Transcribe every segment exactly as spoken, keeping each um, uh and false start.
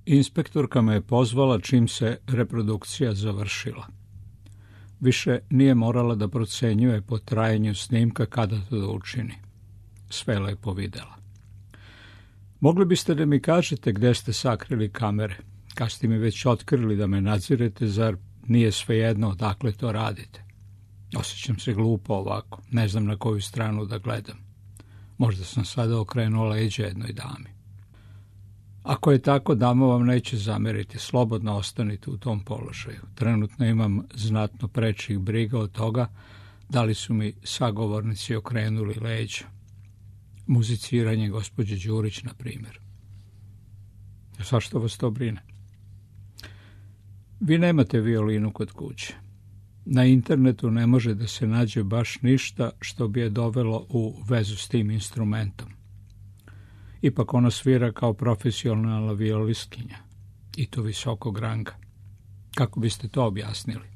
Inspektorka me je pozvala čim se reprodukcija završila. Više nije morala da procenjuje po trajanju snimka kada to da učini. Sve lepo videla. Mogli biste da mi kažete gde ste sakrili kamere? Kad ste mi već otkrili da me nadzirete, zar nije svejedno odakle to radite? Osjećam se glupo ovako, ne znam na koju stranu da gledam. Možda sam sada okrenuo leđa jednoj dami. Ako je tako, dama vam neće zameriti, slobodno ostanite u tom položaju. Trenutno imam znatno prečih briga od toga da li su mi sagovornici okrenuli leđa. Muziciranje gospođe Đurić, na primjer. Zašto vas to brine? Vi nemate violinu kod kuće. Na internetu ne može da se nađe baš ništa što bi je dovelo u vezu s tim instrumentom. Ipak ona svira kao profesionalna violistkinja, i to visokog ranga. Kako biste to objasnili?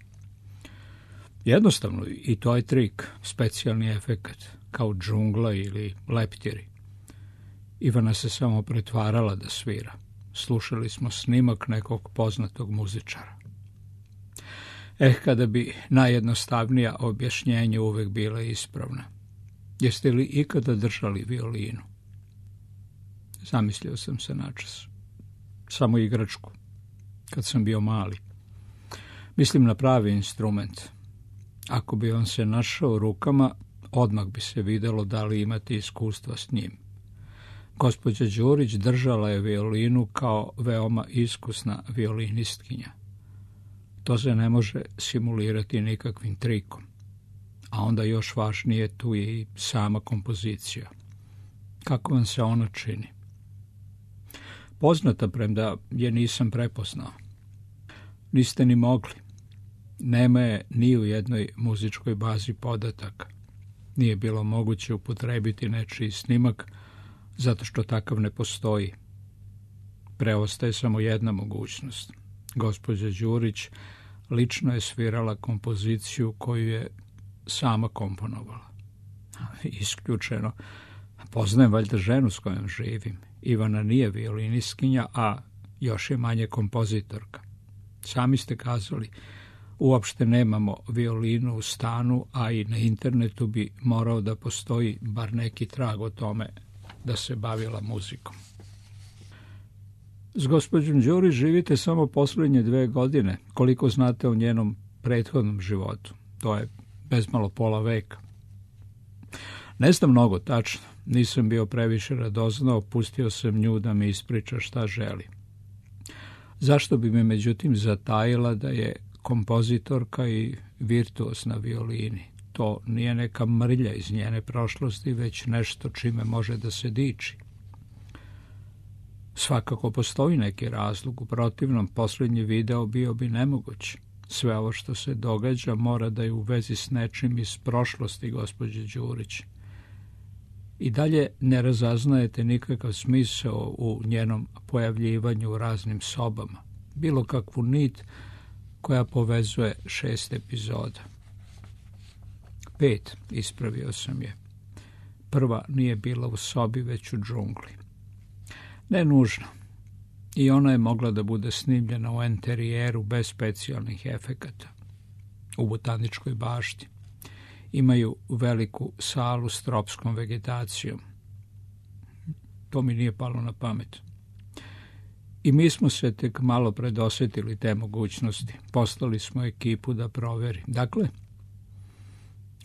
Jednostavno, i to je trik, specijalni efekat, kao džungla ili leptiri. Ivana se samo pretvarala da svira. Slušali smo snimak nekog poznatog muzičara. Eh, kada bi najjednostavnija objašnjenja uvek bila ispravna. Jeste li ikada držali violinu? Zamislio sam se načas. Samo igračku, kad sam bio mali. Mislim na pravi instrument. Ako bi on se našao u rukama, odmah bi se videlo da li imate iskustva s njim. Gospođa Đurić držala je violinu kao veoma iskusna violinistkinja. To se ne može simulirati nikakvim trikom. A onda još važnije, tu je i sama kompozicija. Kako vam se ona čini? Poznata, premda je nisam prepoznao. Niste ni mogli. Nema je ni u jednoj muzičkoj bazi podataka. Nije bilo moguće upotrebiti nečiji snimak, zato što takav ne postoji. Preostaje samo jedna mogućnost. Gospođa Đurić lično je svirala kompoziciju koju je sama komponovala. Isključeno. Poznajem valjda ženu s kojom živim. Ivana nije violinistkinja, a još je manje kompozitorka. Sami ste kazali, uopšte nemamo violinu u stanu, a i na internetu bi morao da postoji bar neki trag o tome da se bavila muzikom. S gospođom Đurić živite samo posljednje dve godine. Koliko znate o njenom prethodnom životu? To je bezmalo pola veka. Ne znam mnogo tačno. Nisam bio previše radoznao, pustio sam nju da mi ispriča šta želi. Zašto bi me međutim zatajila da je kompozitorka i virtuos na violini? To nije neka mrlja iz njene prošlosti, već nešto čime može da se diči. Svakako postoji neki razlog, u protivnom posljednji video bio bi nemoguć. Sve ovo što se događa mora da je u vezi s nečim iz prošlosti gospođe Đurić. I dalje ne razaznajete nikakav smisao u njenom pojavljivanju u raznim sobama, bilo kakvu nit koja povezuje šest epizoda. Pet, ispravio sam je. Prva nije bila u sobi, već u džungli. Ne nužno. I ona je mogla da bude snimljena u enterijeru bez specijalnih efekata. U botaničkoj bašti. Imaju veliku salu s tropskom vegetacijom. To mi nije palo na pamet. I mi smo se tek malo predosjetili te mogućnosti. Poslali smo ekipu da proveri. Dakle,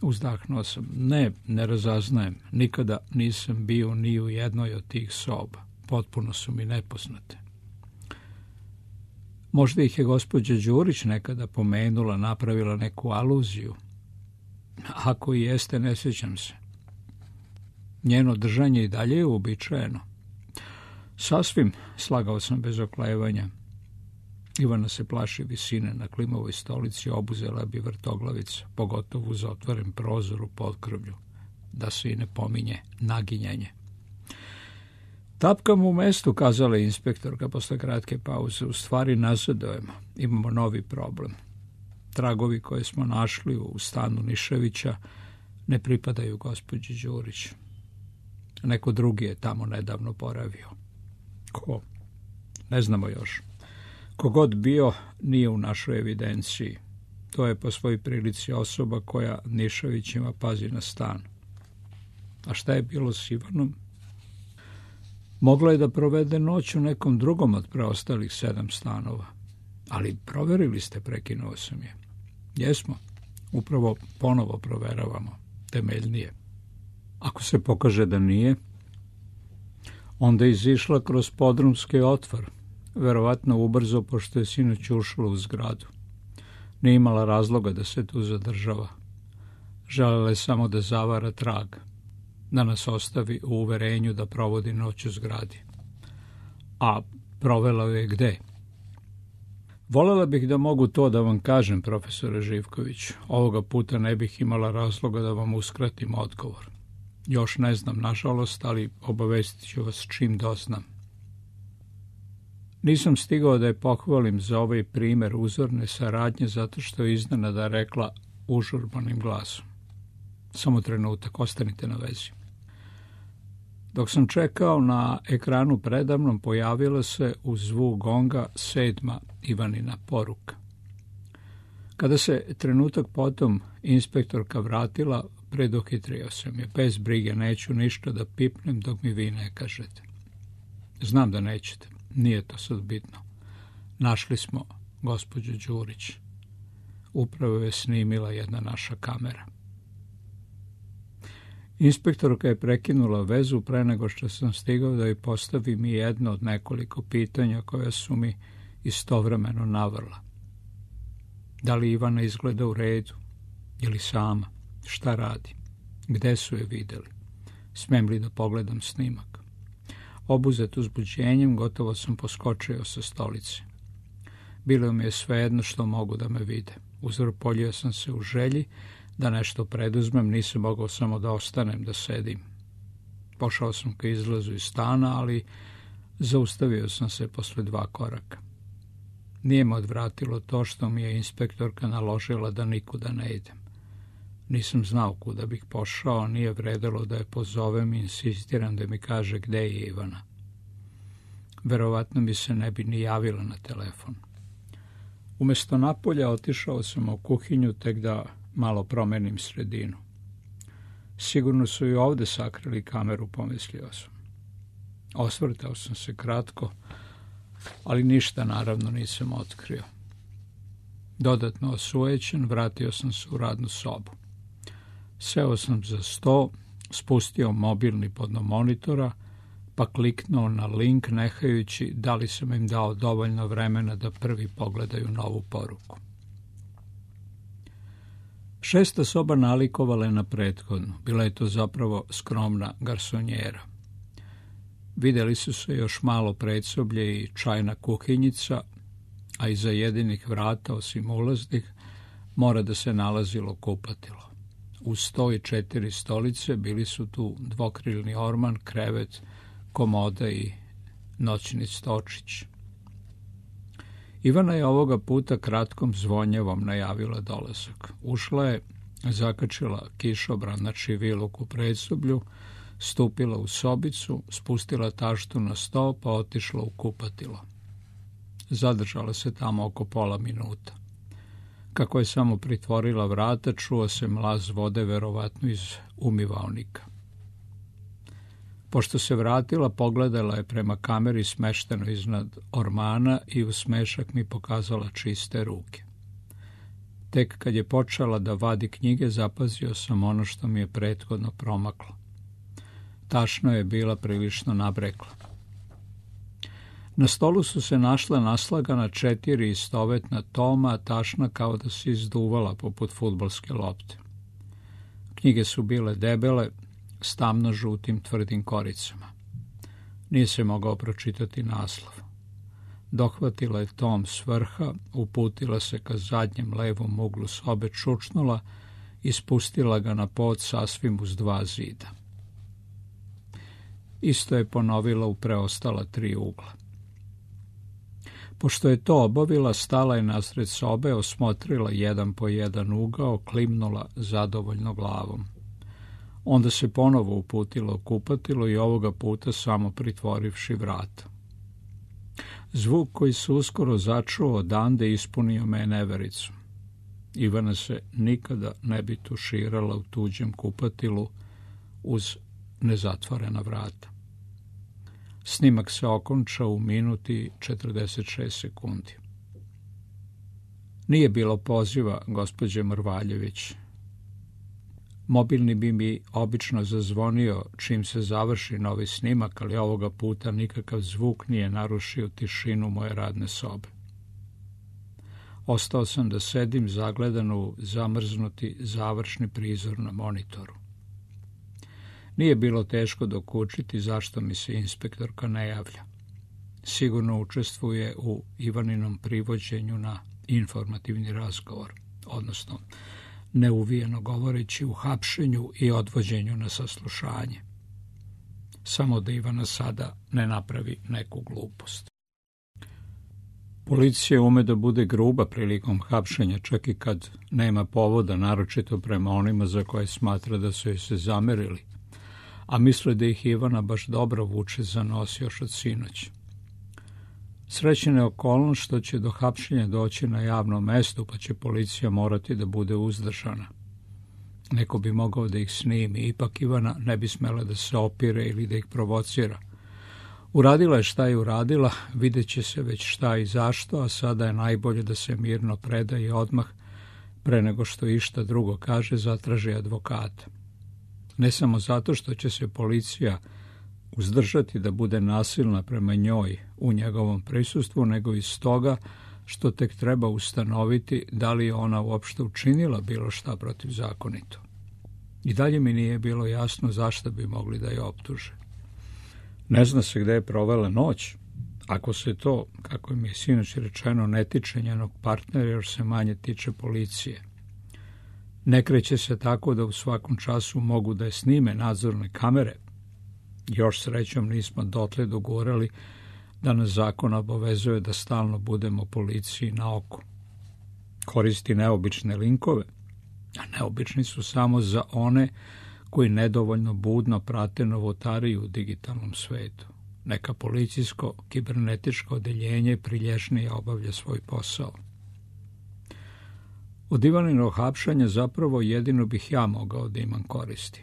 uzdahnuo sam. Ne, ne razaznajem. Nikada nisam bio ni u jednoj od tih soba. Potpuno su mi nepoznate. Možda ih je gospođa Đurić nekada pomenula, napravila neku aluziju. Ako i jeste, ne sjećam se. Njeno držanje i dalje je uobičajeno. Sasvim, slagao sam bez oklevanja. Ivana se plaši visine, na klimovoj stolici obuzela bi vrtoglavica, pogotovo uz otvoren prozor u potkrvlju, da se i ne pominje naginjanje. Tapkam u mestu, kazala je inspektorka posle kratke pauze. U stvari nazadujemo, imamo novi problem. Tragovi koje smo našli u stanu Niševića ne pripadaju gospođi Đurić. Neko drugi je tamo nedavno boravio. Ko? Ne znamo još. Kogod bio, nije u našoj evidenciji. To je po svoj prilici osoba koja Nišavićima pazi na stan. A šta je bilo s Ivanom? Mogla je da provede noć u nekom drugom od preostalih sedam stanova. Ali proverili ste, prekinuo sam je. Jesmo. Upravo ponovo proveravamo. Temeljnije. Ako se pokaže da nije, onda je izišla kroz podrumski otvor, verovatno ubrzo, pošto je sinoć ušla u zgradu. Nije imala razloga da se tu zadržava. Želela je samo da zavara trag, da nas ostavi u uverenju da provodi noć u zgradi. A provela je gde? Volela bih da mogu to da vam kažem, profesore Živković. Ovoga puta ne bih imala razloga da vam uskratim odgovor. Još ne znam, nažalost, ali obavestit ću vas čim doznam. Nisam stigao da je pohvalim za ovaj primer uzorne saradnje zato što je iznenada rekla užurbanim glasom. Samo trenutak, ostanite na vezi. Dok sam čekao, na ekranu predamnom pojavila se uz zvuk gonga sedma Ivanina poruka. Kada se trenutak potom inspektorka vratila, preduhitrio sam je. Bez brige, neću ništa da pipnem dok mi vi ne kažete. Znam da nećete, nije to sad bitno. Našli smo gospođu Đurić. Upravo je snimila jedna naša kamera. Inspektorka je prekinula vezu pre nego što sam stigao da joj postavim i jedno od nekoliko pitanja koja su mi istovremeno navrla. Da li Ivana izgleda u redu? Je li sama? Šta radi? Gde su je videli? Smem li da pogledam snimak? Obuzet uzbuđenjem, gotovo sam poskočio sa stolice. Bilo mi je svejedno što mogu da me vide. Uzvrpoljio sam se u želji da nešto preduzmem, nisam mogao samo da ostanem, da sedim. Pošao sam ka izlazu iz stana, ali zaustavio sam se posle dva koraka. Nije me odvratilo to što mi je inspektorka naložila da nikuda ne idem. Nisam znao kuda bih pošao, nije vredelo da je pozovem i insistiram da mi kaže gde je Ivana. Verovatno mi se ne bi ni javila na telefon. Umesto napolja otišao sam u kuhinju tek da malo promenim sredinu. Sigurno su i ovde sakrili kameru, pomislio sam. Osvrtao sam se kratko, ali ništa naravno nisam otkrio. Dodatno osujećen, vratio sam se u radnu sobu. Seo sam za sto, spustio mobilni podno monitora, pa kliknuo na link nehajući da li sam im dao dovoljno vremena da prvi pogledaju novu poruku. Šesta soba nalikovala je na prethodnu. Bila je to zapravo skromna garsonjera. Videli su se još malo predsoblje i čajna kuhinjica, a iza jedinih vrata, osim ulaznih, mora da se nalazilo kupatilo. Uz sto i četiri stolice bili su tu dvokrilni orman, krevet, komoda i noćni stočić. Ivana je ovoga puta kratkom zvonjevom najavila dolazak. Ušla je, zakačila kišobran na čiviluk u predsoblju, stupila u sobicu, spustila taštu na sto, pa otišla u kupatilo. Zadržala se tamo oko pola minuta. Kako je samo pritvorila vrata, čuo se mlaz vode, verovatno iz umivaonika. Pošto se vratila, pogledala je prema kameri smešteno iznad ormana i u smešak mi pokazala čiste ruke. Tek kad je počela da vadi knjige, zapazio sam ono što mi je prethodno promaklo. Tašno je bila prilično nabrekla. Na stolu su se našla naslagana četiri istovetna toma, tašna kao da se izduvala poput fudbalske lopte. Knjige su bile debele, s tamno-žutim tvrdim koricama. Nije se mogao pročitati naslov. Dohvatila je tom s vrha, uputila se ka zadnjem levom uglu sobe, čučnula i spustila ga na pod sasvim uz dva zida. Isto je ponovila u preostala tri ugla. Pošto je to obavila, stala je nasred sobe, osmotrila jedan po jedan ugao, klimnula zadovoljno glavom. Onda se ponovo uputila u kupatilo i ovoga puta samo pritvorivši vrata. Zvuk koji se uskoro začuo odande ispunio me nevericu. Ivana se nikada ne bi tuširala u tuđem kupatilu uz nezatvorena vrata. Snimak se okončao u minuti četrdeset šest sekundi. Nije bilo poziva gospođe Mrvaljević. Mobilni bi mi obično zazvonio čim se završi novi snimak, ali ovoga puta nikakav zvuk nije narušio tišinu moje radne sobe. Ostao sam da sedim zagledan u zamrznuti završni prizor na monitoru. Nije bilo teško dokučiti zašto mi se inspektorka ne javlja. Sigurno učestvuje u Ivaninom privođenju na informativni razgovor, odnosno neuvijeno govoreći u hapšenju i odvođenju na saslušanje. Samo da Ivana sada ne napravi neku glupost. Policija ume da bude gruba prilikom hapšenja, čak i kad nema povoda, naročito prema onima za koje smatra da su joj se zamerili, a misle da ih Ivana baš dobro vuče za nos još od sinoć. Srećna je okolnost što će do hapšenja doći na javnom mestu, pa će policija morati da bude uzdržana. Neko bi mogao da ih snimi, ipak Ivana ne bi smela da se opire ili da ih provocira. Uradila je šta je uradila, vidjet će se već šta i zašto, a sada je najbolje da se mirno preda i odmah, pre nego što išta drugo kaže, zatraži advokata. Ne samo zato što će se policija uzdržati da bude nasilna prema njoj u njegovom prisustvu, nego i stoga što tek treba ustanoviti da li je ona uopšte učinila bilo šta protivzakonito. I dalje mi nije bilo jasno zašto bi mogli da je optuže. Ne zna se gde je provela noć. Ako se to, kako mi je sinoć rečeno, ne tiče njenog partnera, još se manje tiče policije. Ne kreće se tako da u svakom času mogu da je snime nadzorne kamere. Još srećom nismo dotle dogurali da nas zakon obavezuje da stalno budemo policiji na oko. Koristi neobične linkove, a neobični su samo za one koji nedovoljno budno prate novotariju u digitalnom svetu. Neka policijsko kibernetičko odeljenje prilješnije obavlja svoj posao. Od Ivaninog hapšanja zapravo jedino bih ja mogao da imam koristi.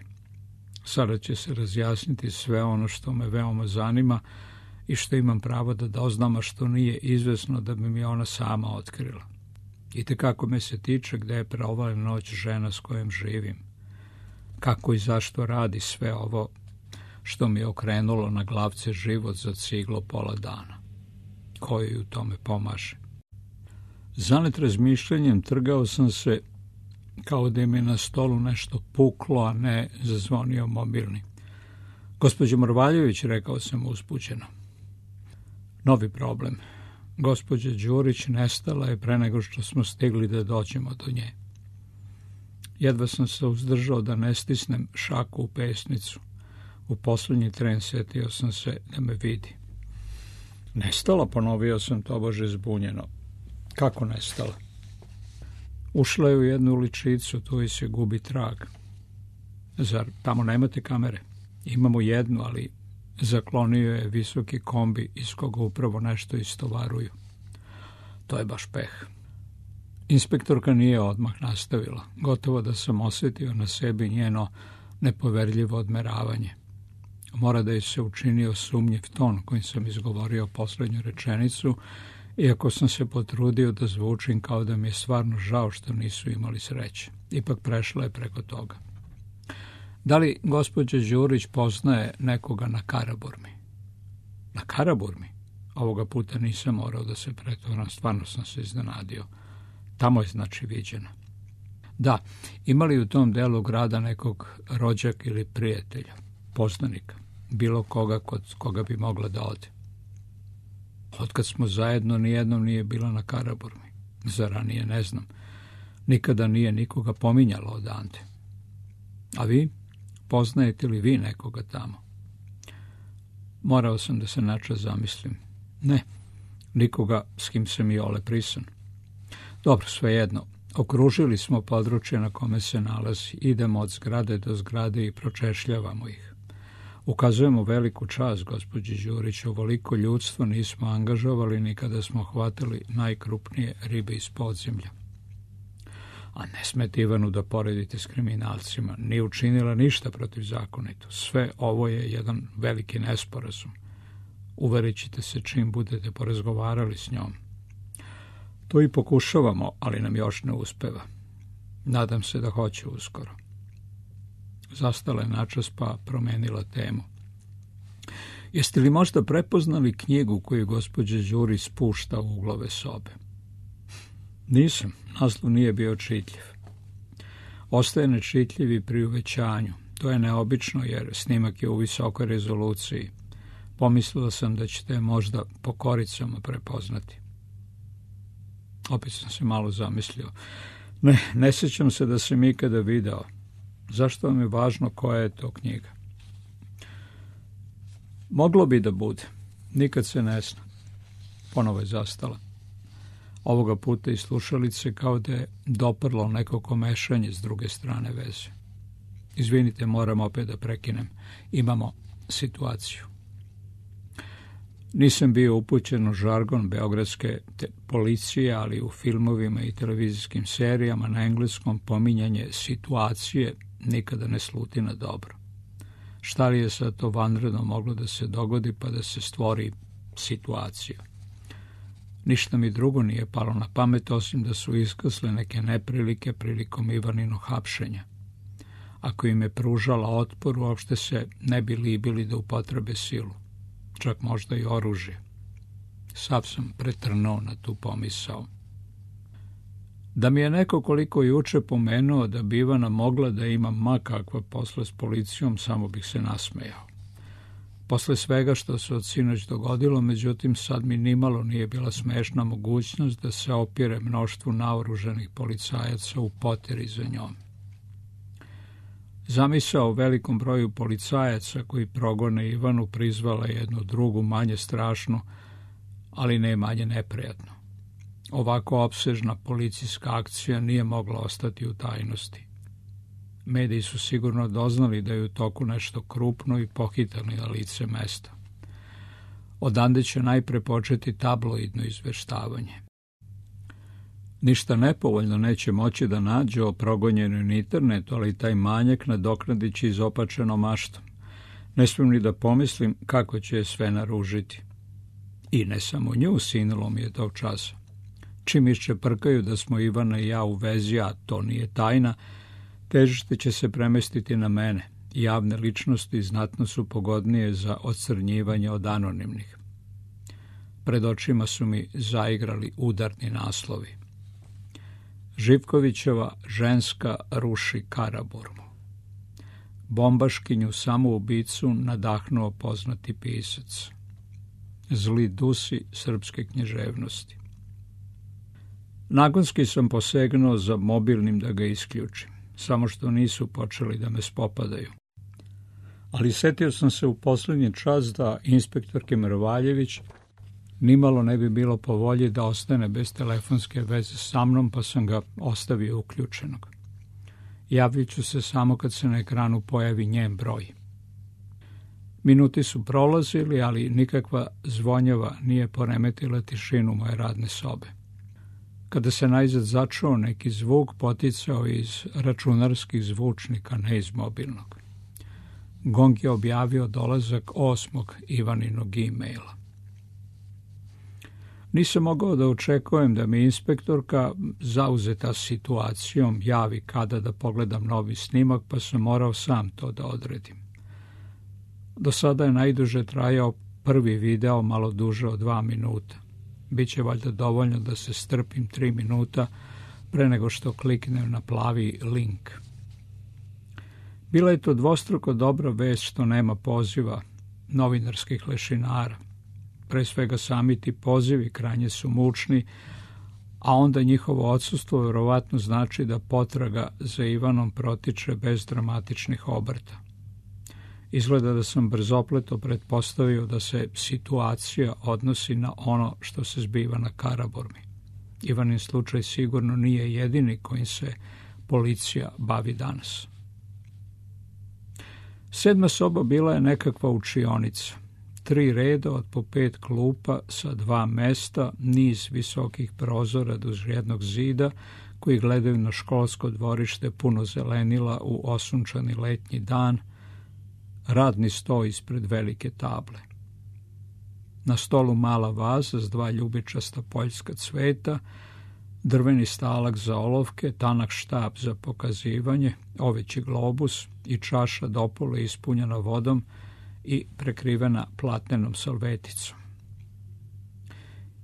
Sada će se razjasniti sve ono što me veoma zanima i što imam pravo da doznam, a što nije izvesno da bi mi ona sama otkrila. I tekako me se tiče gde je provela noć žena s kojom živim. Kako i zašto radi sve ovo što mi je okrenulo na glavce život za ciglo pola dana. Ko joj u tome pomaže? Zanet razmišljanjem trgao sam se kao da mi je na stolu nešto puklo, a ne zazvonio mobilni. Gospođo Mrvaljević, rekao sam uzbuđeno. Novi problem. Gospođa Đurić nestala je pre nego što smo stigli da dođemo do nje. Jedva sam se uzdržao da ne stisnem šaku u pesnicu. U poslednji tren setio sam se da me vidi. Nestala, ponovio sam tobože zbunjeno. Kako nestala? Ušla je u jednu uličicu, tu i se gubi trag. Zar tamo nemate kamere? Imamo jednu, ali zaklonio je visoki kombi iz koga upravo nešto istovaruju. To je baš peh. Inspektorka nije odmah nastavila. Gotovo da sam osjetio na sebi njeno nepoverljivo odmeravanje. Mora da je se učinio sumnjiv ton kojim sam izgovorio poslednju rečenicu, iako sam se potrudio da zvučim kao da mi je stvarno žao što nisu imali sreće. Ipak prešla je preko toga. Da li gospođa Đurić poznaje nekoga na Karaburmi? Na Karaburmi? Ovoga puta nisam morao da se pretvaram, stvarno sam se iznenadio. Tamo je znači viđena. Da, imali u tom delu grada nekog rođaka ili prijatelja, poznanika, bilo koga kod koga bi mogla da ode. Otkad smo zajedno, nijednom nije bila na Karaburmi. Za ranije ne znam. Nikada nije nikoga pominjala odande. A vi? Poznajete li vi nekoga tamo? Morao sam da se načas zamislim. Ne, nikoga s kim sam i ole prisan. Dobro, svejedno. Okružili smo područje na kome se nalazi. Idemo od zgrade do zgrade i pročešljavamo ih. Ukazujemo veliku čast, gospođi Đurić, ovoliko ljudstvo nismo angažovali ni kada smo hvatali najkrupnije ribe iz podzemlja. A ne smete Ivanu da poredite s kriminalcima, nije učinila ništa protivzakonito. Sve ovo je jedan veliki nesporazum. Uverit ćete se čim budete porazgovarali s njom. To i pokušavamo, ali nam još ne uspeva. Nadam se da hoće uskoro. Zastala je načas pa promenila temu. Jeste li možda prepoznali knjigu koju gospođa Đurić spušta u uglove sobe? Nisam, naslov nije bio čitljiv. Ostaje nečitljiv i pri uvećanju. To je neobično jer snimak je u visokoj rezoluciji. Pomislila sam da ćete je možda po koricama prepoznati. Opet sam se malo zamislio. Ne, ne sjećam se da sam ikada video. Zašto vam je važno koja je to knjiga? Moglo bi da bude. Nikad se ne zna. Ponovo je zastala. Ovoga puta iz slušalice kao da je doprlo neko komešanje s druge strane veze. Izvinite, moram opet da prekinem. Imamo situaciju. Nisam bio upućen u žargon beogradske policije, ali u filmovima i televizijskim serijama na engleskom pominjanje situacije nikada ne sluti na dobro. Šta li je sad to vanredno moglo da se dogodi pa da se stvori situacija? Ništa mi drugo nije palo na pamet, osim da su iskasle neke neprilike prilikom Ivaninog hapšenja. Ako im je pružala otpor, uopšte se ne bi libili da upotrebe silu. Čak možda i oružje. Sav sam pretrnuo na tu pomisao. Da mi je neko koliko juče pomenuo da bi Ivana mogla da ima ma kakva posla s policijom, samo bih se nasmejao. Posle svega što se od sinoć dogodilo, međutim, sad mi nimalo nije bila smešna mogućnost da se opire mnoštvu naoružanih policajaca u poteri za njom. Zamisao o velikom broju policajaca koji progone Ivanu prizvala jednu drugu, manje strašnu, ali ne manje neprijatno. Ovako opsežna policijska akcija nije mogla ostati u tajnosti. Mediji su sigurno doznali da je u toku nešto krupno i pohitali na lice mesta. Odande će najpre početi tabloidno izveštavanje. Ništa nepovoljno neće moći da nađe o progonjenoj na internetu, ali taj manjak nadoknadit će izopačenom maštom. Ne smijem ni da pomislim kako će je sve naružiti. I ne samo nju, sinulo mi je tog časa. Čim iščeprkaju da smo Ivana i ja u vezi, a to nije tajna, težište će se premestiti na mene. Javne ličnosti znatno su pogodnije za ocrnjivanje od anonimnih. Pred očima su mi zaigrali udarni naslovi. Živkovićeva ženska ruši Karaburmu. Bombaškinju samoubicu nadahnuo poznati pisac. Zli dusi srpske književnosti. Nagonski sam posegnuo za mobilnim da ga isključim, samo što nisu počeli da me spopadaju. Ali setio sam se u posljednji čas da inspektorke Mrvaljević nimalo ne bi bilo po volji da ostane bez telefonske veze sa mnom, pa sam ga ostavio uključenog. Javit ću se samo kad se na ekranu pojavi njen broj. Minuti su prolazili, ali nikakva zvonjava nije poremetila tišinu moje radne sobe. Kada se najzad začuo neki zvuk, poticao iz računarskih zvučnika, ne iz mobilnog. Gong je objavio dolazak osmog Ivaninog e-maila. Nisam mogao da očekujem da mi inspektorka, zauzeta situacijom, javi kada da pogledam novi snimak, pa sam morao sam to da odredim. Do sada je najduže trajao prvi video, malo duže od dva minuta. Biće valjda dovoljno da se strpim tri minuta pre nego što kliknem na plavi link. Bila je to dvostruko dobra vest što nema poziva novinarskih lešinara. Pre svega sami ti pozivi krajnje su mučni, a onda njihovo odsustvo verovatno znači da potraga za Ivanom protiče bez dramatičnih obrta. Izgleda da sam brzopleto pretpostavio da se situacija odnosi na ono što se zbiva na Karaburmi. Ivanin slučaj sigurno nije jedini kojim se policija bavi danas. Sedma soba bila je nekakva učionica. Tri reda od po pet klupa sa dva mesta, niz visokih prozora duž jednog zida koji gledaju na školsko dvorište puno zelenila u osunčani letnji dan, radni sto ispred velike table. Na stolu mala vaza s dva ljubičasta poljska cveta, drveni stalak za olovke, tanak štap za pokazivanje, oveći globus i čaša dopolo ispunjena vodom i prekrivena platnenom salveticom.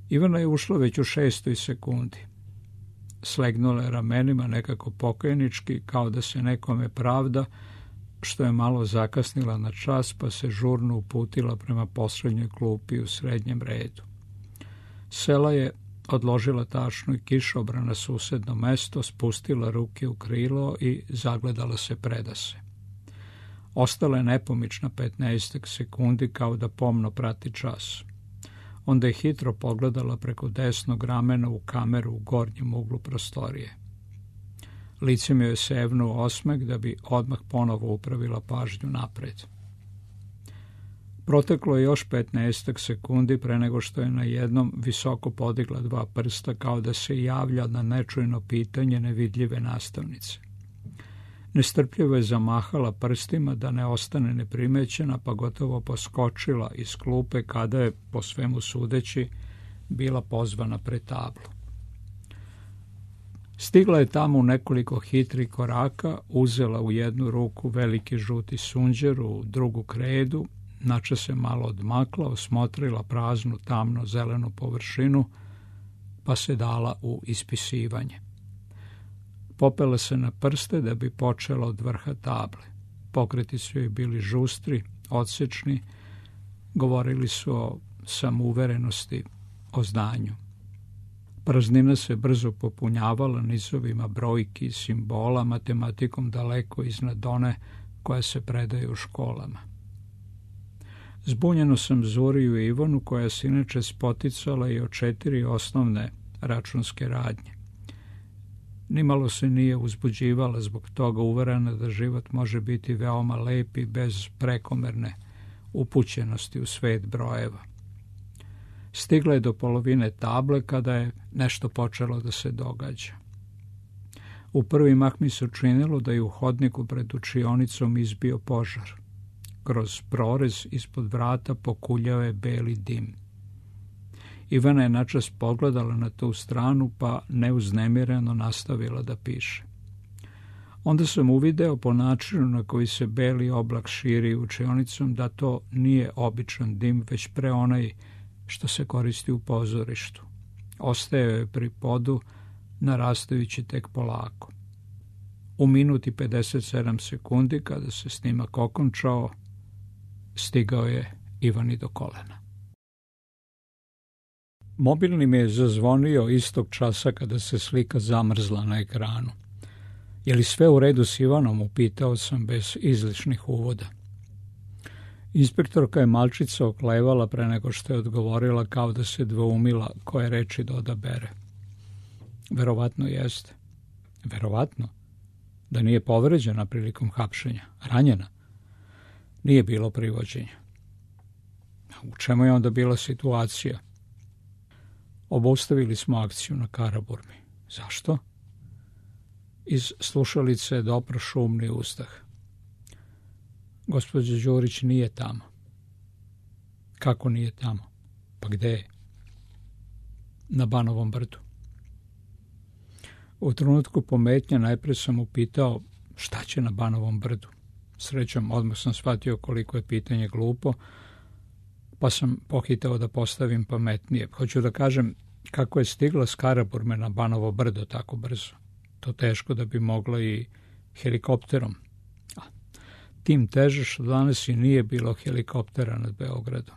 Ivana je ušla već u šestoj sekundi. Slegnula je ramenima nekako pokajnički, kao da se nekome pravda, što je malo zakasnila na čas, pa se žurno uputila prema poslednjoj klupi u srednjem redu. Sela je, odložila tašnu i kišobran na susedno mesto, spustila ruke u krilo i zagledala se predase. Ostala je nepomična petnaestak sekundi, kao da pomno prati čas. Onda je hitro pogledala preko desnog ramena u kameru u gornjem uglu prostorije. Lice mi joj sevnuo osmeh da bi odmah ponovo upravila pažnju napred. Proteklo je još petnaestak sekundi pre nego što je na jednom visoko podigla dva prsta, kao da se javlja na nečujno pitanje nevidljive nastavnice. Nestrpljivo je zamahala prstima da ne ostane neprimećena, pa gotovo poskočila iz klupe kada je, po svemu sudeći, bila pozvana pred tablu. Stigla je tamo u nekoliko hitrih koraka, uzela u jednu ruku veliki žuti sunđer, u drugu kredu, načas se malo odmakla, osmotrila praznu tamno zelenu površinu, pa se dala u ispisivanje. Popela se na prste da bi počela od vrha table. Pokreti su joj bili žustri, odsečni, govorili su o samouverenosti, o znanju. Praznina se brzo popunjavala nizovima brojki i simbola, matematikom daleko iznad one koja se predaje u školama. Zbunjeno sam Zuriju i Ivanu, koja se inače spoticala i o četiri osnovne računske radnje. Nimalo se nije uzbuđivala zbog toga, uverena da život može biti veoma lep i bez prekomerne upućenosti u svet brojeva. Stigla je do polovine table kada je nešto počelo da se događa. U prvi mah mi se učinilo da je u hodniku pred učionicom izbio požar. Kroz prorez ispod vrata pokuljao je beli dim. Ivana je načas pogledala na tu stranu, pa neuznemireno nastavila da piše. Onda sam uvideo po načinu na koji se beli oblak širi učionicom da to nije običan dim, već pre onaj što se koristi u pozorištu. Ostajao je pri podu, narastajući tek polako. U minuti pedeset sedam sekundi, kada se snimak okončao, stigao je Ivani do kolena. Mobilni mi je zazvonio istog časa kada se slika zamrzla na ekranu. Je li sve u redu s Ivanom, upitao sam bez izličnih uvoda. Inspektorka je malčica oklevala pre nego što je odgovorila, kao da se dvoumila koje reči da odabere. Verovatno jeste. Verovatno? Da nije povređena prilikom hapšenja? Ranjena? Nije bilo privođenja. U čemu je onda bila situacija? Obustavili smo akciju na Karaburmi. Zašto? Iz slušalice je dopro šumni uzdah. Gospođa Đurić nije tamo. Kako nije tamo? Pa gde je? Na Banovom brdu. U trenutku pometnja najpre sam upitao šta će na Banovom brdu. Srećom, odmah sam shvatio koliko je pitanje glupo, pa sam pohitao da postavim pametnije. Hoću da kažem kako je stigla s Karaburme na Banovo brdo tako brzo. To teško da bi mogla i helikopterom. A, tim teže što danas i nije bilo helikoptera nad Beogradom.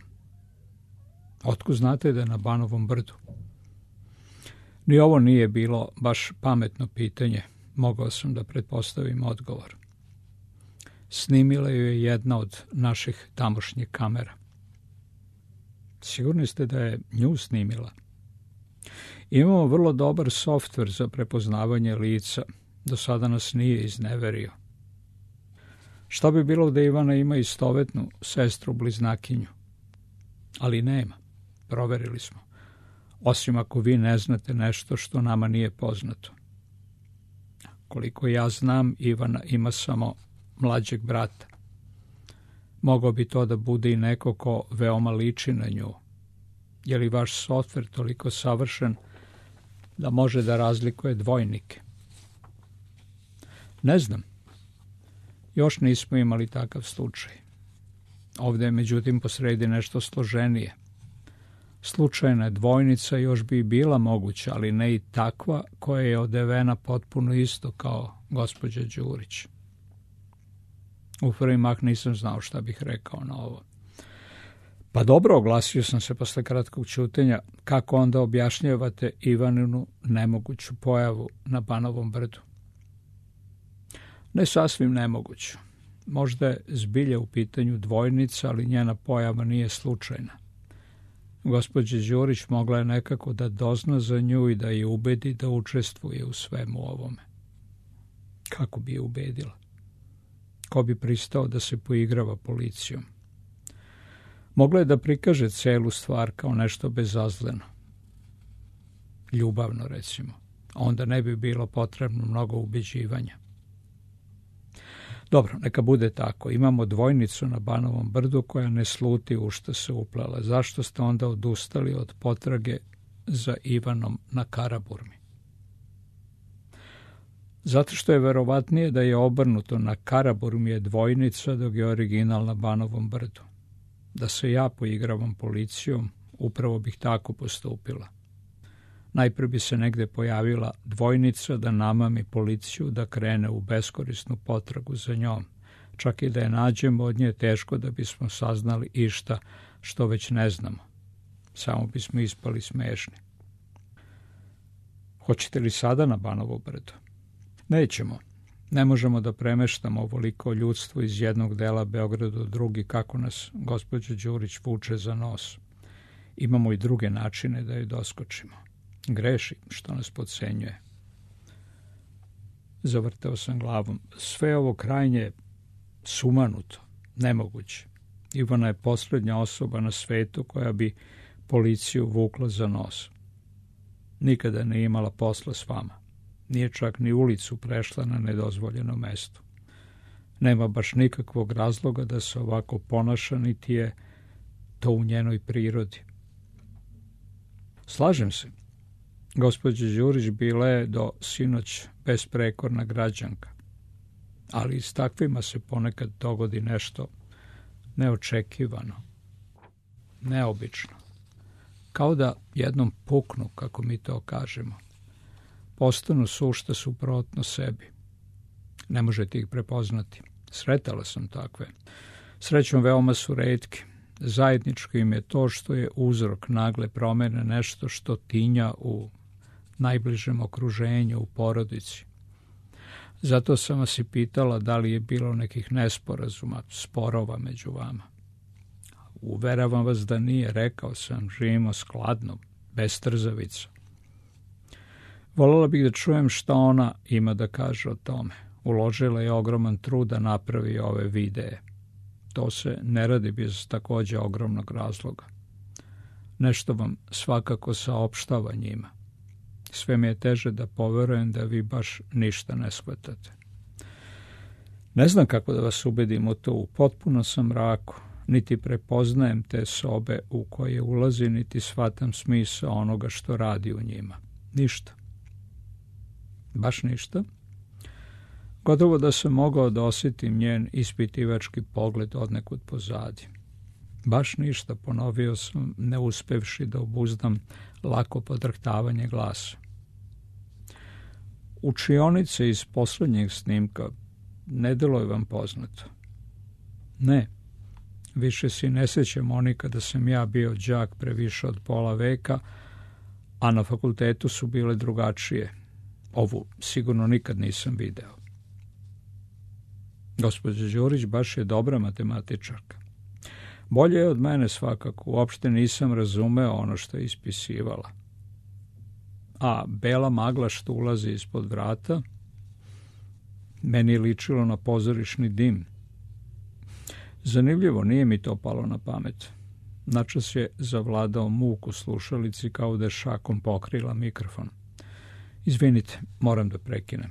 Otkud znate da je na Banovom brdu? Ni ovo nije bilo baš pametno pitanje. Mogao sam da pretpostavim odgovor. Snimila ju je jedna od naših tamošnjih kamera. Sigurni ste da je nju snimila? Imamo vrlo dobar softver za prepoznavanje lica. Do sada nas nije izneverio. Šta bi bilo da Ivana ima istovetnu sestru bliznakinju? Ali nema. Proverili smo. Osim ako vi ne znate nešto što nama nije poznato. Koliko ja znam, Ivana ima samo mlađeg brata. Mogao bi to da bude i neko ko veoma liči na nju. Je li vaš softver toliko savršen da može da razlikuje dvojnike? Ne znam. Još nismo imali takav slučaj. Ovdje je međutim posredi nešto složenije. Slučajna dvojnica još bi bila moguća, ali ne i takva koja je odevena potpuno isto kao gospođa Đurić. U prvi mah nisam znao šta bih rekao na ovo. Pa dobro, oglasio sam se posle kratkog ćutenja, kako onda objašnjavate Ivaninu nemoguću pojavu na Banovom brdu? Ne sasvim nemoguću. Možda je zbilja u pitanju dvojnica, ali njena pojava nije slučajna. Gospođa Đurić mogla je nekako da dozna za nju i da je ubedi da učestvuje u svemu ovome. Kako bi je ubedila? Ko bi pristao da se poigrava policijom? Mogla je da prikaže celu stvar kao nešto bezazleno. Ljubavno, recimo. Onda ne bi bilo potrebno mnogo ubeđivanja. Dobro, neka bude tako. Imamo dvojnicu na Banovom brdu koja ne sluti u što se uplela. Zašto ste onda odustali od potrage za Ivanom na Karaburmi? Zato što je verovatnije da je obrnuto, na Karaburmi je dvojnica dok je original na Banovom brdu. Da se ja poigravam policijom, upravo bih tako postupila. Najprije bi se negde pojavila dvojnica da namami policiju da krene u beskorisnu potragu za njom. Čak i da je nađemo, od nje teško da bismo saznali išta što već ne znamo. Samo bismo ispali smešni. Hoćete li sada na Banovo brdo? Nećemo. Ne možemo da premeštamo ovoliko ljudstvo iz jednog dela Beograda u drugi, kako nas gospođa Đurić vuče za nos. Imamo i druge načine da joj doskočimo. Greši što nas podcenjuje. Zavrtao sam glavom. Sve ovo krajnje sumanuto, nemoguće. Ivana je posljednja osoba na svetu koja bi policiju vukla za nos. Nikada nije imala posla s vama. Nije čak ni ulicu prešla na nedozvoljeno mesto. Nema baš nikakvog razloga da se ovako ponaša, niti je to u njenoj prirodi. Slažem se. Gospođa Đurić bila je do sinoć besprekorna građanka, ali s takvima se ponekad dogodi nešto neočekivano, neobično. Kao da jednom puknu, kako mi to kažemo. Postanu sušta suprotno sebi. Ne možete ih prepoznati. Sretala sam takve. Srećom veoma su retki. Zajedničko im je to što je uzrok nagle promene nešto što tinja u najbližem okruženju, u porodici. Zato sam vas i pitala da li je bilo nekih nesporazuma, sporova među vama. Uveravam vas da nije, rekao sam, živimo skladno, bez trzavica. Voljela bih da čujem šta ona ima da kaže o tome. Uložila je ogroman trud da napravi ove videe. To se ne radi bez takođe ogromnog razloga. Nešto vam svakako saopštava njima. Sve mi je teže da poverujem da vi baš ništa ne shvatate. Ne znam kako da vas ubedim u to, u potpuno sam mraku, niti prepoznajem te sobe u koje ulazi, niti shvatam smisao onoga što radi u njima. Ništa. Baš ništa. Gotovo da sam mogao da osjetim njen ispitivački pogled odnekud pozadi. Baš ništa, ponovio sam, ne uspevši da obuzdam lako podrhtavanje glasa. Učionice iz poslednjeg snimka ne deluje vam poznato. Ne, više si ne sećam Monika da sam ja bio đak pre više od pola veka, a na fakultetu su bile drugačije. Ovu sigurno nikad nisam video. Gospođa Đurić baš je dobra matematičarka. Bolje je od mene svakako, uopšte nisam razumeo ono što je ispisivala. A bela magla što ulazi ispod vrata, meni je ličilo na pozorišni dim. Zanimljivo, nije mi to palo na pamet. Načas je zavladao muk u slušalici kao da je šakom pokrila mikrofon. Izvinite, moram da prekinem.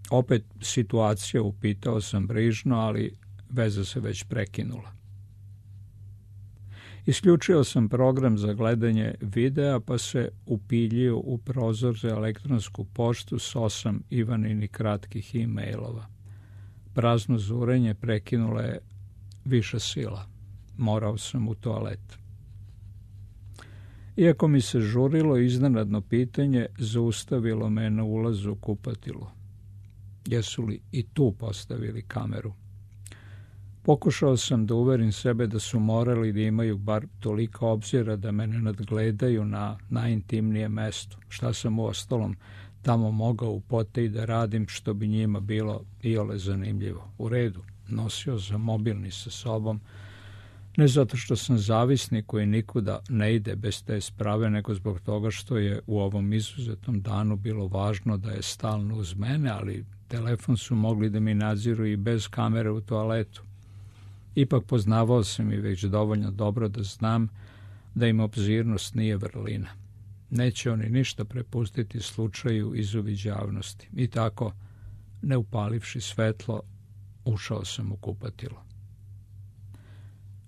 Opet situacija, upitao sam brižno, ali veza se već prekinula. Isključio sam program za gledanje videa, pa se upiljio u prozor za elektronsku poštu s osam Ivaninih kratkih e-mailova. Prazno zurenje prekinula je viša sila. Morao sam u toalet. Iako mi se žurilo, iznenadno pitanje zaustavilo me na ulazu u kupatilu. Jesu li i tu postavili kameru? Pokušao sam da uverim sebe da su morali da imaju bar toliko obzira da me ne nadgledaju na najintimnijem mestu. Šta sam uostalom tamo mogao u poteji da radim što bi njima bilo iole zanimljivo. U redu, nosio sam mobilni sa sobom, ne zato što sam zavisnik koji nikuda ne ide bez te sprave, nego zbog toga što je u ovom izuzetnom danu bilo važno da je stalno uz mene, ali telefon su mogli da mi nadziru i bez kamere u toaletu. Ipak poznavao sam i već dovoljno dobro da znam da im obzirnost nije vrlina. Neće oni ništa prepustiti slučaju izuviđavnosti. I tako, ne upalivši svetlo, ušao sam u kupatilo.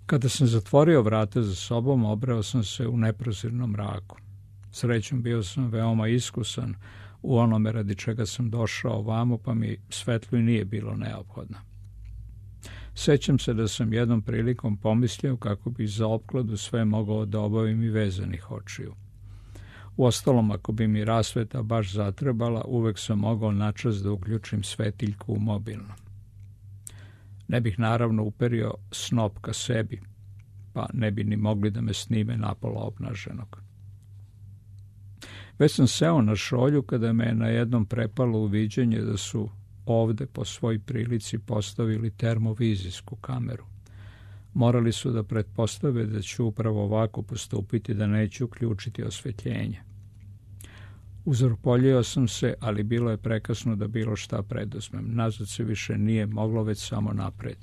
Kada sam zatvorio vrata za sobom, obreo sam se u neprozirnom mraku. Srećom bio sam veoma iskusan u onome radi čega sam došao ovamo, pa mi svetlo i nije bilo neophodno. Sećam se da sam jednom prilikom pomislio kako bi za opkladu sve mogao da obavim i vezanih očiju. Uostalom, ako bi mi rasveta baš zatrebala, uvek sam mogao načas da uključim svetiljku u mobilno. Ne bih naravno uperio snop ka sebi, pa ne bi ni mogli da me snime napola obnaženog. Već sam seo na šolju kada me je na jednom prepalo uviđenje da su ovde po svoj prilici postavili termovizijsku kameru. Morali su da pretpostave da ću upravo ovako postupiti, da neću uključiti osvetljenje. Uzorpoljio sam se, ali bilo je prekasno da bilo šta preduzmem. Nazad se više nije moglo, već samo napred.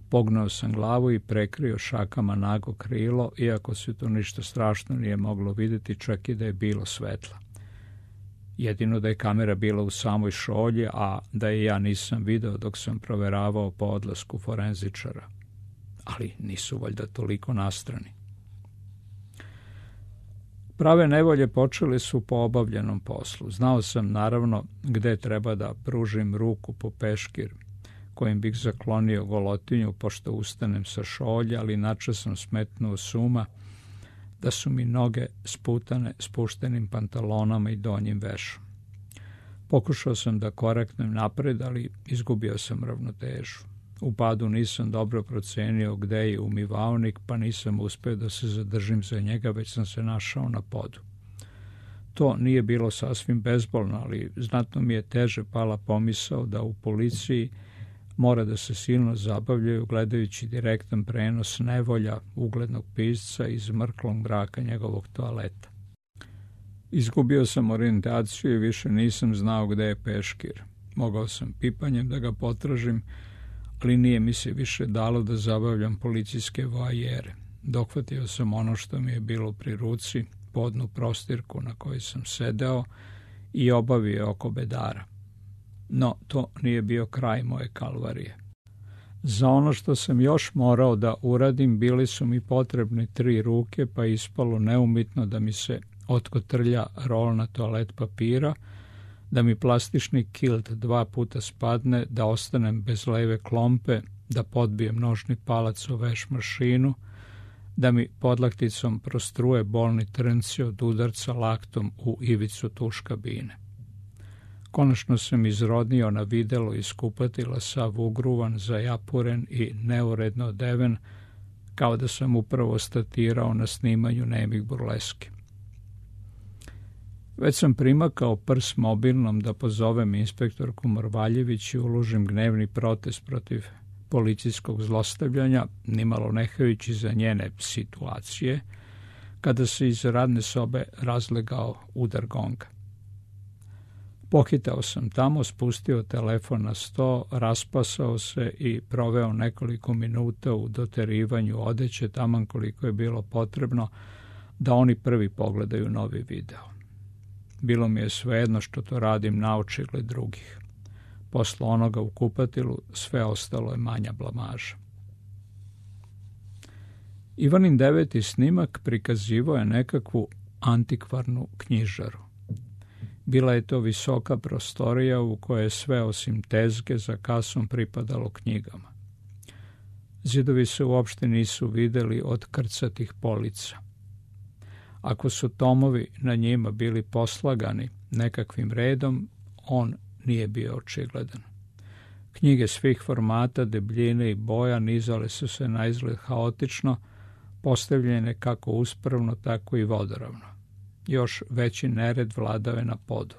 Pognao sam glavu i prekrio šakama nago krilo, iako se to ništa strašno nije moglo vidjeti, čak i da je bilo svetla. Jedino da je kamera bila u samoj šolji, a da je ja nisam video dok sam proveravao po odlasku forenzičara. Ali nisu valjda toliko nastrani. Prave nevolje počele su po obavljenom poslu. Znao sam naravno gde treba da pružim ruku po peškir, kojim bih zaklonio golotinju pošto ustanem sa šolja, ali načas sam smetnuo suma da su mi noge sputane spuštenim pantalonama i donjim vešom. Pokušao sam da koraknem napred, ali izgubio sam ravnotežu. U padu nisam dobro procenio gde je umivaonik, pa nisam uspeo da se zadržim za njega, već sam se našao na podu. To nije bilo sasvim bezbolno, ali znatno mi je teže pala pomisao da u policiji mora da se silno zabavljaju gledajući direktan prenos nevolja uglednog pisca iz mrklog mraka njegovog toaleta. Izgubio sam orijentaciju i više nisam znao gde je peškir. Mogao sam pipanjem da ga potražim, ali nije mi se više dalo da zabavljam policijske voajere. Dohvatio sam ono što mi je bilo pri ruci, podnu prostirku na kojoj sam sedeo i obavio oko bedara. No, to nije bio kraj moje kalvarije. Za ono što sam još morao da uradim, bili su mi potrebne tri ruke, pa ispalo neumitno da mi se otkotrlja rolna toalet papira, da mi plastični kilt dva puta spadne, da ostanem bez leve klompe, da podbijem nožni palac o veš mašinu, da mi podlakticom prostruje bolni trnci od udarca laktom u ivicu tuš kabine. Konačno sam izrodnio na videlo iz kupatila, sav ugruvan, zajapuren i neuredno odeven, kao da sam upravo statirao na snimanju nemih burleski. Već sam primakao prs mobilnom da pozovem inspektorku Morvaljević i uložim gnevni protest protiv policijskog zlostavljanja, nimalo nehajući za njene situacije, kada se iz radne sobe razlegao udar gonga. Pohitao sam tamo, spustio telefon na sto, raspasao se i proveo nekoliko minuta u doterivanju odeće, taman koliko je bilo potrebno da oni prvi pogledaju novi video. Bilo mi je svejedno što to radim naočigled drugih. Posle onoga u kupatilu sve ostalo je manja blamaža. Ivanin deveti snimak prikazivao je nekakvu antikvarnu knjižaru. Bila je to visoka prostorija u kojoj je sve osim tezge za kasom pripadalo knjigama. Zidovi se uopšte nisu videli od krcatih polica. Ako su tomovi na njima bili poslagani nekakvim redom, on nije bio očigledan. Knjige svih formata, debljine i boja nizale su se na izgled haotično, postavljene kako uspravno, tako i vodoravno. Još veći nered vladao je na podu.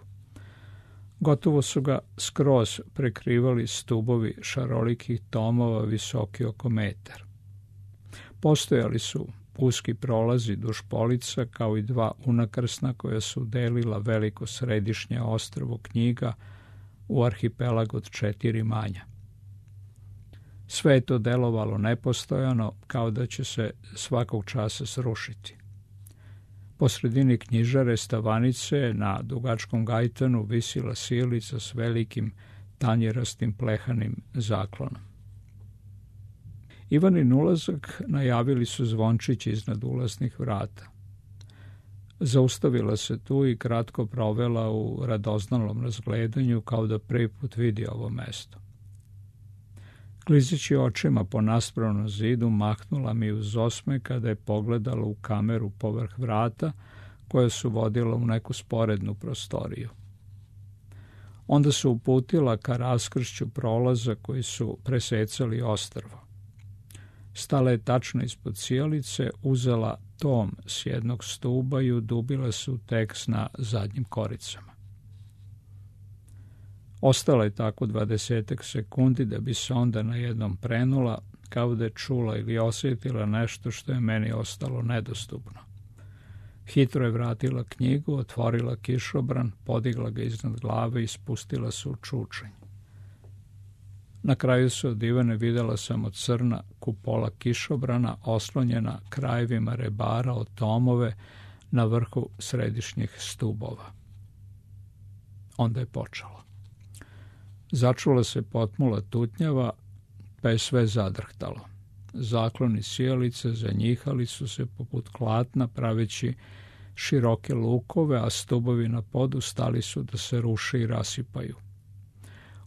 Gotovo su ga skroz prekrivali stubovi šarolikih tomova visoki oko metar. Postojali su uski prolazi duž polica, kao i dva unakrsna koja su delila veliko središnje ostrvo knjiga u arhipelag od četiri manja. Sve je to delovalo nepostojano, kao da će se svakog časa srušiti. Po sredini knjižare stavanice na dugačkom gajtanu visila sijalica s velikim tanjerastim plehanim zaklonom. Ivanin ulazak najavili su zvončići iznad ulaznih vrata. Zaustavila se tu i kratko provela u radoznalom razgledanju, kao da prvi put vidi ovo mesto. Klizeći očima po naspravnom zidu, mahnula mi uz osmeh kada je pogledala u kameru povrh vrata, koja su vodila u neku sporednu prostoriju. Onda se uputila ka raskršću prolaza koji su presecali ostrvo. Stala je tačno ispod sijalice, uzela tom s jednog stuba i udubila se u tekst na zadnjim koricama. Ostala je tako dvadesetak sekundi da bi se onda najednom prenula, kao da je čula ili osjetila nešto što je meni ostalo nedostupno. Hitro je vratila knjigu, otvorila kišobran, podigla ga iznad glave i spustila se u čučanj. Na kraju se od Ivane videla samo crna kupola kišobrana oslonjena krajevima rebara od tomove na vrhu središnjih stubova. Onda je počelo. Začula se potmula tutnjava, pa je sve zadrhtalo. Zakloni sijalice zanjihali su se poput klatna, praveći široke lukove, a stubovi na podu stali su da se ruše i rasipaju.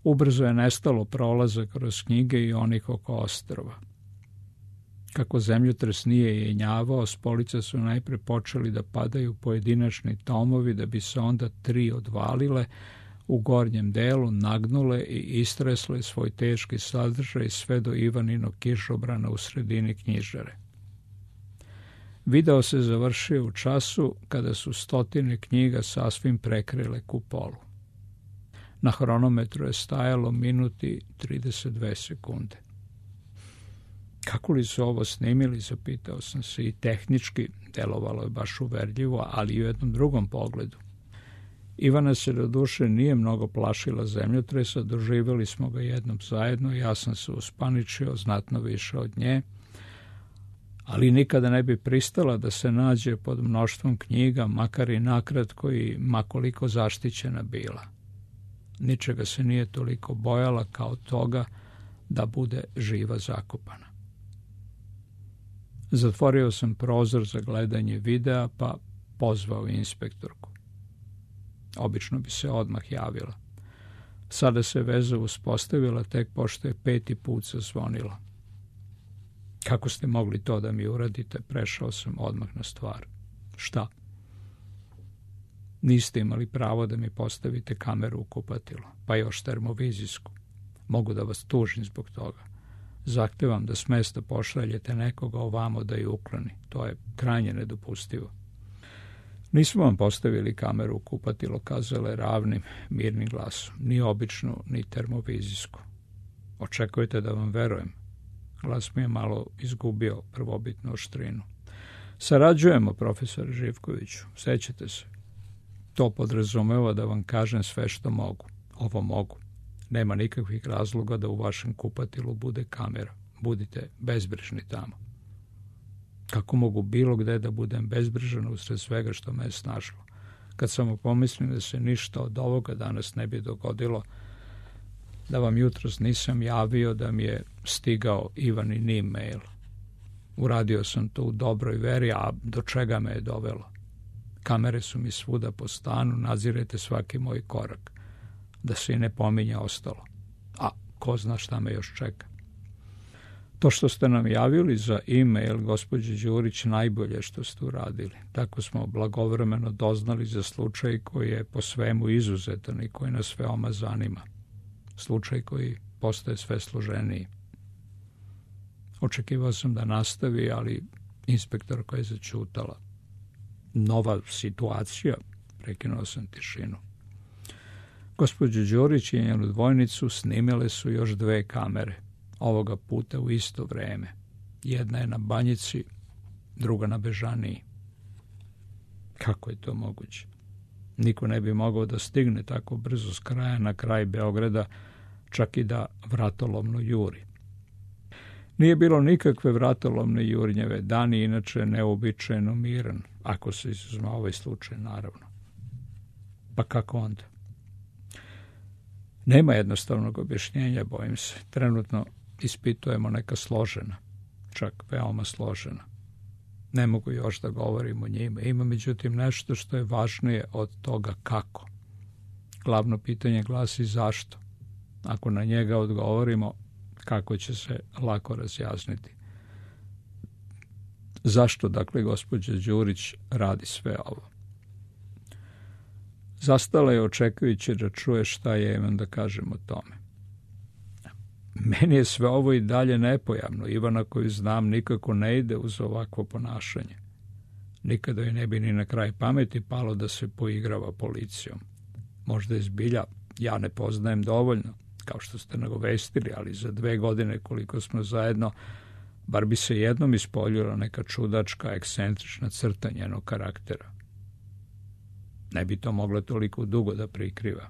Ubrzo je nestalo prolaza kroz knjige i onih oko ostrva. Kako zemljotres nije jenjavao, s polica su najpre počeli da padaju pojedinačni tomovi, da bi se onda tri odvalile, u gornjem delu nagnule i istresle svoj teški sadržaj sve do Ivaninog kišobrana u sredini knjižare. Video se završio u času kada su stotine knjiga sasvim prekrile kupolu. Na hronometru je stajalo minuti trideset dve sekunde. Kako li su ovo snimili, zapitao sam se, i tehnički delovalo je baš uverljivo, ali i u jednom drugom pogledu. Ivana se do duše nije mnogo plašila zemljotresa, doživjeli smo ga jednom zajedno, ja sam se uspaničio znatno više od nje, ali nikada ne bi pristala da se nađe pod mnoštvom knjiga, makar i nakratko i makoliko zaštićena bila. Ničega se nije toliko bojala kao toga da bude živa zakopana. Zatvorio sam prozor za gledanje videa, pa pozvao inspektorku. Obično bi se odmah javila. Sada se veza uspostavila tek pošto je peti put zazvonilo. Kako ste mogli to da mi uradite? Prešao sam odmah na stvar. Šta? Niste imali pravo da mi postavite kameru u kupatilo, pa još termovizijsku. Mogu da vas tužim zbog toga. Zahtevam da s mesta pošaljete nekoga ovamo da ju ukloni. To je krajnje nedopustivo. Nismo vam postavili kameru u kupatilo, kazala je ravnim, mirnim glasom. Ni običnu, ni termovizijsku. Očekujete da vam verujem? Glas mi je malo izgubio prvobitnu oštrinu. Sarađujemo, profesor Živkoviću, sećate se. To podrazumeva da vam kažem sve što mogu. Ovo mogu. Nema nikakvih razloga da u vašem kupatilu bude kamera. Budite bezbrižni tamo. Kako mogu bilo gde da budem bezbrižan usred svega što me je snašlo? Kad samo pomislim da se ništa od ovoga danas ne bi dogodilo, da vam jutros nisam javio da mi je stigao Ivanin e-mail. Uradio sam to u dobroj veri, a do čega me je dovelo? Kamere su mi svuda po stanu, nadzirete svaki moj korak. Da se i ne pominje ostalo. A ko zna šta me još čeka. To što ste nam javili za e-mail, gospođo Đurić, najbolje što ste uradili. Tako smo blagovremeno doznali za slučaj koji je po svemu izuzetan i koji nas veoma zanima. Slučaj koji postaje sve složeniji. Očekivao sam da nastavi, ali inspektorka je zaćutala. Nova situacija, prekinuo sam tišinu. Gospođu Đurić i njenu dvojnicu snimile su još dve kamere, ovoga puta u isto vreme. Jedna je na Banjici, druga na Bežaniji. Kako je to moguće? Niko ne bi mogao da stigne tako brzo s kraja na kraj Beograda, čak i da vratolomno juri. Nije bilo nikakve vratolomne jurnjeve, dan je inače neobičajeno miran, ako se izuzme ovaj slučaj, naravno. Pa kako onda? Nema jednostavnog objašnjenja, bojim se. Trenutno ispitujemo neka složena, čak veoma složena. Ne mogu još da govorim o njima. Ima međutim nešto što je važnije od toga kako. Glavno pitanje glasi zašto. Ako na njega odgovorimo, kako će se lako razjasniti. Zašto, dakle, gospođa Đurić radi sve ovo? Zastala je očekujući da čuje šta je imam da kažem o tome. Meni je sve ovo i dalje nepojavno. Ivana koju znam nikako ne ide uz ovakvo ponašanje. Nikada joj ne bi ni na kraj pameti palo da se poigrava policijom. Možda je zbilja, ja ne poznajem dovoljno, kao što ste nagovestili, ali za dve godine koliko smo zajedno, bar bi se jednom ispoljila neka čudačka, ekscentrična crta njenog karaktera. Ne bi to mogla toliko dugo da prikriva.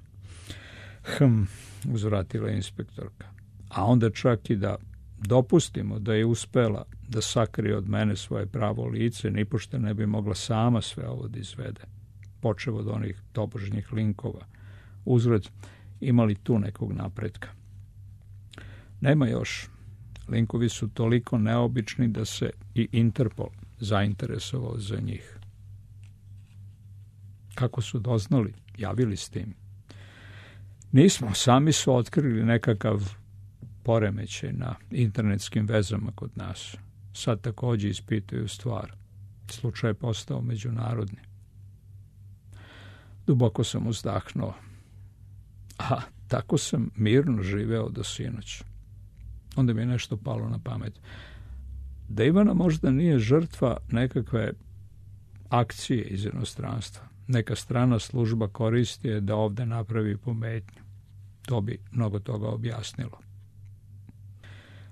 Hm, uzvratila inspektorka. A onda čak i da dopustimo da je uspela da sakrije od mene svoje pravo lice, nipošto ne bi mogla sama sve ovo da izvede. Počev od onih tobožnjih linkova. Uzgled, imali tu nekog napretka? Nema još. Linkovi su toliko neobični da se i Interpol zainteresovao za njih. Kako su doznali? Javili s tim? Nismo, sami su otkrili nekakav poremećaj na internetskim vezama kod nas. Sad također ispituju stvar. Slučaj je postao međunarodni. Duboko sam uzdahnuo. A tako sam mirno živeo do sinoć. Onda mi je nešto palo na pamet. Da Ivana možda nije žrtva nekakve akcije iz inostranstva. Neka strana služba koristi je da ovde napravi pometnju. To bi mnogo toga objasnilo.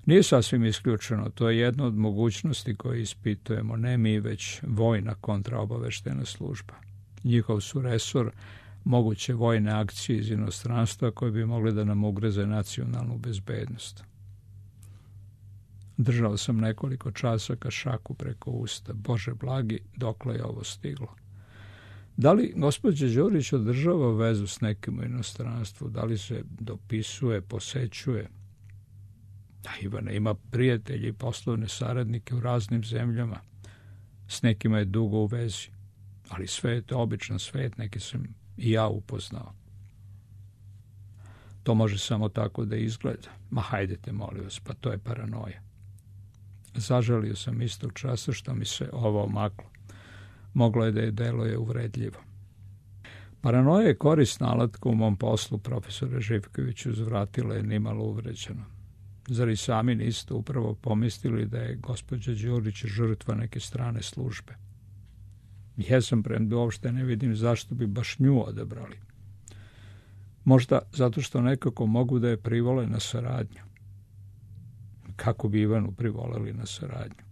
Nije sasvim isključeno, to je jedna od mogućnosti koje ispitujemo, ne mi, već vojna kontraobaveštena služba. Njihov su resor moguće vojne akcije iz inostranstva koje bi mogle da nam ugroze nacionalnu bezbednost. Držao sam nekoliko časa šaku preko usta. Bože blagi, dokle je ovo stiglo? Da li gospođa Đurić održava vezu s nekim u inostranstvu? Da li se dopisuje, posećuje? Da, Ivana ima prijatelji i poslovne saradnike u raznim zemljama. S nekima je dugo u vezi. Ali svet je običan svet, neki sam i ja upoznao. To može samo tako da izgleda. Ma hajdete, molim vas, pa to je paranoja. Zažalio sam istog časa što mi se ovo omaklo. Moglo je da je deluje uvredljivo. Paranoja je korisna alatka u mom poslu, profesore Živkoviću, uzvratila je nimalo uvređeno. Zar i sami niste upravo pomislili da je gospođa Đurić žrtva neke strane službe? Jesam, premda uopšte ne vidim zašto bi baš nju odabrali. Možda zato što nekako mogu da je privole na saradnju. Kako bi Ivanu privoleli na saradnju?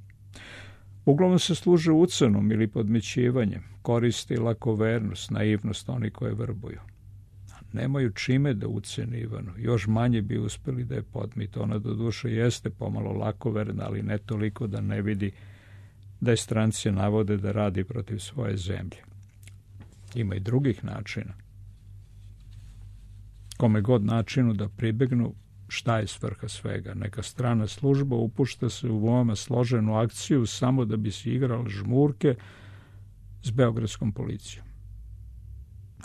Uglavnom se služe ucenom ili podmećivanjem. koristi lakovernost, naivnost oni koje vrbuju. Nemaju čime da ucene Ivanu, još manje bi uspeli da je podmite. Ona do duše jeste pomalo lakoverna, ali ne toliko da ne vidi da je stranci navode da radi protiv svoje zemlje. Ima i drugih načina. Kome god načinu da pribegnu, šta je svrha svega? Neka strana služba upušta se u veoma složenu akciju samo da bi se igrala žmurke s beogradskom policijom.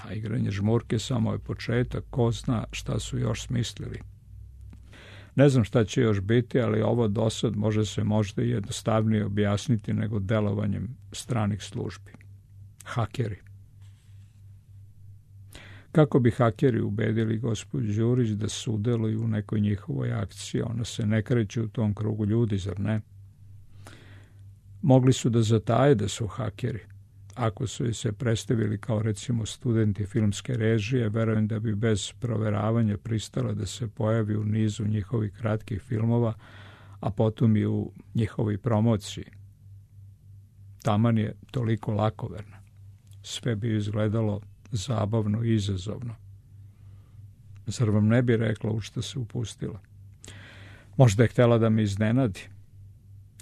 A igranje žmurke samo je početak, ko zna šta su još smislili. Ne znam šta će još biti, ali ovo dosad može se možda i jednostavnije objasniti nego delovanjem stranih službi. Hakeri. Kako bi hakeri ubedili gospođu Đurić da sudeluju u nekoj njihovoj akciji? Ona se ne kreće u tom krugu ljudi, zar ne? Mogli su da zataje da su hakeri. Ako su joj se predstavili kao recimo studenti filmske režije, verujem da bi bez proveravanja pristala da se pojavi u nizu njihovih kratkih filmova, a potom i u njihovoj promociji. Taman je toliko lakoverna. Sve bi izgledalo zabavno i izazovno. Zar vam ne bi rekla u šta se upustila? Možda je htjela da me iznenadi.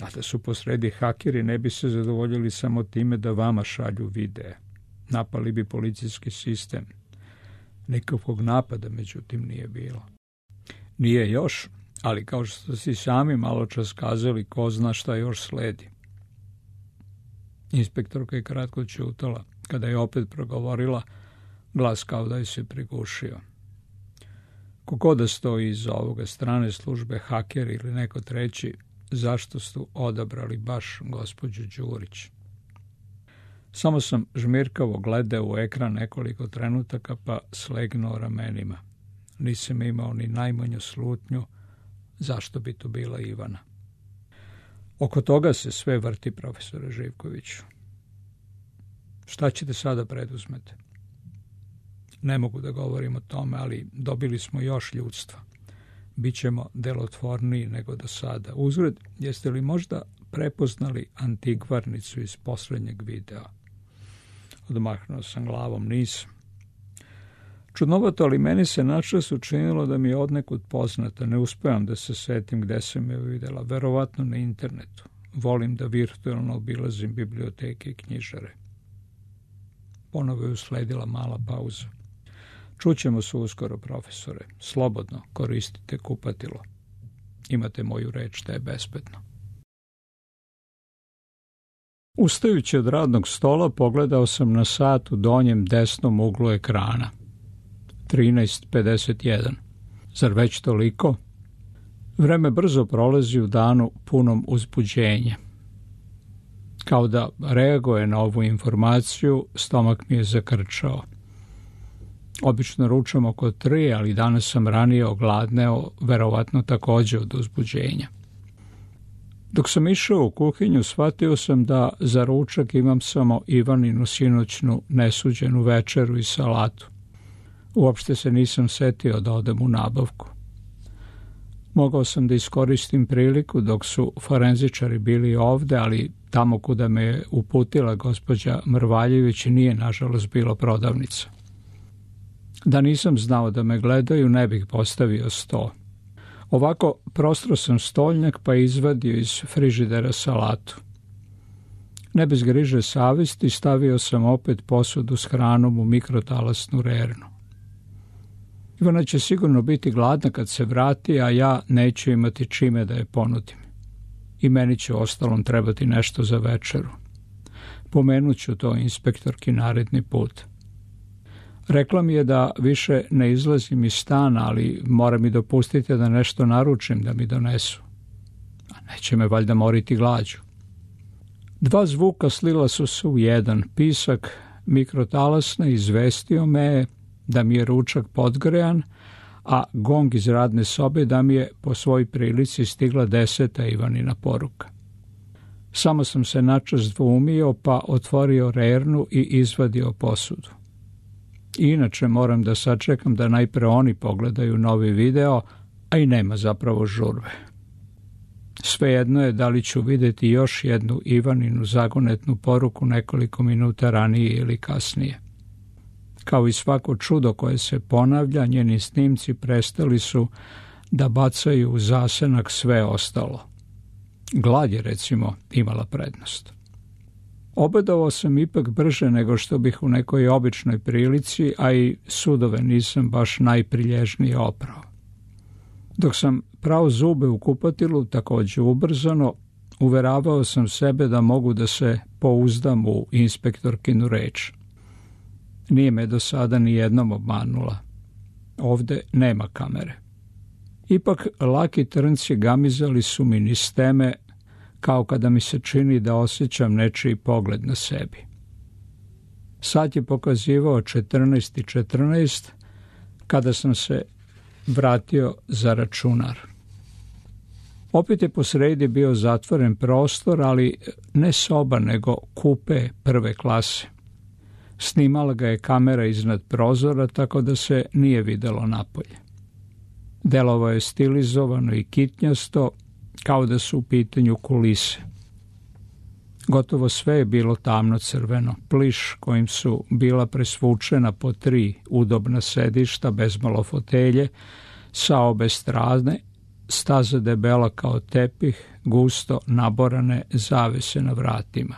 A da su posredi hakeri, ne bi se zadovoljili samo time da vama šalju videe. Napali bi policijski sistem. Nikakvog napada, međutim, nije bilo. Nije još, ali kao što si sami malo čas kazali, ko zna šta još sledi. Inspektorka je kratko ćutala. Kada je opet progovorila, glas kao da je se prigušio. Kogo da stoji iza ovoga, strane službe, haker ili neko treći, zašto su odabrali baš gospođu Đurić? Samo sam žmirkavo gledao u ekran nekoliko trenutaka, pa slegnuo ramenima. Nisam imao ni najmanju slutnju zašto bi tu bila Ivana. Oko toga se sve vrti, profesore Živkoviću. Šta ćete sada preduzmete? Ne mogu da govorim o tome, ali dobili smo još ljudstva. Bićemo delotvorniji nego do sada. Uzgred, jeste li možda prepoznali antikvarnicu iz poslednjeg videa? Odmahnuo sam glavom, nisam. Čudnovato, ali meni se načas učinilo da mi je odnekud poznata. Ne uspevam da se setim gde sam je videla. Verovatno na internetu. Volim da virtualno obilazim biblioteke i knjižare. Ponovo je usledila mala pauza. Čućemo se uskoro, profesore. Slobodno koristite kupatilo. Imate moju reč da je bezbedno. Ustajući od radnog stola, pogledao sam na sat u donjem desnom uglu ekrana. trinaest pedeset jedan. Zar već toliko? Vreme brzo prolazi u danu punom uzbuđenja. Kao da reaguje na ovu informaciju, stomak mi je zakrčao. Obično ručam oko tri, ali danas sam ranije ogladneo, verovatno takođe od uzbuđenja. Dok sam išao u kuhinju, shvatio sam da za ručak imam samo Ivaninu sinoćnu nesuđenu večeru i salatu. Uopšte se nisam setio da odem u nabavku. Mogao sam da iskoristim priliku dok su forenzičari bili ovde, ali tamo kuda me je uputila gospođa Mrvaljević nije, nažalost, bilo prodavnica. Da nisam znao da me gledaju, ne bih postavio sto. Ovako prostro sam stolnjak pa izvadio iz frižidera salatu. Ne bez griže savesti stavio sam opet posudu s hranom u mikrotalasnu rernu. Ivana će sigurno biti gladna kad se vrati, a ja neću imati čime da je ponudim. I meni će ostalom trebati nešto za večeru. Pomenut ću to inspektorki naredni put. Rekla mi je da više ne izlazim iz stana, ali mora mi dopustiti da nešto naručim da mi donesu. A neće me valjda moriti glađu. Dva zvuka slila su se u jedan. Pisak mikrotalasne izvestio me da mi je ručak podgrejan, a gong iz radne sobe da mi je po svoj prilici stigla deseta Ivanina poruka. Samo sam se načas dvoumio pa otvorio rernu i izvadio posudu. Inače moram da sačekam da najpre oni pogledaju novi video, a i nema zapravo žurbe. Svejedno je da li ću vidjeti još jednu Ivaninu zagonetnu poruku nekoliko minuta ranije ili kasnije. Kao i svako čudo koje se ponavlja, njeni snimci prestali su da bacaju u zasenak sve ostalo. Glad je, recimo, imala prednost. Obedovao sam ipak brže nego što bih u nekoj običnoj prilici, a i sudove nisam baš najprilježnije oprao. Dok sam prao zube u kupatilu, također ubrzano, uveravao sam sebe da mogu da se pouzdam u inspektorkinu reč. Nije me do sada ni jednom obmanula. Ovde nema kamere. Ipak laki trnci gamizali su mi niz teme, kao kada mi se čini da osjećam nečiji pogled na sebi. Sad je pokazivao četrnaest i četrnaest kada sam se vratio za računar. Opet je posredi bio zatvoren prostor, ali ne soba, nego kupe prve klase. Snimala ga je kamera iznad prozora, tako da se nije videlo napolje. Delovao je stilizovano i kitnjasto, kao da su u pitanju kulise. Gotovo sve je bilo tamno crveno, pliš kojim su bila presvučena po tri udobna sedišta bez malo fotelje, sa obe strane, staza debela kao tepih, gusto naborane zavese na vratima.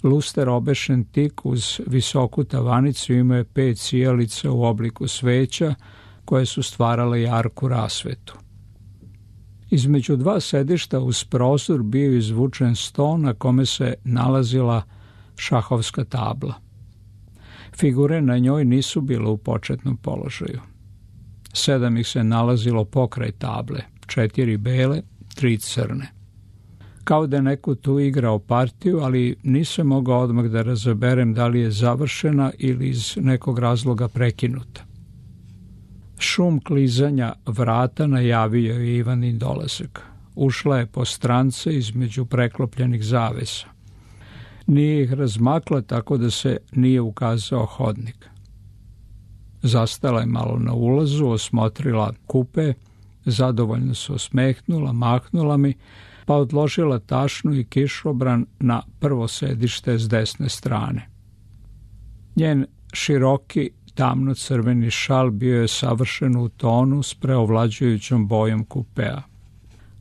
Luster obešen tik uz visoku tavanicu imao je pet sijalica u obliku sveća koje su stvarale jarku rasvetu. Između dva sedišta uz prozor bio izvučen sto na kome se nalazila šahovska tabla. Figure na njoj nisu bile u početnom položaju. Sedam ih se nalazilo pokraj table, četiri bele, tri crne. Kao da je neko tu igrao partiju, ali nisam mogao odmah da razaberem da li je završena ili iz nekog razloga prekinuta. Šum klizanja vrata najavio je Ivanin dolazak. Ušla je po strance između preklopljenih zavesa. Nije ih razmakla tako da se nije ukazao hodnik. Zastala je malo na ulazu, osmotrila kupe, zadovoljno se osmehnula, mahnula mi, pa odložila tašnu i kišobran na prvo sedište s desne strane. Njen široki, tamno-crveni šal bio je savršen u tonu s preovlađujućom bojom kupea.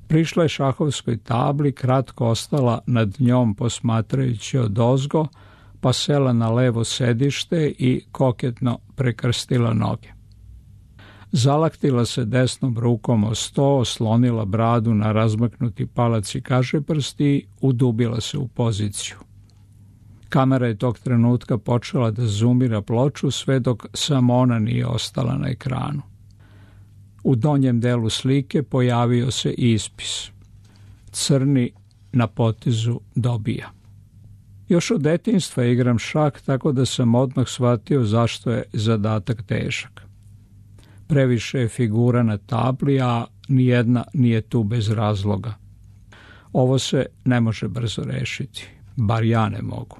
Prišla je šahovskoj tabli, kratko ostala nad njom posmatrajući odozgo, pa sela na levo sedište i koketno prekrstila noge. Zalaktila se desnom rukom o sto, oslonila bradu na razmaknuti palac i kašeprst i udubila se u poziciju. Kamera je tog trenutka počela da zoomira ploču sve dok samo ona nije ostala na ekranu. U donjem delu slike pojavio se ispis. Crni na potezu dobija. Još od detinjstva igram šah, tako da sam odmah shvatio zašto je zadatak težak. Previše je figura na tabli, a nijedna nije tu bez razloga. Ovo se ne može brzo rešiti, bar ja ne mogu.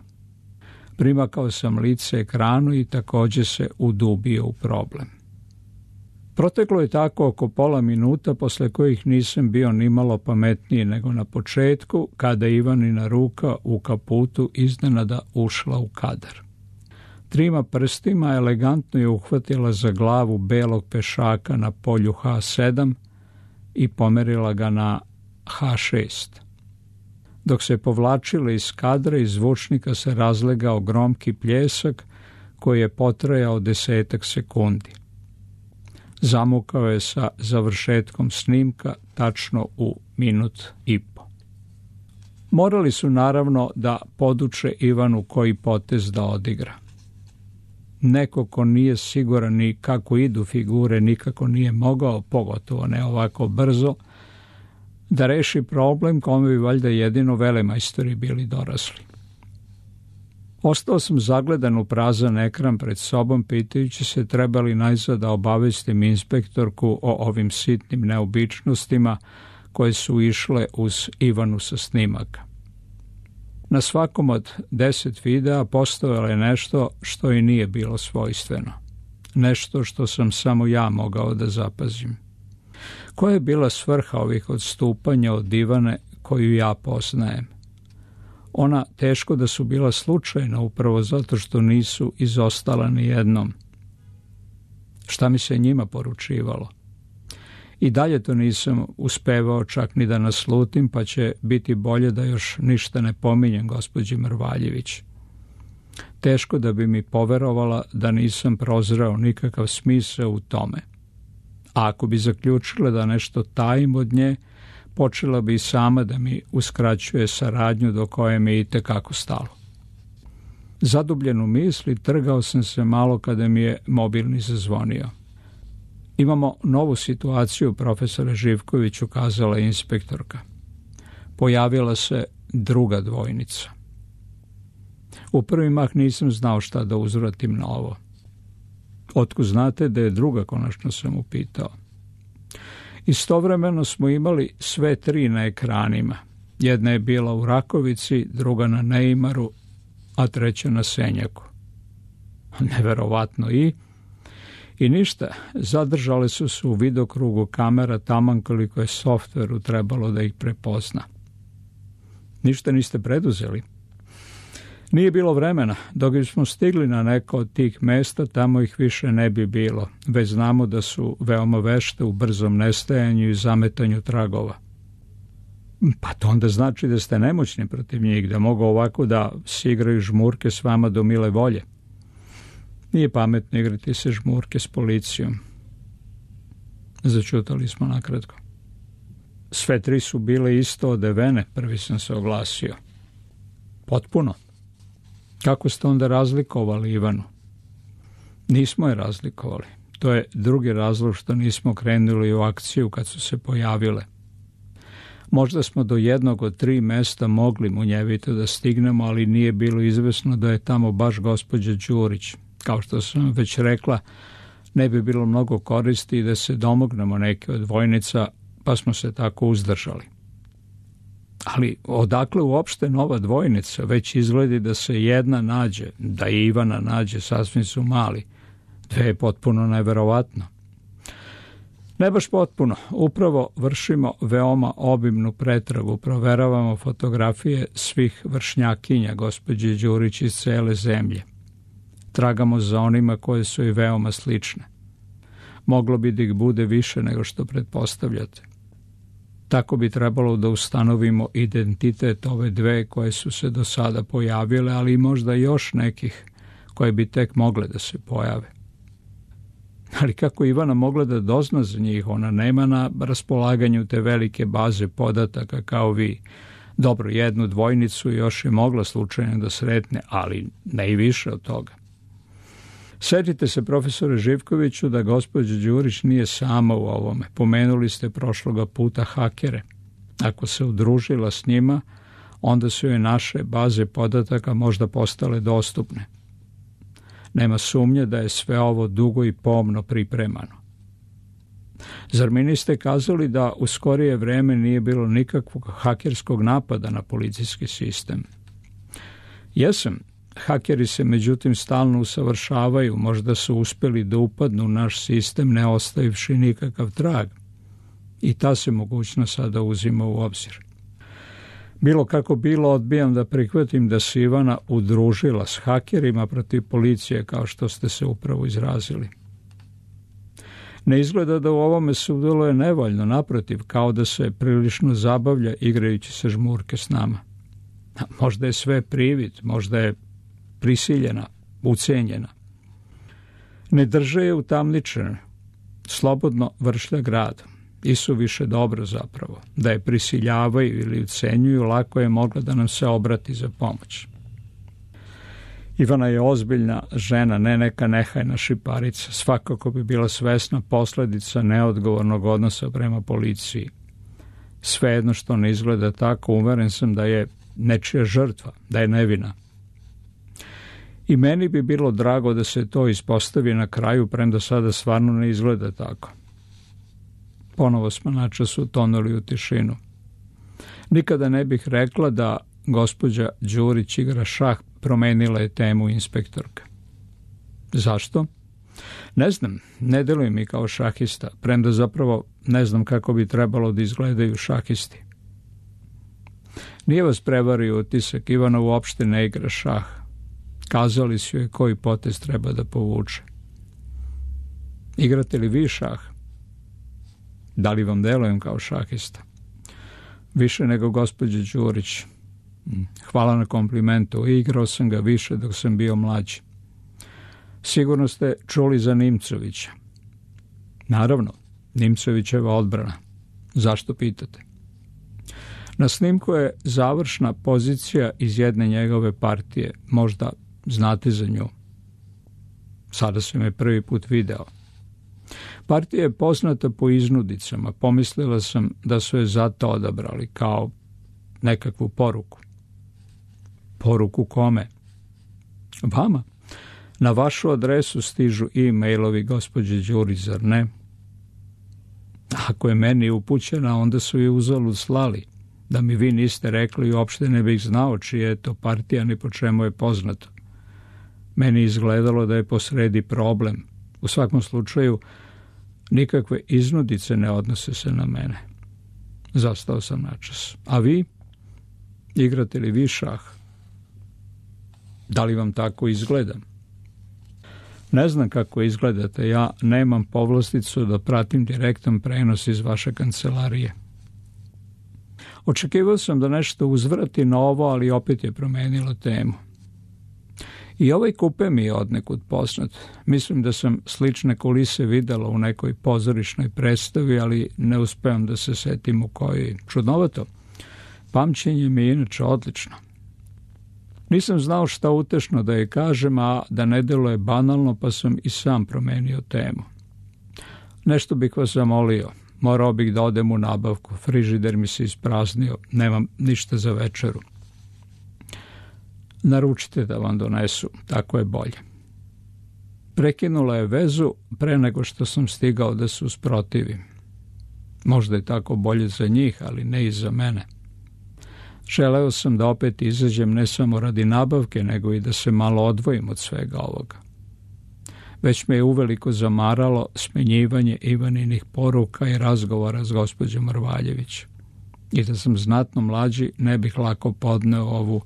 Primakao sam lice ekranu i također se udubio u problem. Proteklo je tako oko pola minuta, posle kojih nisam bio nimalo pametniji nego na početku, kada Ivanina ruka u kaputu iznenada ušla u kadar. Trima prstima elegantno je uhvatila za glavu belog pešaka na polju ha sedam i pomerila ga na ha šest. Dok se povlačila iz kadra, iz zvučnika se razlegao gromki pljesak koji je potrajao desetak sekundi. Zamukao je sa završetkom snimka tačno u minut i po. Morali su naravno da poduče Ivanu koji potez da odigra. Neko ko nije siguran ni kako idu figure nikako nije mogao, pogotovo ne ovako brzo, da reši problem kome bi valjda jedino velemajstori bili dorasli. Ostao sam zagledan u prazan ekran pred sobom, pitajući se treba li najzad da obavestim inspektorku o ovim sitnim neobičnostima koje su išle uz Ivanu sa snimaka. Na svakom od deset videa postojalo je nešto što i nije bilo svojstveno. Nešto što sam samo ja mogao da zapazim. Koja je bila svrha ovih odstupanja od Ivane koju ja poznajem? Ona teško da su bila slučajna upravo zato što nisu izostala ni jednom. Šta mi se njima poručivalo? I dalje to nisam uspevao čak ni da naslutim, pa će biti bolje da još ništa ne pominjem gospođi Mrvaljević. Teško da bi mi poverovala da nisam prozreo nikakav smisao u tome. A ako bi zaključila da nešto tajim od nje, počela bi i sama da mi uskraćuje saradnju do koje mi je itekako stalo. Zadubljen u misli, trgao sam se malo kada mi je mobilni zazvonio. Imamo novu situaciju, profesore Živković, ukazala je inspektorka. Pojavila se druga dvojnica. U prvi mah nisam znao šta da uzvratim na ovo. Otkud znate da je druga, konačno sam upitao. Istovremeno smo imali sve tri na ekranima. Jedna je bila u Rakovici, druga na Neimaru, a treća na Senjaku. Neverovatno i... I ništa, zadržale su se u vidokrugu kamera taman koliko je softveru trebalo da ih prepozna. Ništa niste preduzeli? Nije bilo vremena. Dok bismo stigli na neko od tih mesta, tamo ih više ne bi bilo. Već znamo da su veoma vešte u brzom nestajanju i zametanju tragova. Pa to onda znači da ste nemoćni protiv njih, da mogu ovako da si igraju žmurke s vama do mile volje. Nije pametno igrati se žmurke s policijom. Začutali smo nakratko. Sve tri su bile isto odevene, prvi sam se oglasio. Potpuno. Kako ste onda razlikovali Ivanu? Nismo je razlikovali. To je drugi razlog što nismo krenuli u akciju kad su se pojavile. Možda smo do jednog od tri mesta mogli munjevito da stignemo, ali nije bilo izvesno da je tamo baš gospođa Đurić. Kao što sam već rekla, ne bi bilo mnogo koristi da se domognemo neke od dvojnica, pa smo se tako uzdržali. Ali odakle uopšte nova dvojnica? Već izgledi da se jedna nađe, da i Ivana nađe, sasvim su mali. Dve je potpuno neverovatno. Ne baš potpuno. Upravo vršimo veoma obimnu pretragu, proveravamo fotografije svih vršnjakinja gospođe Đurić iz cele zemlje. Tragamo za onima koje su i veoma slične. Moglo bi da ih bude više nego što pretpostavljate. Tako bi trebalo da ustanovimo identitet ove dve koje su se do sada pojavile, ali i možda još nekih koje bi tek mogle da se pojave. Ali kako Ivana mogla da dozna za njih? Ona nema na raspolaganju te velike baze podataka kao vi. Dobro, jednu dvojnicu još je mogla slučajno da sretne, ali ne i više od toga. Sjetite se, profesore Živkoviću, da gospođa Đurić nije sama u ovome. Pomenuli ste prošloga puta hakere. Ako se udružila s njima, onda su joj naše baze podataka možda postale dostupne. Nema sumnje da je sve ovo dugo i pomno pripremano. Zar mi niste kazali da u skorije vreme nije bilo nikakvog hakerskog napada na policijski sistem? Jesam. Hakeri se međutim stalno usavršavaju, možda su uspjeli da upadnu u naš sistem ne ostavivši nikakav trag. I ta se mogućnost sada uzima u obzir. Bilo kako bilo, odbijam da prihvatim da se Ivana udružila s hakerima protiv policije, kao što ste se upravo izrazili. Ne izgleda da u ovome sudjeluje nevoljno, naprotiv, kao da se prilično zabavlja igrajući se žmurke s nama. A možda je sve privid, možda je prisiljena, ucenjena. Ne drže je utamničene, slobodno vršlja grad. I su više dobro zapravo. Da je prisiljavaju ili ucenjuju, lako je mogla da nam se obrati za pomoć. Ivana je ozbiljna žena, ne neka nehajna šiparica. Svakako bi bila svesna posljedica neodgovornog odnosa prema policiji. Svejedno što ne izgleda tako, uveren sam da je nečija žrtva, da je nevina. I meni bi bilo drago da se to ispostavi na kraju, premda sada stvarno ne izgleda tako. Ponovo smo načas utonuli u tišinu. Nikada ne bih rekla da gospođa Đurić igra šah, promenila je temu inspektorka. Zašto? Ne znam, ne delujem mi kao šahista, premda zapravo ne znam kako bi trebalo da izgledaju šahisti. Nije vas prevario utisak, Ivana uopšte ne igra šah. Kazali su joj koji potez treba da povuče. Igrate li vi šah? Da li vam delujem kao šahista? Više nego gospođa Đurić. Hvala na komplimentu, igrao sam ga više dok sam bio mlađi. Sigurno ste čuli za Nimcovića. Naravno, Nimcovićeva odbrana. Zašto pitate? Na snimku je završna pozicija iz jedne njegove partije. Možda znate za nju. Sada sam je prvi put video. Partija je poznata po iznudicama. Pomislila sam da su je zato odabrali kao nekakvu poruku. Poruku kome? Vama. Na vašu adresu stižu e-mailovi gospođe Đurić, zar ne? Ako je meni upućena, onda su je uzalud slali. Da mi vi niste rekli, uopšte ne bih znao čija je to partija ni po čemu je poznato. Meni izgledalo da je posredi problem. U svakom slučaju, nikakve iznudice ne odnose se na mene. Zastao sam načas. A vi? Igrate li vi šah? Da li vam tako izgleda? Ne znam kako izgledate, ja nemam povlasticu da pratim direktan prenos iz vaše kancelarije. Očekivao sam da nešto uzvrati na ovo, ali opet je promenilo temu. I ovaj kupe mi je odnekud poznat. Mislim da sam slične kulise videla u nekoj pozorišnoj predstavi, ali ne uspevam da se setim u kojoj. Čudnovato. Pamćenje mi je inače odlično. Nisam znao šta utešno da je kažem, a da ne deluje banalno, pa sam i sam promenio temu. Nešto bih vas zamolio. Morao bih da odem u nabavku. Frižider mi se ispraznio. Nemam ništa za večeru. Naručite da vam donesu. Tako je bolje. Prekinula je vezu pre nego što sam stigao da se usprotivim. Možda je tako bolje za njih, ali ne i za mene. Želeo sam da opet izađem ne samo radi nabavke, nego i da se malo odvojim od svega ovoga. Već me je uveliko zamaralo smenjivanje Ivaninih poruka i razgovora s gospođom Rvaljević. I da sam znatno mlađi, ne bih lako podneo ovu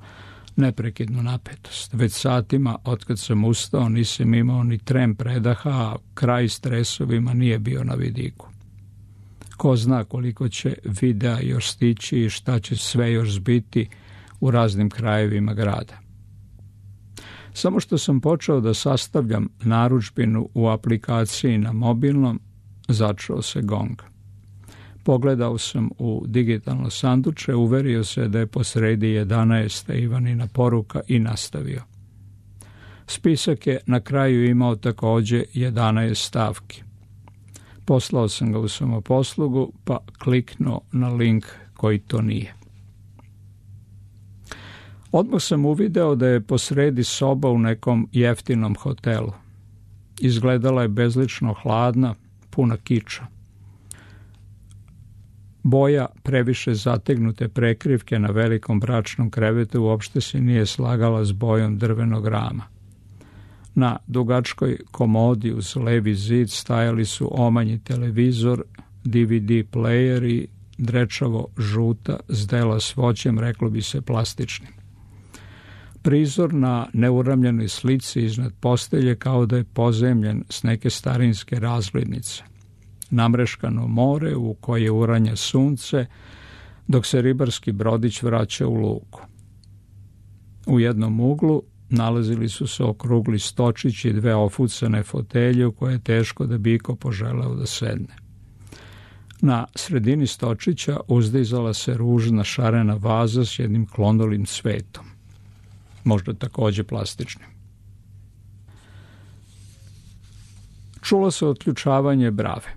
neprekidnu napetost. Već satima, otkad sam ustao, nisam imao ni trem predaha, a kraj stresovima nije bio na vidiku. Ko zna koliko će videa još stići i šta će sve još zbiti u raznim krajevima grada. Samo što sam počeo da sastavljam narudžbinu u aplikaciji na mobilnom, začuo se gong. Pogledao sam u digitalno sanduče, uverio se da je posredi jedanaesta Ivanina poruka i nastavio. Spisak je na kraju imao takođe jedanaest stavki. Poslao sam ga u samoposlugu, pa kliknuo na link koji to nije. Odmah sam uvideo da je posredi soba u nekom jeftinom hotelu. Izgledala je bezlično hladna, puna kiča. Boja previše zategnute prekrivke na velikom bračnom krevetu uopšte se nije slagala s bojom drvenog rama. Na dugačkoj komodi uz levi zid stajali su omanji televizor, D V D player i drečavo žuta zdela s voćem, reklo bi se plastičnim. Prizor na neuramljenoj slici iznad postelje kao da je pozemljen s neke starinske razglednice. Namreškano more u koje uranja sunce, dok se ribarski brodić vraća u luku. U jednom uglu nalazili su se okrugli stočići i dve ofucane fotelje u koje je teško da bi iko poželeo da sedne. Na sredini stočića uzdizala se ružna šarena vaza s jednim klonolim cvetom. Možda takođe plastičnim. Čulo se otključavanje brave.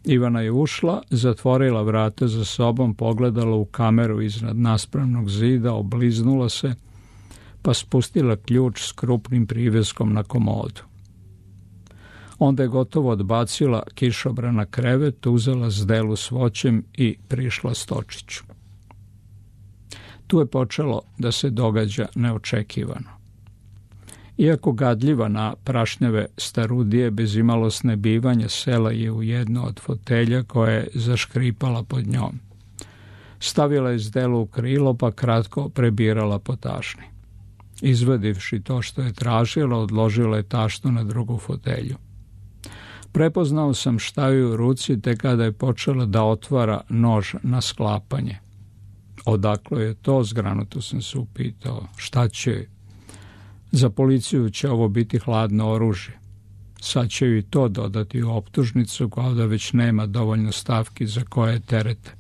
Ivana je ušla, zatvorila vrata za sobom, pogledala u kameru iznad naspravnog zida, obliznula se, pa spustila ključ s krupnim priveskom na komodu. Onda je gotovo odbacila kišobran na krevet, uzela zdelu s voćem i prišla stočiću. Tu je počelo da se događa neočekivano. Iako gadljiva na prašnjave starudije, bez imalosne bivanja, sela je u jedno od fotelja koja je zaškripala pod njom. Stavila je zdelu u krilo, pa kratko prebirala po tašni. Izvadivši to što je tražila, odložila je tašnu na drugu fotelju. Prepoznao sam šta je u ruci te kada je počela da otvara nož na sklapanje. Odakle je to, zgranuto sam se upitao. Šta će? Za policiju će ovo biti hladno oružje. Sad će i to dodati u optužnicu, kao da već nema dovoljno stavki za koje terete.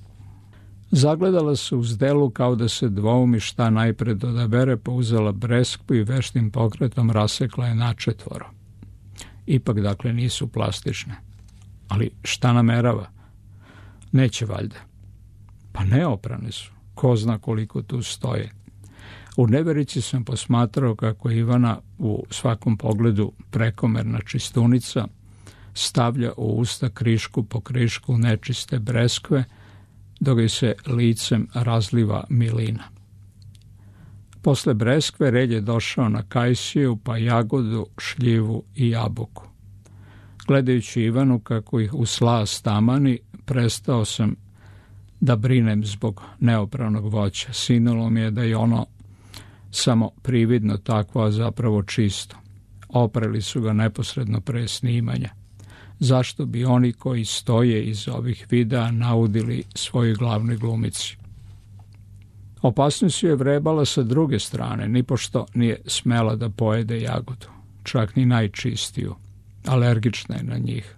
Zagledala se u zdelu kao da se dvoumi šta najpred odabere, pa uzela breskvu i veštim pokretom rasekla je načetvoro. Ipak, dakle, nisu plastične. Ali šta namerava? Neće valjda. Pa neoprane su. Ko zna koliko tu stoje. U neverici sam posmatrao kako Ivana u svakom pogledu prekomerna čistunica stavlja u usta krišku po krišku nečiste breskve, dok joj se licem razliva milina. Posle breskve red je došao na kajsiju, pa jagodu, šljivu i jabuku. Gledajući Ivanu kako ih u slas tamani, prestao sam da brinem zbog neopranog voća. Sinulo mi je da je ono samo prividno takvo, a zapravo čisto. Oprali su ga neposredno pre snimanja. Zašto bi oni koji stoje iz ovih videa naudili svojoj glavnoj glumici? Opasnost je vrebala sa druge strane, nipošto nije smela da pojede jagodu, čak ni najčistiju. Alergična je na njih.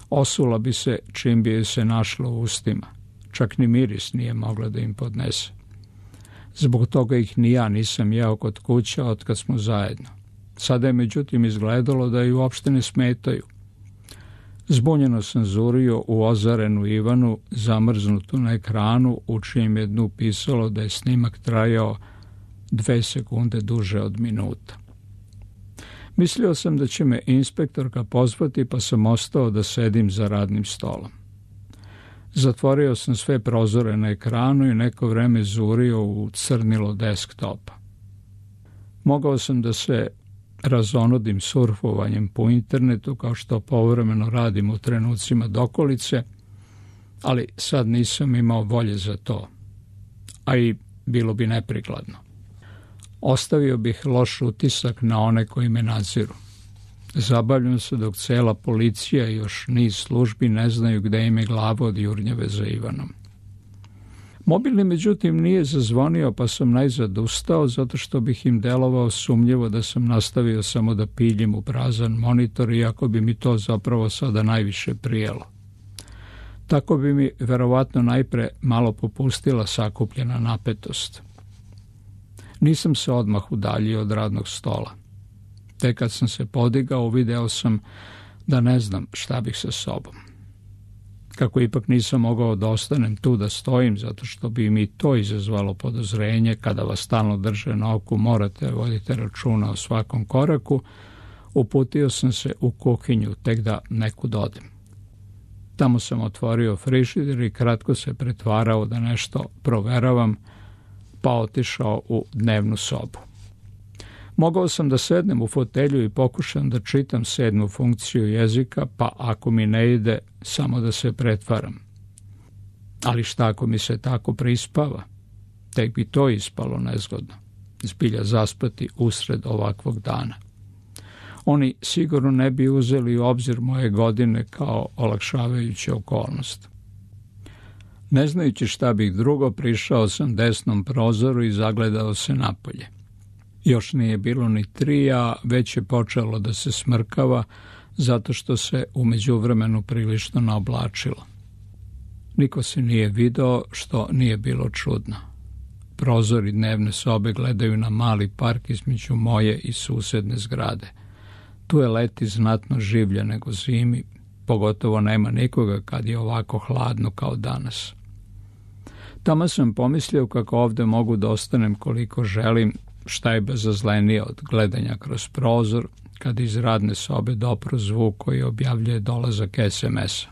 Osula bi se čim bi joj se našlo u ustima. Čak ni miris nije mogla da im podnese. Zbog toga ih ni ja nisam jeo kod kuća od kad smo zajedno. Sada je međutim izgledalo da ju uopšte ne smetaju. Zbunjeno sam zurio u ozarenu Ivanu, zamrznutu na ekranu, u čijem je dnu pisalo da je snimak trajao dve sekunde duže od minuta. Mislio sam da će me inspektorka pozvati, pa sam ostao da sedim za radnim stolom. Zatvorio sam sve prozore na ekranu i neko vreme zurio u crnilo desktopa. Mogao sam da se razonodim surfovanjem po internetu, kao što povremeno radim u trenucima dokolice, ali sad nisam imao volje za to, a i bilo bi neprikladno. Ostavio bih loš utisak na one koji me nadziru. Zabavljam se dok cela policija i još niz službi ne znaju gde im je glava od jurnjave za Ivanom. Mobilni, međutim, nije zazvonio, pa sam najzad ustao, zato što bih im delovao sumnjivo da sam nastavio samo da piljim u prazan monitor, iako bi mi to zapravo sada najviše prijelo. Tako bi mi verovatno najpre malo popustila sakupljena napetost. Nisam se odmah udaljio od radnog stola. Tek kad sam se podigao, video sam da ne znam šta bih sa sobom. Kako ipak nisam mogao da ostanem tu da stojim, zato što bi mi to izazvalo podozrenje, kada vas stalno drže na oku, morate voditi računa o svakom koraku, uputio sam se u kuhinju, tek da nekud odem. Tamo sam otvorio frižider i kratko se pretvarao da nešto proveravam, pa otišao u dnevnu sobu. Mogao sam da sednem u fotelju i pokušam da čitam sedmu funkciju jezika, pa ako mi ne ide, samo da se pretvaram. Ali šta ako mi se tako prispava? Tek bi to ispalo nezgodno. Zbilja zaspati usred ovakvog dana. Oni sigurno ne bi uzeli u obzir moje godine kao olakšavajuća okolnost. Ne znajući šta bih drugo, prišao sam desnom prozoru i zagledao se napolje. Još nije bilo ni tri, a već je počelo da se smrkava, zato što se u međuvremenu prilično naoblačilo. Niko se nije video, što nije bilo čudno. Prozori dnevne sobe gledaju na mali park između moje i susedne zgrade. Tu je leti znatno življe nego zimi, pogotovo nema nikoga kad je ovako hladno kao danas. Tamo sam pomislio kako ovde mogu da ostanem koliko želim, šta je bezazlenije od gledanja kroz prozor, kad iz radne sobe dopro zvuk koji objavljuje dolazak es em es-a.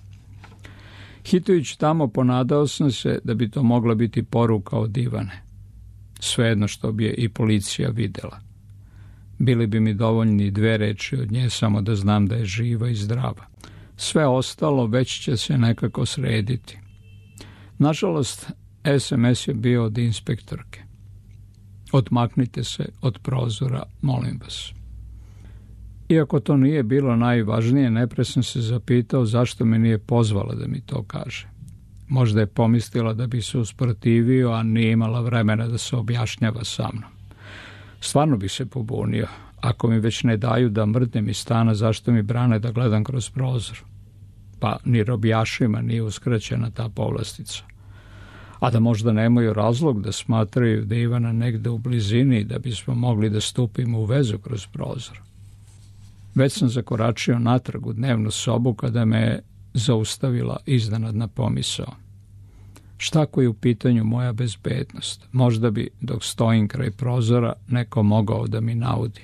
Hitajući tamo, ponadao sam se da bi to mogla biti poruka od Ivane. Svejedno što bi je i policija videla. Bili bi mi dovoljni dve reči od nje samo da znam da je živa i zdrava. Sve ostalo već će se nekako srediti. Nažalost, es em es je bio od inspektorke. Odmaknite se od prozora, molim vas. Iako to nije bilo najvažnije, najprije sam se zapitao zašto me nije pozvala da mi to kaže. Možda je pomislila da bi se usprotivio, a nije imala vremena da se objašnjava sa mnom. Stvarno bi se pobunio. Ako mi već ne daju da mrdnem iz stana, zašto mi brane da gledam kroz prozor? Pa ni robijašima nije uskraćena ta povlastica. A da možda nemaju razlog da smatraju da je Ivana negde u blizini da bismo mogli da stupimo u vezu kroz prozor. Već sam zakoračio natrag u dnevnu sobu kada me je zaustavila iznenadna pomisao. Šta ako je u pitanju moja bezbednost? Možda bi, dok stojim kraj prozora, neko mogao da mi naudi.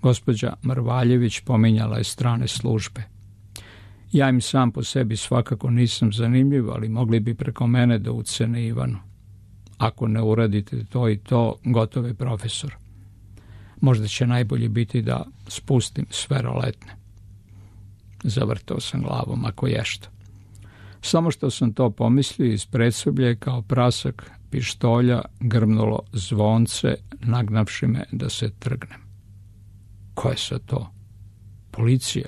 Gospođa Mrvaljević pominjala je strane službe. Ja im sam po sebi svakako nisam zanimljiv, ali mogli bi preko mene da ucene Ivanu. Ako ne uradite to i to, gotov je profesor. Možda će najbolje biti da spustim sve roletne. Zavrtao sam glavom, ako ješta. Samo što sam to pomislio, iz predsoblja je kao prasak pištolja grmnulo zvonce, nagnavši me da se trgnem. Ko je sad to? Policija.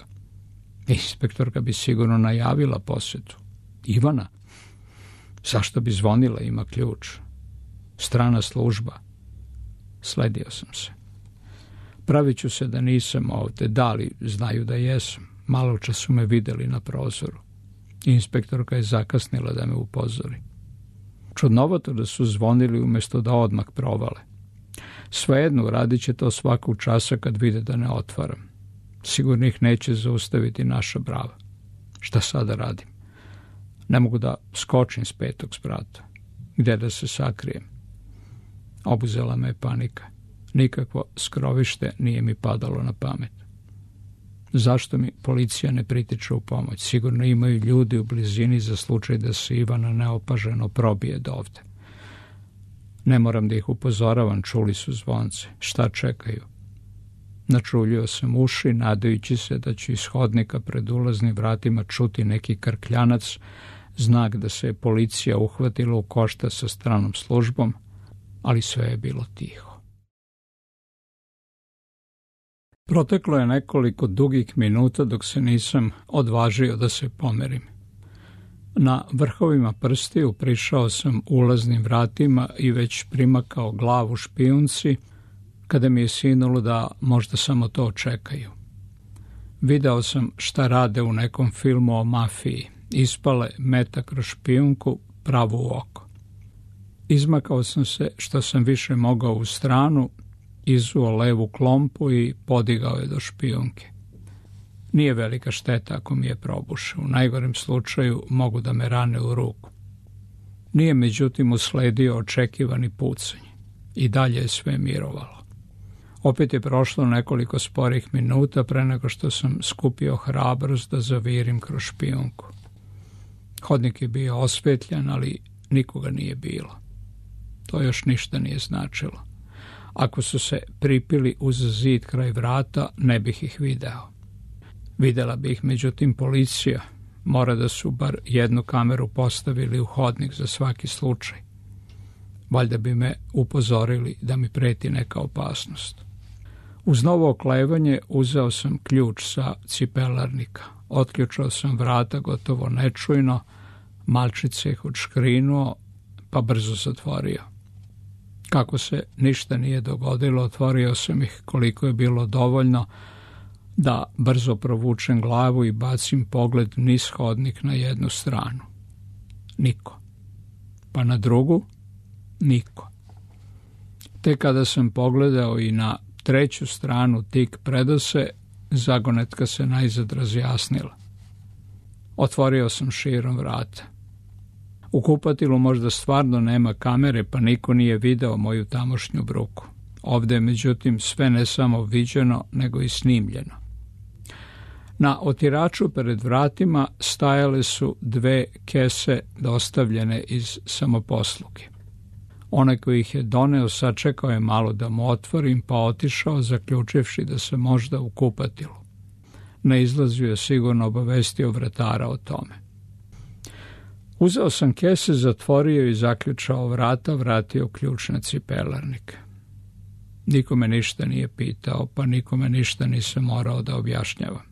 Inspektorka bi sigurno najavila posetu. Ivana? Zašto bi zvonila, ima ključ? Strana služba. Sledio sam se. Pravit ću se da nisam ovde, da li znaju da jesam. Malo čas su me videli na prozoru. Inspektorka je zakasnila da me upozori. Čudnovato da su zvonili umjesto da odmah provale. Svejedno, radit će to svakog časa kad vide da ne otvaram. Sigurno ih neće zaustaviti naša brava. Šta sada radim? Ne mogu da skočim s petog sprata. Gde da se sakrijem? Obuzela me je panika. Nikakvo skrovište nije mi padalo na pamet. Zašto mi policija ne pritiče u pomoć? Sigurno imaju ljudi u blizini za slučaj da se Ivana neopaženo probije dovde. Ne moram da ih upozoravam, čuli su zvonce. Šta čekaju? Načuljio sam uši, nadajući se da ću iz hodnika pred ulaznim vratima čuti neki krkljanac, znak da se je policija uhvatila u koštac sa stranom službom, ali sve je bilo tiho. Proteklo je nekoliko dugih minuta dok se nisam odvažio da se pomerim. Na vrhovima prstiju prišao sam ulaznim vratima i već primakao glavu špijunci, kada mi je sinulo da možda samo to čekaju. Video sam šta rade u nekom filmu o mafiji. Ispale meta kroz špijunku pravo u oko. Izmakao sam se što sam više mogao u stranu, izuo levu klompu i podigao je do špijunke. Nije velika šteta ako mi je probuše. U najgorem slučaju mogu da me rane u ruku. Nije međutim usledio očekivani pucanj. I dalje je sve mirovalo. Opet je prošlo nekoliko sporih minuta pre nego što sam skupio hrabrost da zavirim kroz špijunku. Hodnik je bio osvetljan, ali nikoga nije bilo. To još ništa nije značilo. Ako su se pripili uz zid kraj vrata, ne bih ih video. Videla bi ih, međutim, policija. Mora da su bar jednu kameru postavili u hodnik za svaki slučaj. Valjda bi me upozorili da mi preti neka opasnost. Uz novo oklevanje uzeo sam ključ sa cipelarnika. Otključao sam vrata gotovo nečujno, malčice ih odškrinuo, pa brzo zatvorio. Kako se ništa nije dogodilo, otvorio sam ih koliko je bilo dovoljno da brzo provučem glavu i bacim pogled niz hodnik na jednu stranu. Niko. Pa na drugu? Niko. Te kada sam pogledao i na treću stranu tik predose, zagonetka se najzad razjasnila. Otvorio sam širom vrata. U kupatilu možda stvarno nema kamere, pa niko nije video moju tamošnju bruku. Ovde je međutim sve ne samo viđeno, nego i snimljeno. Na otiraču pred vratima stajale su dve kese dostavljene iz samoposluge. Onaj koji ih je doneo sačekao je malo da mu otvorim, pa otišao, zaključivši da se možda u kupatilu. Na izlazu je sigurno obavestio vratara o tome. Uzeo sam kese, zatvorio i zaključao vrata, vratio ključ na cipelarnik. Nikome ništa nije pitao, pa nikome ništa nisam morao da objašnjavam.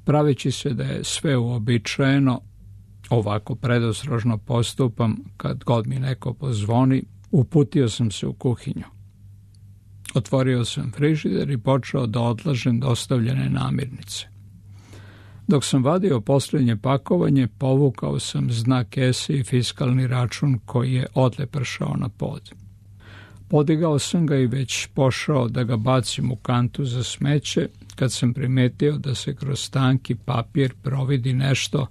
Praveći se da je sve uobičajeno, ovako predostrožno postupam kad god mi neko pozvoni, uputio sam se u kuhinju. Otvorio sam frižider i počeo da odlažem dostavljene namirnice. Dok sam vadio posljednje pakovanje, povukao sam znak kese i fiskalni račun koji je odlepršao na pod. Podigao sam ga i već pošao da ga bacim u kantu za smeće, kad sam primetio da se kroz tanki papir providi nešto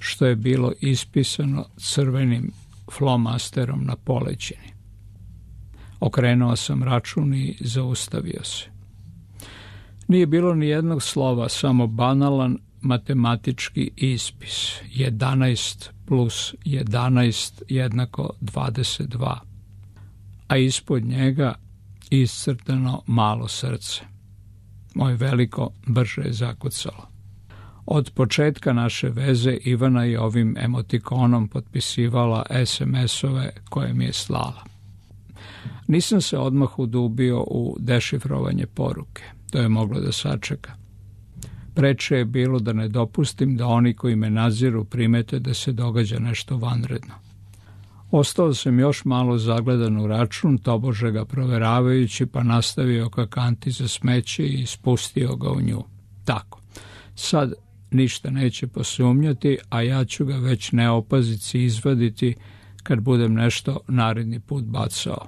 što je bilo ispisano crvenim flomasterom na poleđini. Okrenuo sam račun i zaustavio se. Nije bilo ni jednog slova, samo banalan matematički ispis. jedanaest plus jedanaest jednako dvadeset dva. A ispod njega iscrtano malo srce. Moje veliko brže je zakucalo. Od početka naše veze Ivana je ovim emotikonom potpisivala es em esove koje mi je slala. Nisam se odmah udubio u dešifrovanje poruke. To je moglo da sačeka. Preče je bilo da ne dopustim da oni koji me nadziru primete da se događa nešto vanredno. Ostao sam još malo zagledan u račun, tobože ga proveravajući, pa nastavio ka kanti za smeće i spustio ga u nju. Tako, sad ništa neće posumnjati, a ja ću ga već neopazici izvaditi kad budem nešto naredni put bacao.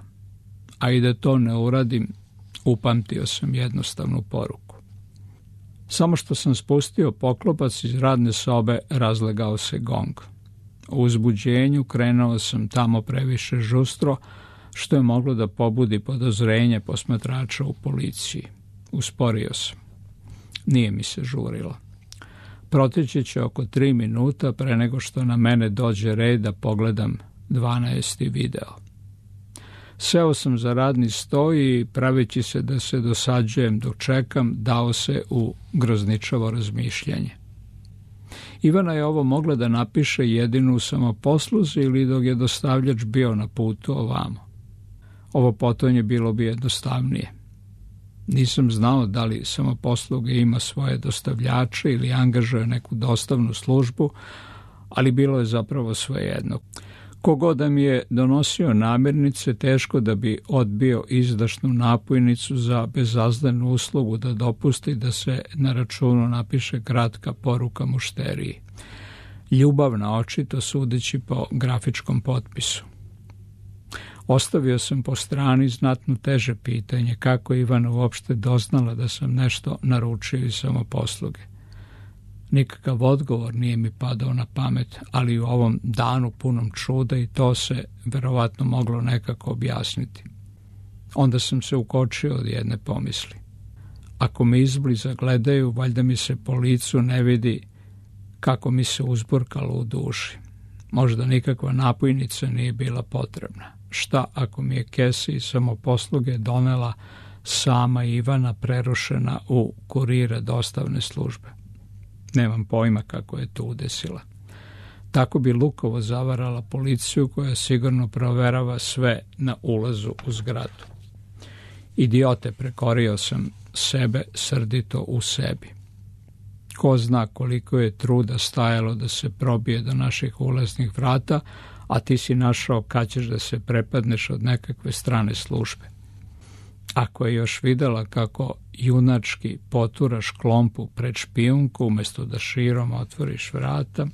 A i da to ne uradim, upamtio sam jednostavnu poruku. Samo što sam spustio poklopac iz radne sobe, razlegao se gong. U uzbuđenju krenuo sam tamo previše žustro, što je moglo da pobudi podozrenje posmatrača u policiji. Usporio sam. Nije mi se žurilo. Proteći će oko tri minuta pre nego što na mene dođe red da pogledam dvanaesti video. Seo sam za radni sto i, praveći se da se dosađujem dok čekam, dao se u grozničavo razmišljanje. Ivana je ovo mogla da napiše jedinu u samoposluzi ili dok je dostavljač bio na putu ovamo. Ovo potonje bilo bi jednostavnije. Nisam znao da li samoposluga ima svoje dostavljače ili angažuje neku dostavnu službu, ali bilo je zapravo svejedno. Kogod da mi je donosio namirnice, teško da bi odbio izdašnu napojnicu za bezazdanu uslugu da dopusti da se na računu napiše kratka poruka mušteriji. Ljubavna, očito sudeći po grafičkom potpisu. Ostavio sam po strani znatno teže pitanje kako je Ivana uopšte doznala da sam nešto naručio iz samoposluge. Nikakav odgovor nije mi padao na pamet, ali u ovom danu punom čuda i to se verovatno moglo nekako objasniti. Onda sam se ukočio od jedne pomisli. Ako me izbliza gledaju, valjda mi se po licu ne vidi kako mi se uzburkalo u duši. Možda nikakva napojnica nije bila potrebna. Šta ako mi je kesa iz samoposluge donela sama Ivana prerušena u kurira dostavne službe? Nemam pojma kako je to udesila. Tako bi lukovo zavarala policiju koja sigurno proverava sve na ulazu u zgradu. Idiote, prekorio sam sebe srdito u sebi. Ko zna koliko je truda stajalo da se probije do naših ulaznih vrata, a ti si našao kad ćeš da se prepadneš od nekakve strane službe. Ako je još videla kako junački poturaš klompu pred špijunku umjesto da širom otvoriš vrata.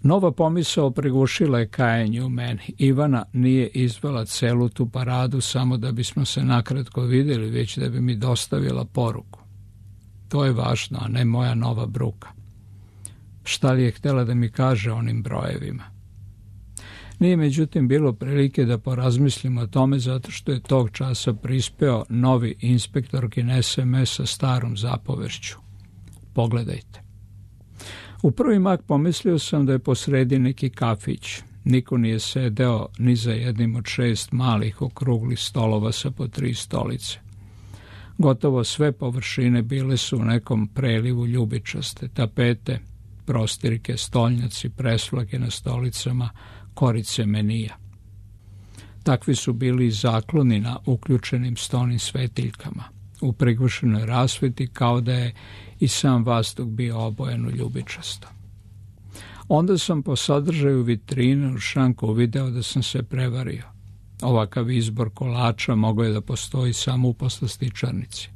Nova pomisao prigušila je kajanje u meni. Ivana nije izvela celu tu paradu samo da bismo se nakratko vidjeli, već da bi mi dostavila poruku. To je važno, a ne moja nova bruka. Šta li je htjela da mi kaže onim brojevima? Nije međutim bilo prilike da porazmislim o tome zato što je tog časa prispeo novi inspektorkin es em es sa starom zapovešću. Pogledajte. U prvi mak pomislio sam da je posredi neki kafić. Niko nije sedeo ni za jednim od šest malih okruglih stolova sa po tri stolice. Gotovo sve površine bile su u nekom prelivu ljubičaste, tapete, prostirke, stolnjaci, presvlake na stolicama, korice menija. Takvi su bili i zakloni na uključenim stonim svetiljkama, u prigušenoj rasveti kao da je i sam vazduh bio obojen u ljubičasto. Onda sam po sadržaju vitrine u šanku uvideo da sam se prevario. Ovakav izbor kolača mogao je da postoji samo u poslastičarnici.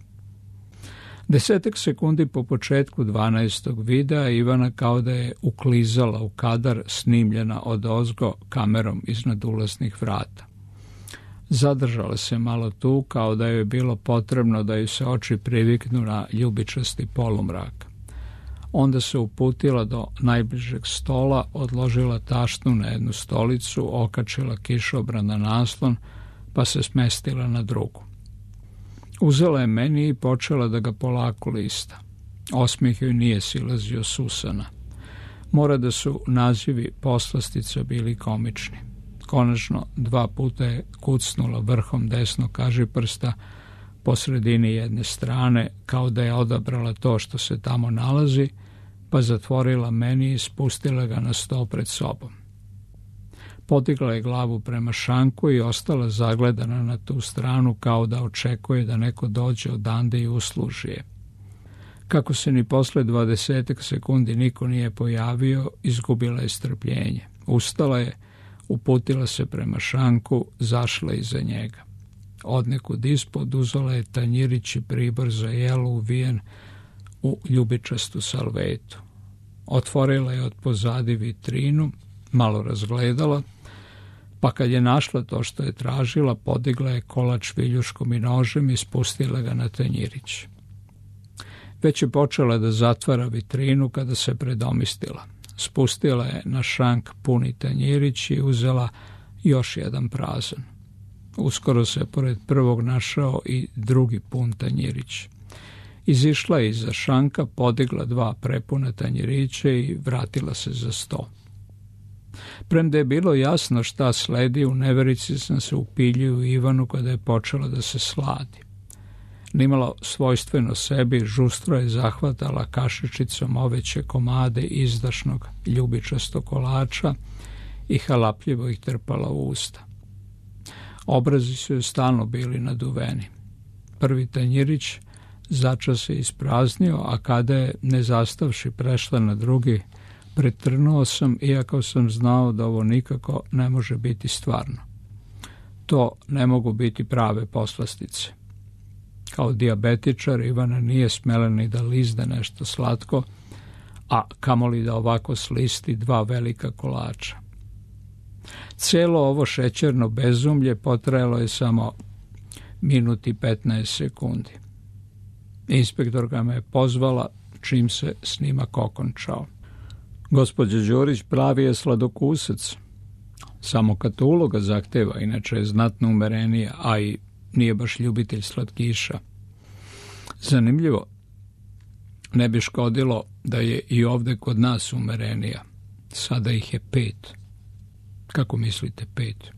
Desetak sekundi po početku dvanaestog videa Ivana kao da je uklizala u kadar, snimljena odozgo kamerom iznad ulaznih vrata. Zadržala se malo tu kao da joj je bilo potrebno da joj se oči priviknu na ljubičasti polumrak. Onda se uputila do najbližeg stola, odložila tašnu na jednu stolicu, okačila kišobran na naslon, pa se smestila na drugu. Uzela je meni i počela da ga polako lista. Osmijeh joj nije silazio s usana. Mora da su nazivi poslastica bili komični. Konačno dva puta je kucnula vrhom desnog kažiprsta po sredini jedne strane, kao da je odabrala to što se tamo nalazi, pa zatvorila meni i spustila ga na sto pred sobom. Podigla je glavu prema šanku i ostala zagledana na tu stranu kao da očekuje da neko dođe odande i usluži je. Kako se ni posle dvadesetak sekundi niko nije pojavio, izgubila je strpljenje. Ustala je, uputila se prema šanku, zašla iza njega. Odnekud ispod uzela je tanjirić i pribor za jelo uvijen u ljubičastu salvetu. Otvorila je od pozadi vitrinu, malo razgledala, pa kad je našla to što je tražila, podigla je kolač viljuškom i nožem i spustila ga na tanjirić. Već je počela da zatvara vitrinu kada se predomislila. Spustila je na šank puni tanjirić i uzela još jedan prazan. Uskoro se pored prvog našao i drugi pun tanjirić. Izišla je iza šanka, podigla dva prepuna tanjirića i vratila se za sto. Premda je bilo jasno šta sledi, u neverici sam se upilio u Ivanu kada je počela da se sladi. Nimalo svojstveno sebi, žustro je zahvatala kašičicom oveće komade izdašnog ljubičastog kolača i halapljivo ih trpala u usta. Obrazi su joj stalno bili naduveni. Prvi tanjirić začas se ispraznio, a kada je, ne zastavši, prešla na drugi, pretrnuo sam, iako sam znao da ovo nikako ne može biti stvarno. To ne mogu biti prave poslastice. Kao dijabetičar Ivana nije smela ni da lizne nešto slatko, a kamoli da ovako slisti dva velika kolača. Celo ovo šećerno bezumlje potrajalo je samo minut i petnaest sekundi. Inspektorka me je pozvala čim se snimak okončao. Gospođa Đurić pravi je sladokusac. Samo kad to uloga zahteva, inače je znatno umerenija, a i nije baš ljubitelj slatkiša. Zanimljivo, ne bi škodilo da je i ovde kod nas umerenija. Sada ih je pet. Kako mislite pet?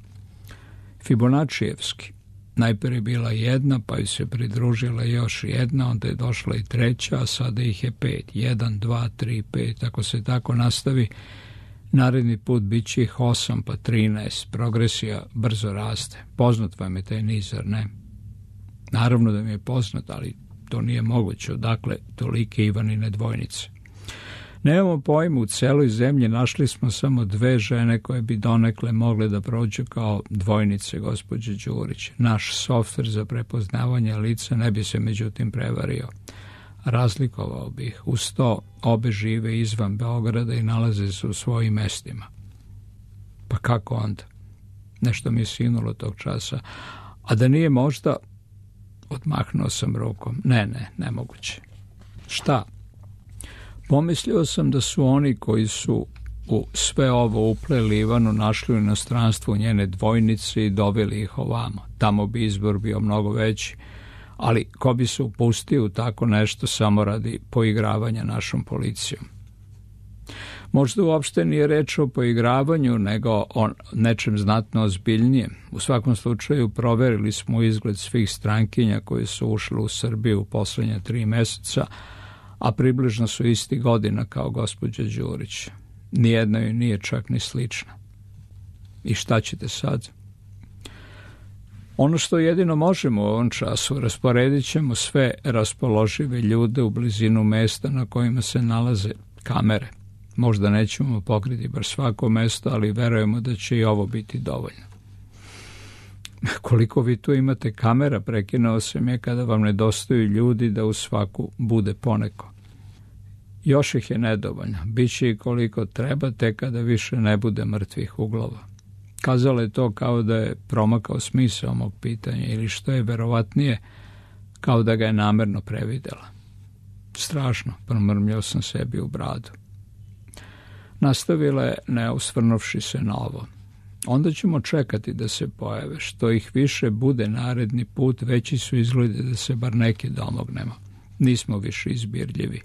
Fibonaccijevski. Najprije je bila jedna, pa ju se pridružila još jedna, onda je došla i treća, a sada ih je pet. Jedan, dva, tri, pet. Ako se tako nastavi, naredni put bit će ih osam, pa trinaest. Progresija brzo raste. Poznat vam je taj nizar, ne? Naravno da mi je poznat, ali to nije moguće. Odakle tolike Ivanine dvojnice? Nemamo pojma, u celoj zemlji našli smo samo dve žene koje bi donekle mogle da prođu kao dvojnice gospođe Đurić. Naš softver za prepoznavanje lica ne bi se međutim prevario. Razlikovao bih. Uz to obe žive izvan Beograda i nalaze se u svojim mestima. Pa kako onda? Nešto mi je sinulo tog časa. A da nije možda... Odmahnuo sam rukom. Ne, ne, nemoguće. Šta? Pomislio sam da su oni koji su u sve ovo upleli Ivanu našli u inostranstvu njene dvojnice i doveli ih ovamo. Tamo bi izbor bio mnogo veći, ali ko bi se upustio u tako nešto samo radi poigravanja našom policijom? Možda uopšte nije reč o poigravanju, nego o nečem znatno ozbiljnijem. U svakom slučaju proverili smo izgled svih strankinja koje su ušle u Srbiju u poslednja tri meseca, a približno su isti godina kao gospođa Đurić. Nijedna joj nije čak ni slična. I šta ćete sad? Ono što jedino možemo u ovom času, rasporedit ćemo sve raspoložive ljude u blizinu mesta na kojima se nalaze kamere. Možda nećemo pokriti bar svako mesto, ali verujemo da će i ovo biti dovoljno. Koliko vi tu imate kamera, prekinuo sam je, kada vam nedostaju ljudi da u svaku bude poneko. Još ih je nedovoljno, bit će i koliko treba, te kada više ne bude mrtvih uglova. Kazala je to kao da je promakao smisao mog pitanja, ili što je verovatnije, kao da ga je namerno previdela. Strašno, promrmljao sam sebi u bradu. Nastavila je, ne osvrnuvši se na ovo. Onda ćemo čekati da se pojave. Što ih više bude naredni put, veći su izgledi da se bar neki domognemo. Nismo više izbirljivi.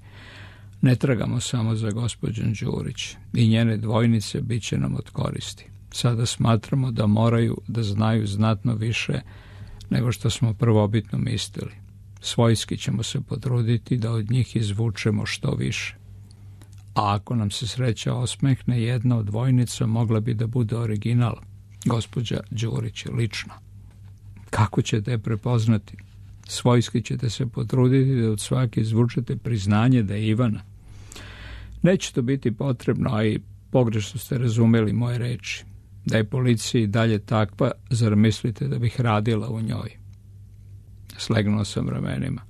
Ne tragamo samo za gospođom Đurić. I njene dvojnice bit će nam od koristi. Sada smatramo da moraju da znaju znatno više nego što smo prvobitno mislili. Svojski ćemo se potruditi da od njih izvučemo što više. A ako nam se sreća osmehne, jedna od dvojnica mogla bi da bude original, gospođa Đurić lično. Kako ćete je prepoznati? Svojski ćete se potruditi da od svake izvučete priznanje da je Ivana. Neće to biti potrebno, a i pogrešno ste razumeli moje reči. Da je policija i dalje takva, zar mislite da bih radila u njoj? Slegnuo sam ramenima.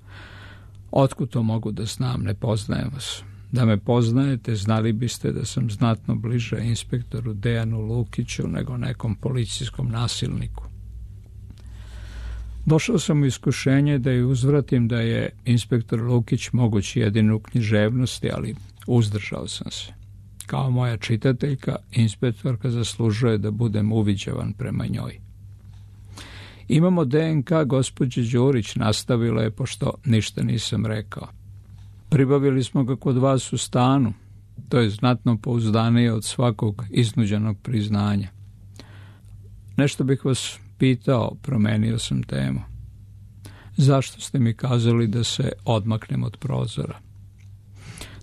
Otkud to mogu da znam, ne poznajem vas. Da me poznajete, znali biste da sam znatno bliže inspektoru Dejanu Lukiću nego nekom policijskom nasilniku. Došao sam u iskušenje da je uzvratim da je inspektor Lukić moguć jedino u književnosti, ali uzdržao sam se. Kao moja čitateljka, inspektorka zaslužuje da budem uviđavan prema njoj. Imamo D N K gospođe Đurić, nastavila je, pošto ništa nisam rekao. Pribavili smo ga kod vas u stanu. To je znatno pouzdanije od svakog iznuđenog priznanja. Nešto bih vas pitao, promenio sam temu. Zašto ste mi kazali da se odmaknem od prozora?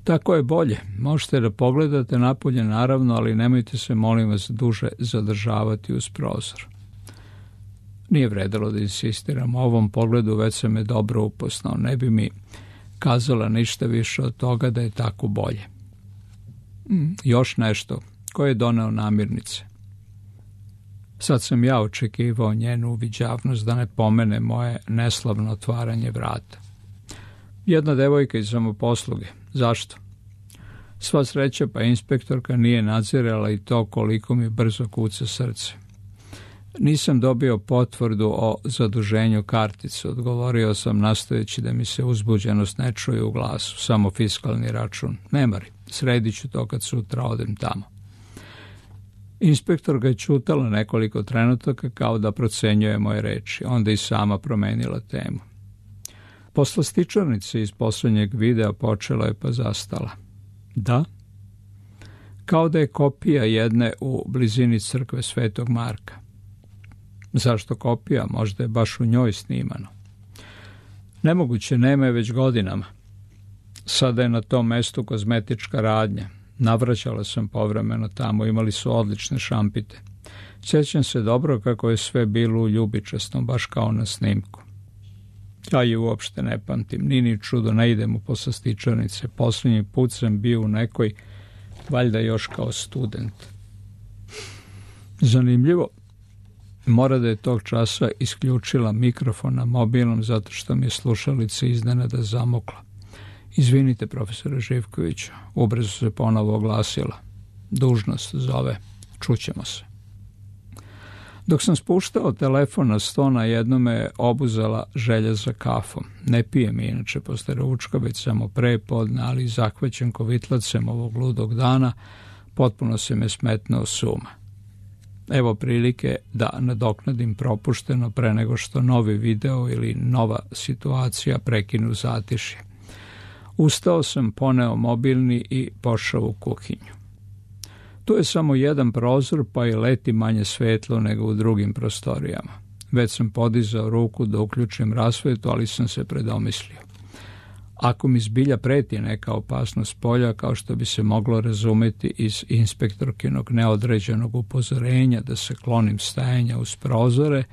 Tako je bolje. Možete da pogledate napolje, naravno, ali nemojte se, molim vas, duže zadržavati uz prozor. Nije vredelo da insistiram. U ovom pogledu već sam je dobro upoznao. Ne bi mi kazala ništa više od toga da je tako bolje. Mm, još nešto. Ko je doneo namirnice? Sad sam ja očekivao njenu uviđavnost da ne pomene moje neslavno otvaranje vrata. Jedna devojka iz samoposluge. Zašto? Sva sreća, pa inspektorka nije nadzirala i to koliko mi brzo kuca srce. Nisam dobio potvrdu o zaduženju kartice, odgovorio sam nastojeći da mi se uzbuđenost ne čuje u glasu, samo fiskalni račun. Ne mari, sredit ću to kad sutra odem tamo. Inspektor ga je čutala nekoliko trenutaka kao da procenjuje moje reči, onda i sama promenila temu. Poslastičarnica iz poslednjeg videa počela je pa zastala. Da? Kao da je kopija jedne u blizini crkve Svetog Marka. Zašto kopija? Možda je baš u njoj snimano. Nemoguće, nema je već godinama. Sada je na tom mestu kozmetička radnja. Navraćala sam povremeno tamo, imali su odlične šampite. Sjećam se dobro kako je sve bilo u ljubičastom, baš kao na snimku. Ja je uopšte ne pamtim, ni ni čudo, ne idem u poslastičarnice. Posljednji put sam bio u nekoj, valjda još kao student. Zanimljivo, mora da je tog časa isključila mikrofon na mobilnom zato što mi je slušalica iznenada zamokla. Izvinite, profesore Živkoviću, ubrzo se ponovo oglasila. Dužnost zove, čućemo se. Dok sam spuštao telefon na sto, na jedno me je obuzela želja za kafom. Ne pijem inače posle ručka, već samo pre podne, ali zahvaćen kovitlacem ovog ludog dana, potpuno se me smetnuo suma. Evo prilike da nadoknadim propušteno pre nego što novi video ili nova situacija prekinu zatišje. Ustao sam, poneo mobilni i pošao u kuhinju. To je samo jedan prozor, pa i leti manje svetlo nego u drugim prostorijama. Već sam podizao ruku da uključim rasvetu, ali sam se predomislio. Ako mi zbilja preti neka opasnost polja, kao što bi se moglo razumeti iz inspektorkinog neodređenog upozorenja da se klonim stajanja uz prozore,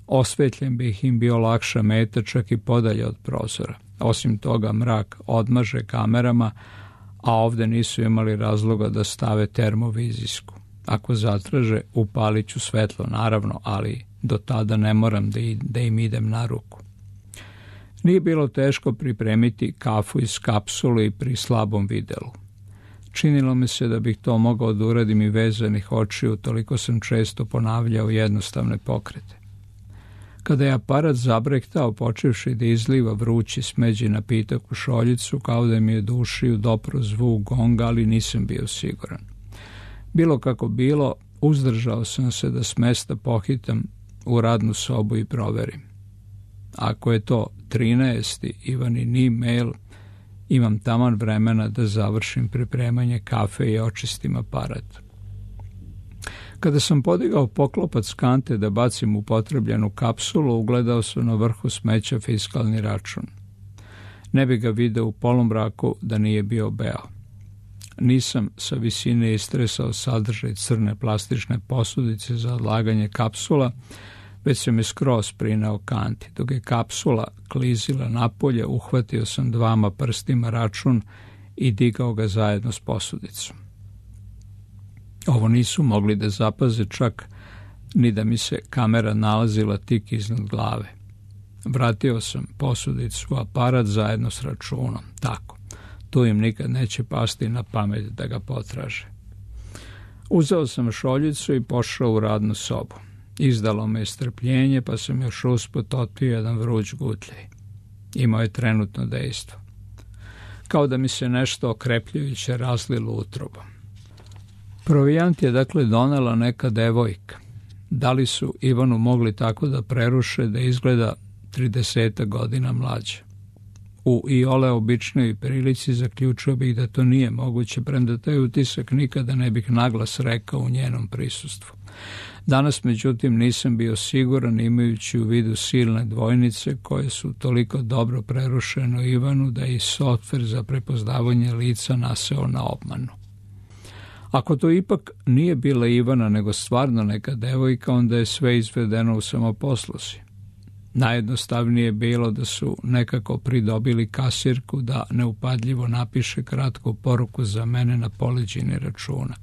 osvetljen bi ih im bio lakša meta čak i podalje od prozora. Osim toga, mrak odmaže kamerama, a ovde nisu imali razloga da stave termovizijsku. Ako zatraže, upalit ću svetlo, naravno, ali do tada ne moram da, i, da im idem na ruku. Nije bilo teško pripremiti kafu iz kapsule i pri slabom videlu. Činilo mi se da bih to mogao da uradim i vezanih očiju, toliko sam često ponavljao jednostavne pokrete. Kada je aparat zabrektao, počevši da izliva vrući smeđi napitak u šoljicu, kao da mi je do ušiju dopro zvuk gonga, ali nisam bio siguran. Bilo kako bilo, uzdržao sam se da s mesta pohitam u radnu sobu i proverim. Ako je to trinaesti Ivanin e-mail, imam taman vremena da završim pripremanje kafe i očistim aparat. Kada sam podigao poklopac kante da bacim upotrebljenu kapsulu, ugledao sam na vrhu smeća fiskalni račun. Ne bi ga video u polumraku da nije bio beo. Nisam sa visine istresao sadržaj crne plastične posudice za odlaganje kapsula, već se me skroz prinao kanti. Dok je kapsula klizila napolje, uhvatio sam dvama prstima račun i digao ga zajedno s posudicom. Ovo nisu mogli da zapaze čak ni da mi se kamera nalazila tik iznad glave. Vratio sam posudicu u aparat zajedno s računom. Tako, tu im nikad neće pasti na pamet da ga potraže. Uzeo sam šoljicu i pošao u radnu sobu. Izdalo me je strpljenje, pa sam još usput otpio jedan vruć gutljaj. Imao je trenutno dejstvo. Kao da mi se nešto okrepljujuće razlilo utrobom. Provijant je dakle donela neka devojka. Da li su Ivanu mogli tako da preruše da izgleda trideset godina mlađa? U iole običnoj prilici zaključio bih da to nije moguće, premda taj utisak nikada ne bih naglas rekao u njenom prisustvu. Danas, međutim, nisam bio siguran, imajući u vidu silne dvojnice koje su toliko dobro prerušeno Ivanu da je i softver za prepoznavanje lica naseo na obmanu. Ako to ipak nije bila Ivana, nego stvarno neka devojka, onda je sve izvedeno u samoposluzi. Najjednostavnije je bilo da su nekako pridobili kasirku da neupadljivo napiše kratku poruku za mene na poleđini računa.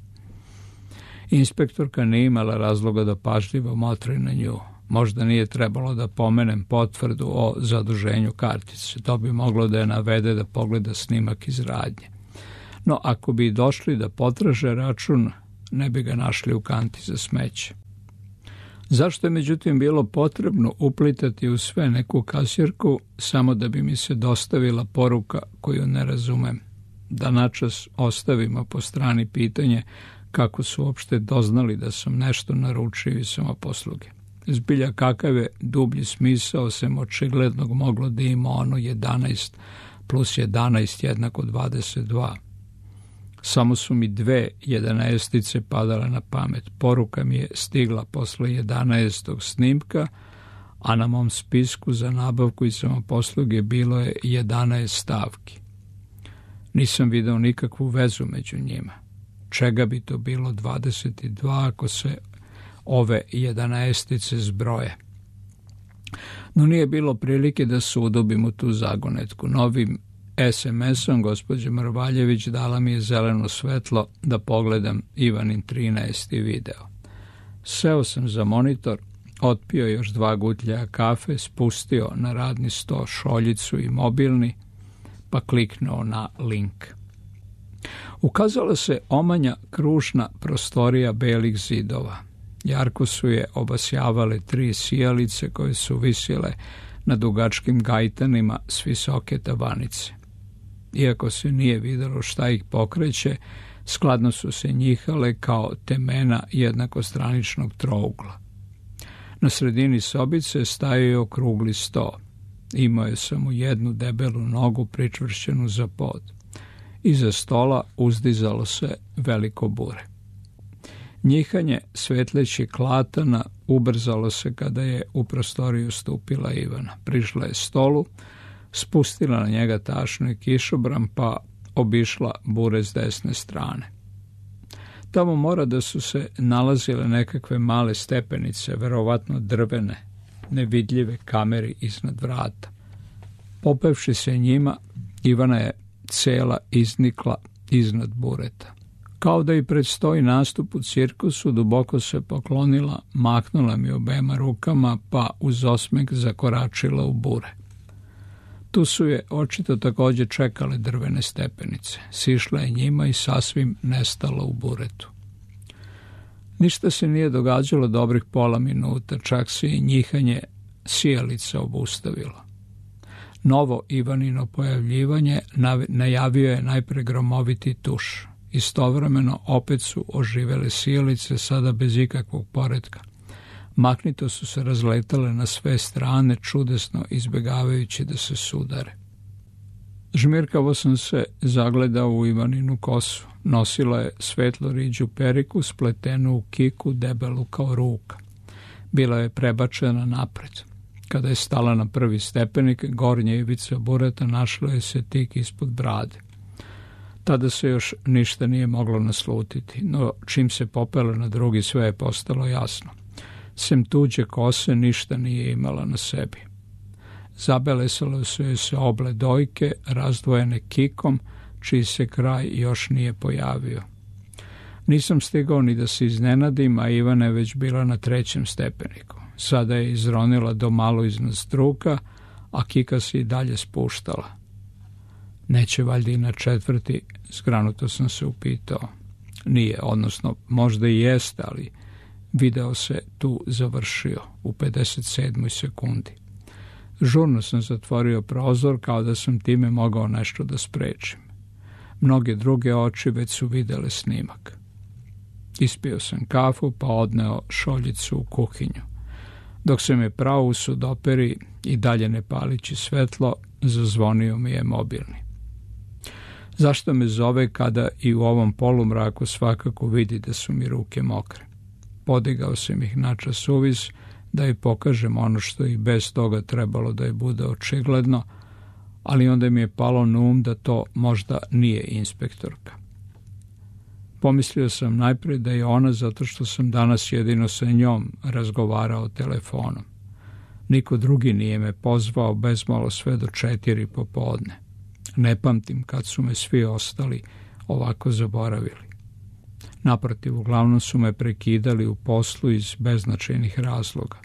Inspektorka nije imala razloga da pažljivo motri na nju. Možda nije trebalo da pomenem potvrdu o zaduženju kartice. To bi moglo da je navede da pogleda snimak iz radnje. No, ako bi došli da potraže račun, ne bi ga našli u kanti za smeće. Zašto je međutim bilo potrebno uplitati u sve neku kasirku samo da bi mi se dostavila poruka koju ne razumem? Da načas ostavimo po strani pitanje kako su uopšte doznali da sam nešto naručio iz samoposluge. Zbilja kakav je dublji smisao sem očiglednog moglo da ima ono jedanaest plus jedanaest jednako dvadeset dva. Samo su mi dve jedanaestice padale na pamet. Poruka mi je stigla posle jedanaestog snimka, a na mom spisku za nabavku i samoposluge bilo je jedanaest stavki. Nisam video nikakvu vezu među njima. Čega bi to bilo dvadeset dva ako se ove jedanaestice zbroje? No nije bilo prilike da se udubim u tu zagonetku. Novim es em esom gospođa Mrvaljević dala mi je zeleno svetlo da pogledam Ivanin trinaesti video. Seo sam za monitor, otpio još dva gutljaja kafe, spustio na radni sto šoljicu i mobilni, pa kliknuo na link. Ukazala se omanja kružna prostorija belih zidova. Jarko su je obasjavale tri sijalice koje su visile na dugačkim gajtanima s visoke tavanice. Iako se nije videlo šta ih pokreće, skladno su se njihale kao temena jednakostraničnog trougla. Na sredini sobice stajao je okrugli sto. Imao je samo jednu debelu nogu pričvršćenu za pod. Iza stola uzdizalo se veliko bure. Njihanje svetlećih klatana ubrzalo se kada je u prostoriju stupila Ivana. Prišla je stolu, spustila na njega tašnu i kišobran, pa obišla bure s desne strane. Tamo mora da su se nalazile nekakve male stepenice, verovatno drvene, nevidljive kameri iznad vrata. Popevši se njima, Ivana je cela iznikla iznad bureta. Kao da i predstoji nastup u cirkusu, duboko se poklonila, mahnula mi obema rukama, pa uz osmeh zakoračila u bure. Tu su je očito također čekale drvene stepenice. Sišla je njima i sasvim nestala u buretu. Ništa se nije događalo dobrih pola minuta, čak se i njihanje sijalica obustavilo. Novo Ivanino pojavljivanje najavio je najpre gromoviti tuš. Istovremeno opet su oživele sijalice, sada bez ikakvog poretka. Mahnito su se razletale na sve strane, čudesno izbjegavajući da se sudare. Žmirkavo sam se zagledao u Ivaninu kosu. Nosila je svetlo riđu periku, spletenu u kiku, debelu kao ruka. Bila je prebačena napred. Kada je stala na prvi stepenik, gornja ivica bureta našla je se tik ispod brade. Tada se još ništa nije moglo naslutiti, no čim se popela na drugi, sve je postalo jasno. Sem tuđe kose ništa nije imala na sebi. Zabelesale su joj se oble dojke, razdvojene kikom, čiji se kraj još nije pojavio. Nisam stigao ni da se iznenadim, a Ivana je već bila na trećem stepeniku. Sada je izronila do malo iznad struka, a kika se i dalje spuštala. Neće valjda i na četvrti, zgranuto sam se upitao. Nije, odnosno možda i jeste, ali video se tu završio u pedeset sedmoj sekundi. Žurno sam zatvorio prozor kao da sam time mogao nešto da sprečim. Mnoge druge oči već su videle snimak. Ispio sam kafu pa odneo šoljicu u kuhinju. Dok se me pravo u sudoperi i dalje ne palići svetlo, zazvonio mi je mobilni. Zašto me zove kada i u ovom polumraku svakako vidi da su mi ruke mokre? Podigao sam ih načas suvis da joj pokažem ono što i bez toga trebalo da je bude očigledno, ali onda mi je palo na um da to možda nije inspektorka. Pomislio sam najprije da je ona zato što sam danas jedino sa njom razgovarao telefonom. Niko drugi nije me pozvao bezmalo sve do četiri popodne. Ne pamtim kad su me svi ostali ovako zaboravili. Naprotiv, uglavnom su me prekidali u poslu iz beznačajnih razloga.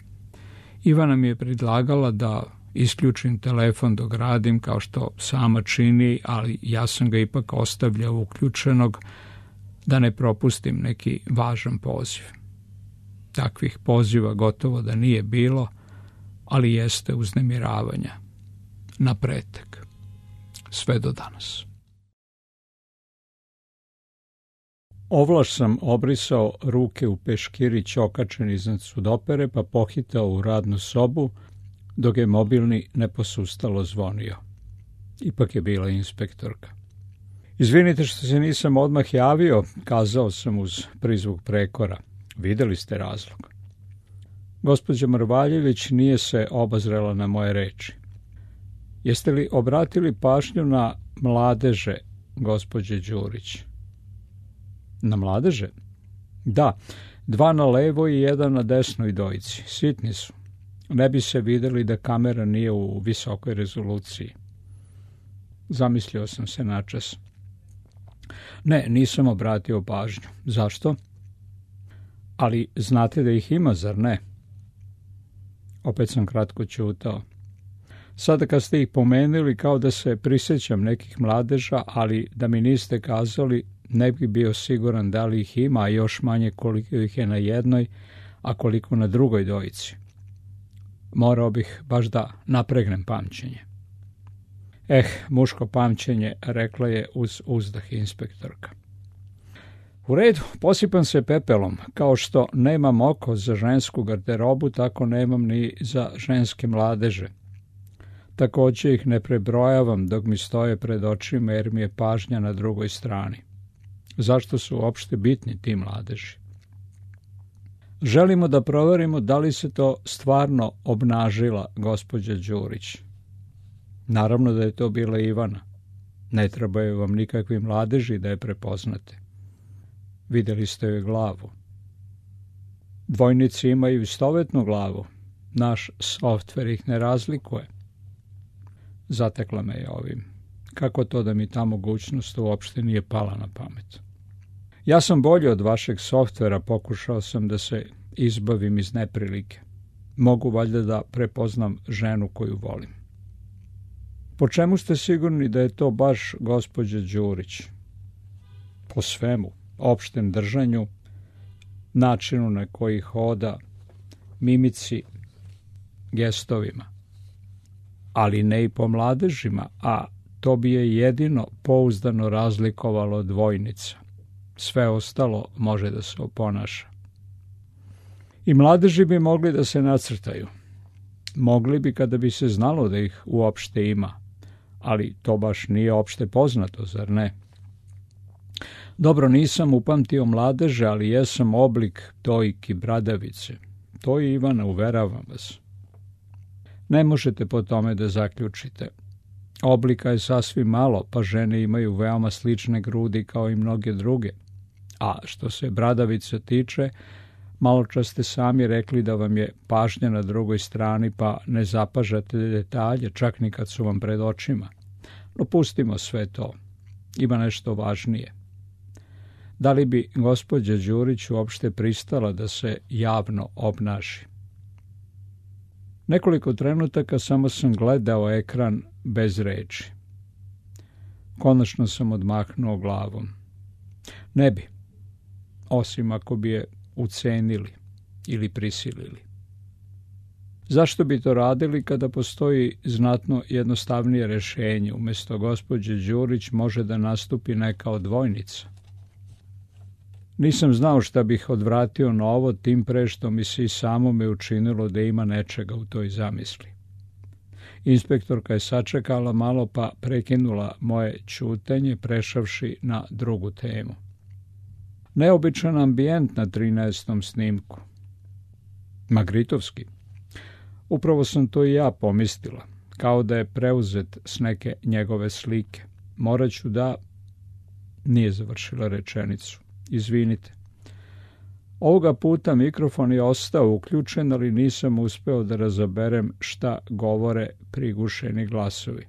Ivana mi je predlagala da isključim telefon dok radim, kao što sama čini, ali ja sam ga ipak ostavljao uključenog da ne propustim neki važan poziv. Takvih poziva gotovo da nije bilo, ali jeste uznemiravanja. Na pretek. Sve do danas. Ovlaš sam obrisao ruke u peškirić okačen iznad sudopere, pa pohitao u radnu sobu, dok je mobilni neposustalo zvonio. Ipak je bila inspektorka. Izvinite što se nisam odmah javio, kazao sam uz prizvuk prekora. Videli ste razlog. Gospođa Mrvaljević nije se obazrela na moje reči. Jeste li obratili pažnju na mladeže, gospođe Đurić? Na mladeže? Da, dva na levo i jedan na desnoj dojci. Sitni su. Ne bi se videli da kamera nije u visokoj rezoluciji. Zamislio sam se načas. Ne, nisam obratio pažnju. Zašto? Ali znate da ih ima, zar ne? Opet sam kratko ćutao. Sada kad ste ih pomenuli, kao da se prisjećam nekih mladeža, ali da mi niste kazali, ne bi bio siguran da li ih ima, a još manje koliko ih je na jednoj, a koliko na drugoj dojici. Morao bih baš da napregnem pamćenje. Eh, muško pamćenje, rekla je uz uzdah inspektorka. U redu, posipam se pepelom. Kao što nemam oko za žensku garderobu, tako nemam ni za ženske mladeže. Također ih ne prebrojavam dok mi stoje pred očima, jer mi je pažnja na drugoj strani. Zašto su uopšte bitni ti mladeži? Želimo da proverimo da li se to stvarno obnažila gospođa Đurić. Naravno da je to bila Ivana. Ne trebaju vam nikakvi mladeži da je prepoznate. Vidjeli ste joj glavu. Dvojnici imaju istovetnu glavu. Naš softver ih ne razlikuje. Zatekla me je ovim. Kako to da mi ta mogućnost uopšte nije pala na pamet? Ja sam bolji od vašeg softvera, pokušao sam da se izbavim iz neprilike. Mogu valjda da prepoznam ženu koju volim. Po čemu ste sigurni da je to baš gospođa Đurić? Po svemu, opštem držanju, načinu na koji hoda, mimici, gestovima. Ali ne i po mladežima, a to bi je jedino pouzdano razlikovalo od dvojnica. Sve ostalo može da se oponaša. I mladeži bi mogli da se nacrtaju. Mogli bi kada bi se znalo da ih uopšte ima, ali to baš nije opšte poznato, zar ne? Dobro, nisam upamtio mladeže, ali jesam oblik dojki bradavice. To je Ivana, uveravam vas. Ne možete po tome da zaključite. Oblika je sasvim malo, pa žene imaju veoma slične grudi kao i mnoge druge. A što se bradavice tiče, malo čas ste sami rekli da vam je pažnja na drugoj strani, pa ne zapažate detalje, čak ni kad su vam pred očima. No pustimo sve to. Ima nešto važnije. Da li bi gospođa Đurić uopšte pristala da se javno obnaši? Nekoliko trenutaka samo sam gledao ekran bez reči. Konačno sam odmahnuo glavom. Ne bi, osim ako bi je ucenili ili prisilili. Zašto bi to radili kada postoji znatno jednostavnije rešenje? Umjesto gospođe Đurić može da nastupi neka od dvojnica. Nisam znao šta bih odvratio na ovo, tim pre što mi se i samo me učinilo da ima nečega u toj zamisli. Inspektorka je sačekala malo pa prekinula moje ćutenje, prešavši na drugu temu. Neobičan ambijent na trinaestom snimku. Magritovski. Upravo sam to i ja pomislila, kao da je preuzet s neke njegove slike. Morat ću da... Nije završila rečenicu. Izvinite. Ovoga puta mikrofon je ostao uključen, ali nisam uspeo da razaberem šta govore prigušeni glasovi.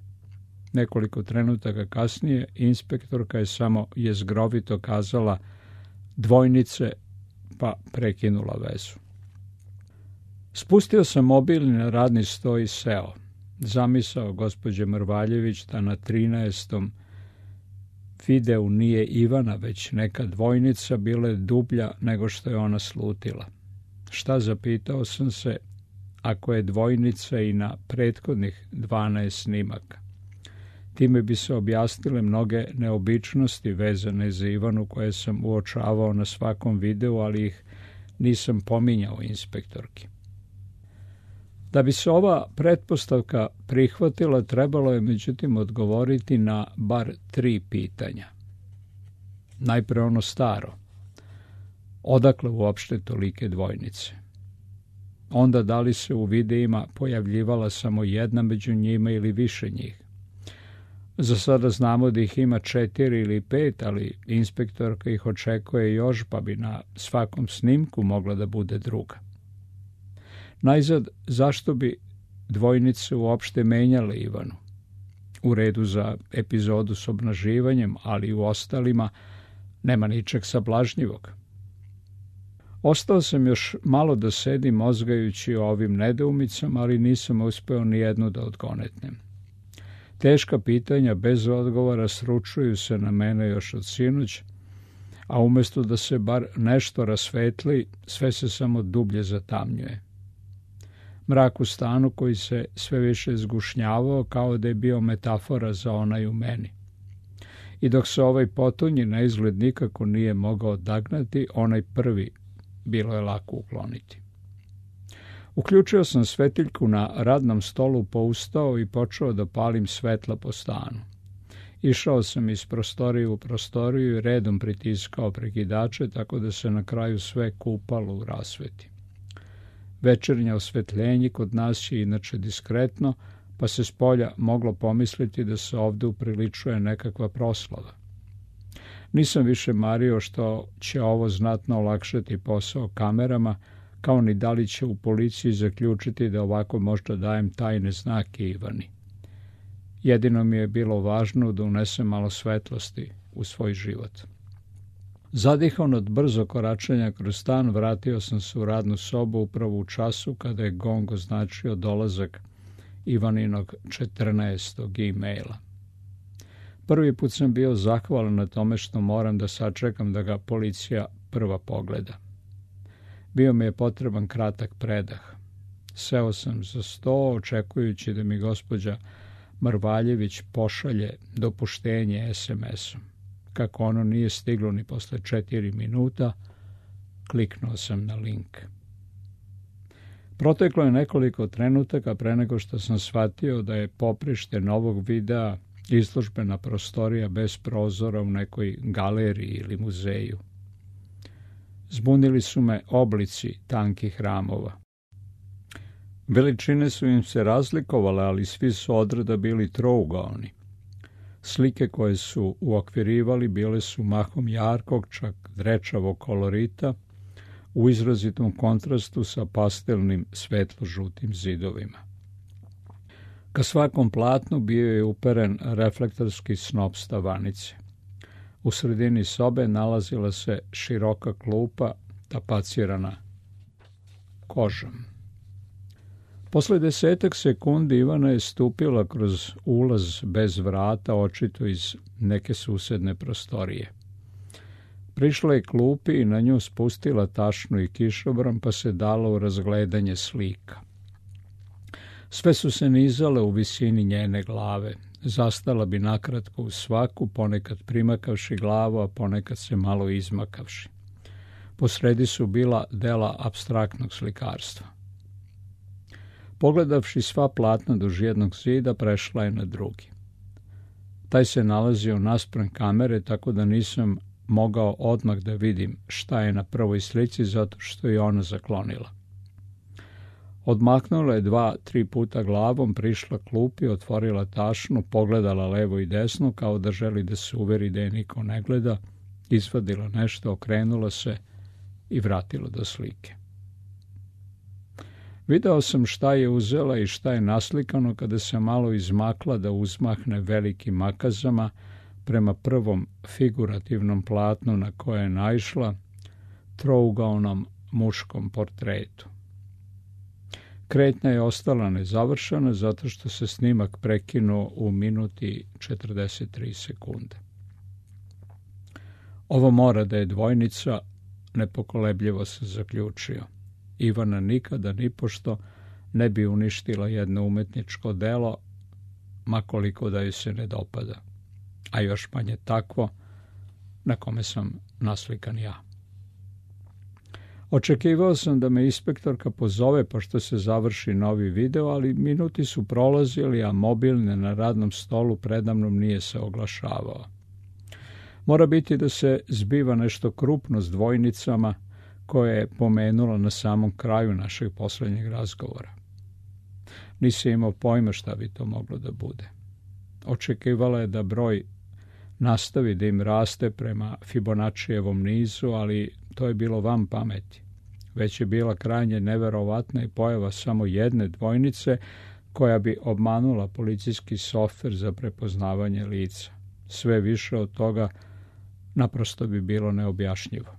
Nekoliko trenutaka kasnije inspektorka je samo jezgrovito kazala dvojnice, pa prekinula vezu. Spustio sam mobil na radni sto i seo. Zamisao gospođe Mrvaljević da na trinaestom videu nije Ivana, već neka dvojnica, bila je dublja nego što je ona slutila. Šta, zapitao sam se, ako je dvojnica i na prethodnih dvanaest snimaka? Time bi se objasnile mnoge neobičnosti vezane za Ivanu koje sam uočavao na svakom videu, ali ih nisam pominjao inspektorki. Da bi se ova pretpostavka prihvatila, trebalo je međutim odgovoriti na bar tri pitanja. Najpre ono staro. Odakle uopšte tolike dvojnice? Onda da li se u videima pojavljivala samo jedna među njima ili više njih? Za sada znamo da ih ima četiri ili pet, ali inspektorka ih očekuje još, pa bi na svakom snimku mogla da bude druga. Najzad, zašto bi dvojnice uopšte menjale Ivanu? U redu za epizodu s obnaživanjem, ali u ostalima nema ničeg sablažnjivog. Ostao sam još malo da sedim mozgajući o ovim nedoumicama, ali nisam uspeo ni jednu da odgonetnem. Teška pitanja bez odgovora sručuju se na mene još od sinoć, a umjesto da se bar nešto rasvetli, sve se samo dublje zatamnjuje. Mrak u stanu koji se sve više zgušnjavao kao da je bio metafora za onaj u meni. I dok se ovaj potonji na izgled nikako nije mogao odagnati, onaj prvi bilo je lako ukloniti. Uključio sam svetiljku na radnom stolu, poustao i počeo da palim svetla po stanu. Išao sam iz prostorije u prostoriju i redom pritiskao prekidače, tako da se na kraju sve kupalo u rasveti. Večernje osvetljenje kod nas je inače diskretno, pa se spolja moglo pomisliti da se ovde upriličuje nekakva proslava. Nisam više mario što će ovo znatno olakšati posao kamerama, kao ni da li će u policiji zaključiti da ovako možda dajem tajne znake Ivani. Jedino mi je bilo važno da unesem malo svetlosti u svoj život. Zadihan od brzo koračenja kroz stan, vratio sam se u radnu sobu upravo u času kada je gong označio dolazak Ivaninog četrnaestog e-maila. Prvi put sam bio zahvalan na tome što moram da sačekam da ga policija prva pogleda. Bio mi je potreban kratak predah. Seo sam za sto, očekujući da mi gospođa Marvaljević pošalje dopuštenje es em esom. Kako ono nije stiglo ni posle četiri minuta, kliknuo sam na link. Proteklo je nekoliko trenutaka pre nego što sam shvatio da je poprište novog videa izložbena prostorija bez prozora u nekoj galeriji ili muzeju. Zbunili su me oblici tankih ramova. Veličine su im se razlikovale, ali svi su odreda bili trougaoni. Slike koje su uokvirivali bile su mahom jarkog, čak drečavog kolorita, u izrazitom kontrastu sa pastelnim svetlo-žutim zidovima. Ka svakom platnu bio je uperen reflektorski snop stavanice. U sredini sobe nalazila se široka klupa tapacirana kožom. Posle desetak sekundi Ivana je stupila kroz ulaz bez vrata, očito iz neke susedne prostorije. Prišla je klupi i na nju spustila tašnu i kišobran, pa se dala u razgledanje slika. Sve su se nizale u visini njene glave. Zastala bi nakratko u svaku, ponekad primakavši glavu, a ponekad se malo izmakavši. Posredi su bila dela apstraktnog slikarstva. Pogledavši sva platna duž jednog zida, prešla je na drugi. Taj se nalazio naspram kamere, tako da nisam mogao odmah da vidim šta je na prvoj slici, zato što je ona zaklonila. Odmaknula je dva, tri puta glavom, prišla klupi, otvorila tašnu, pogledala levo i desno, kao da želi da se uveri da je niko ne gleda, izvadila nešto, okrenula se i vratila do slike. Video sam šta je uzela i šta je naslikano kada se malo izmakla da uzmahne velikim makazama prema prvom figurativnom platnu na koje je naišla, trougaonom muškom portretu. Kretnja je ostala nezavršena zato što se snimak prekinuo u minuti četrdeset tri sekunde. Ovo mora da je dvojnica, nepokolebljivo se zaključio. Ivana nikada nipošto ne bi uništila jedno umetničko delo, makoliko da joj se ne dopada, a još manje takvo na kome sam naslikan ja. Očekivao sam da me inspektorka pozove pošto se završi novi video, ali minuti su prolazili, a mobilne na radnom stolu predamnom nije se oglašavao. Mora biti da se zbiva nešto krupno s dvojnicama koje je pomenula na samom kraju našeg poslednjeg razgovora. Nisam imao pojma šta bi to moglo da bude. Očekivala je da broj nastavi da im raste prema Fibonaccijevom nizu, ali to je bilo van pameti. Već je bila krajnje neverovatna i pojava samo jedne dvojnice koja bi obmanula policijski softver za prepoznavanje lica. Sve više od toga naprosto bi bilo neobjašnjivo.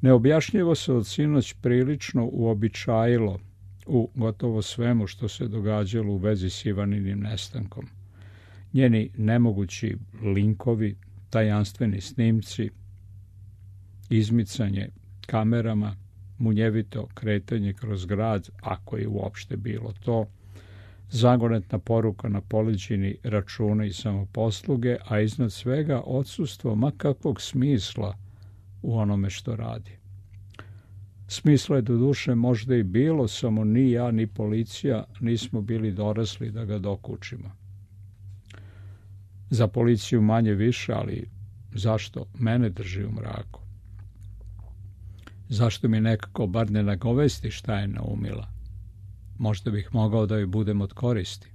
Neobjašnjivo se od sinoć prilično uobičajilo u gotovo svemu što se događalo u vezi s Ivaninim nestankom. Njeni nemogući linkovi, tajanstveni snimci, izmicanje kamerama, munjevito kretanje kroz grad, ako je uopšte bilo to, zagonetna poruka na poleđini računa i samoposluge, a iznad svega odsustvo ma kakvog smisla u onome što radi. Smisla je do duše možda i bilo, samo ni ja ni policija nismo bili dorasli da ga dokučimo. Za policiju manje više, ali zašto mene drži u mraku? Zašto mi nekako bar ne nagovesti šta je naumila? Možda bih mogao da joj budem od koristi.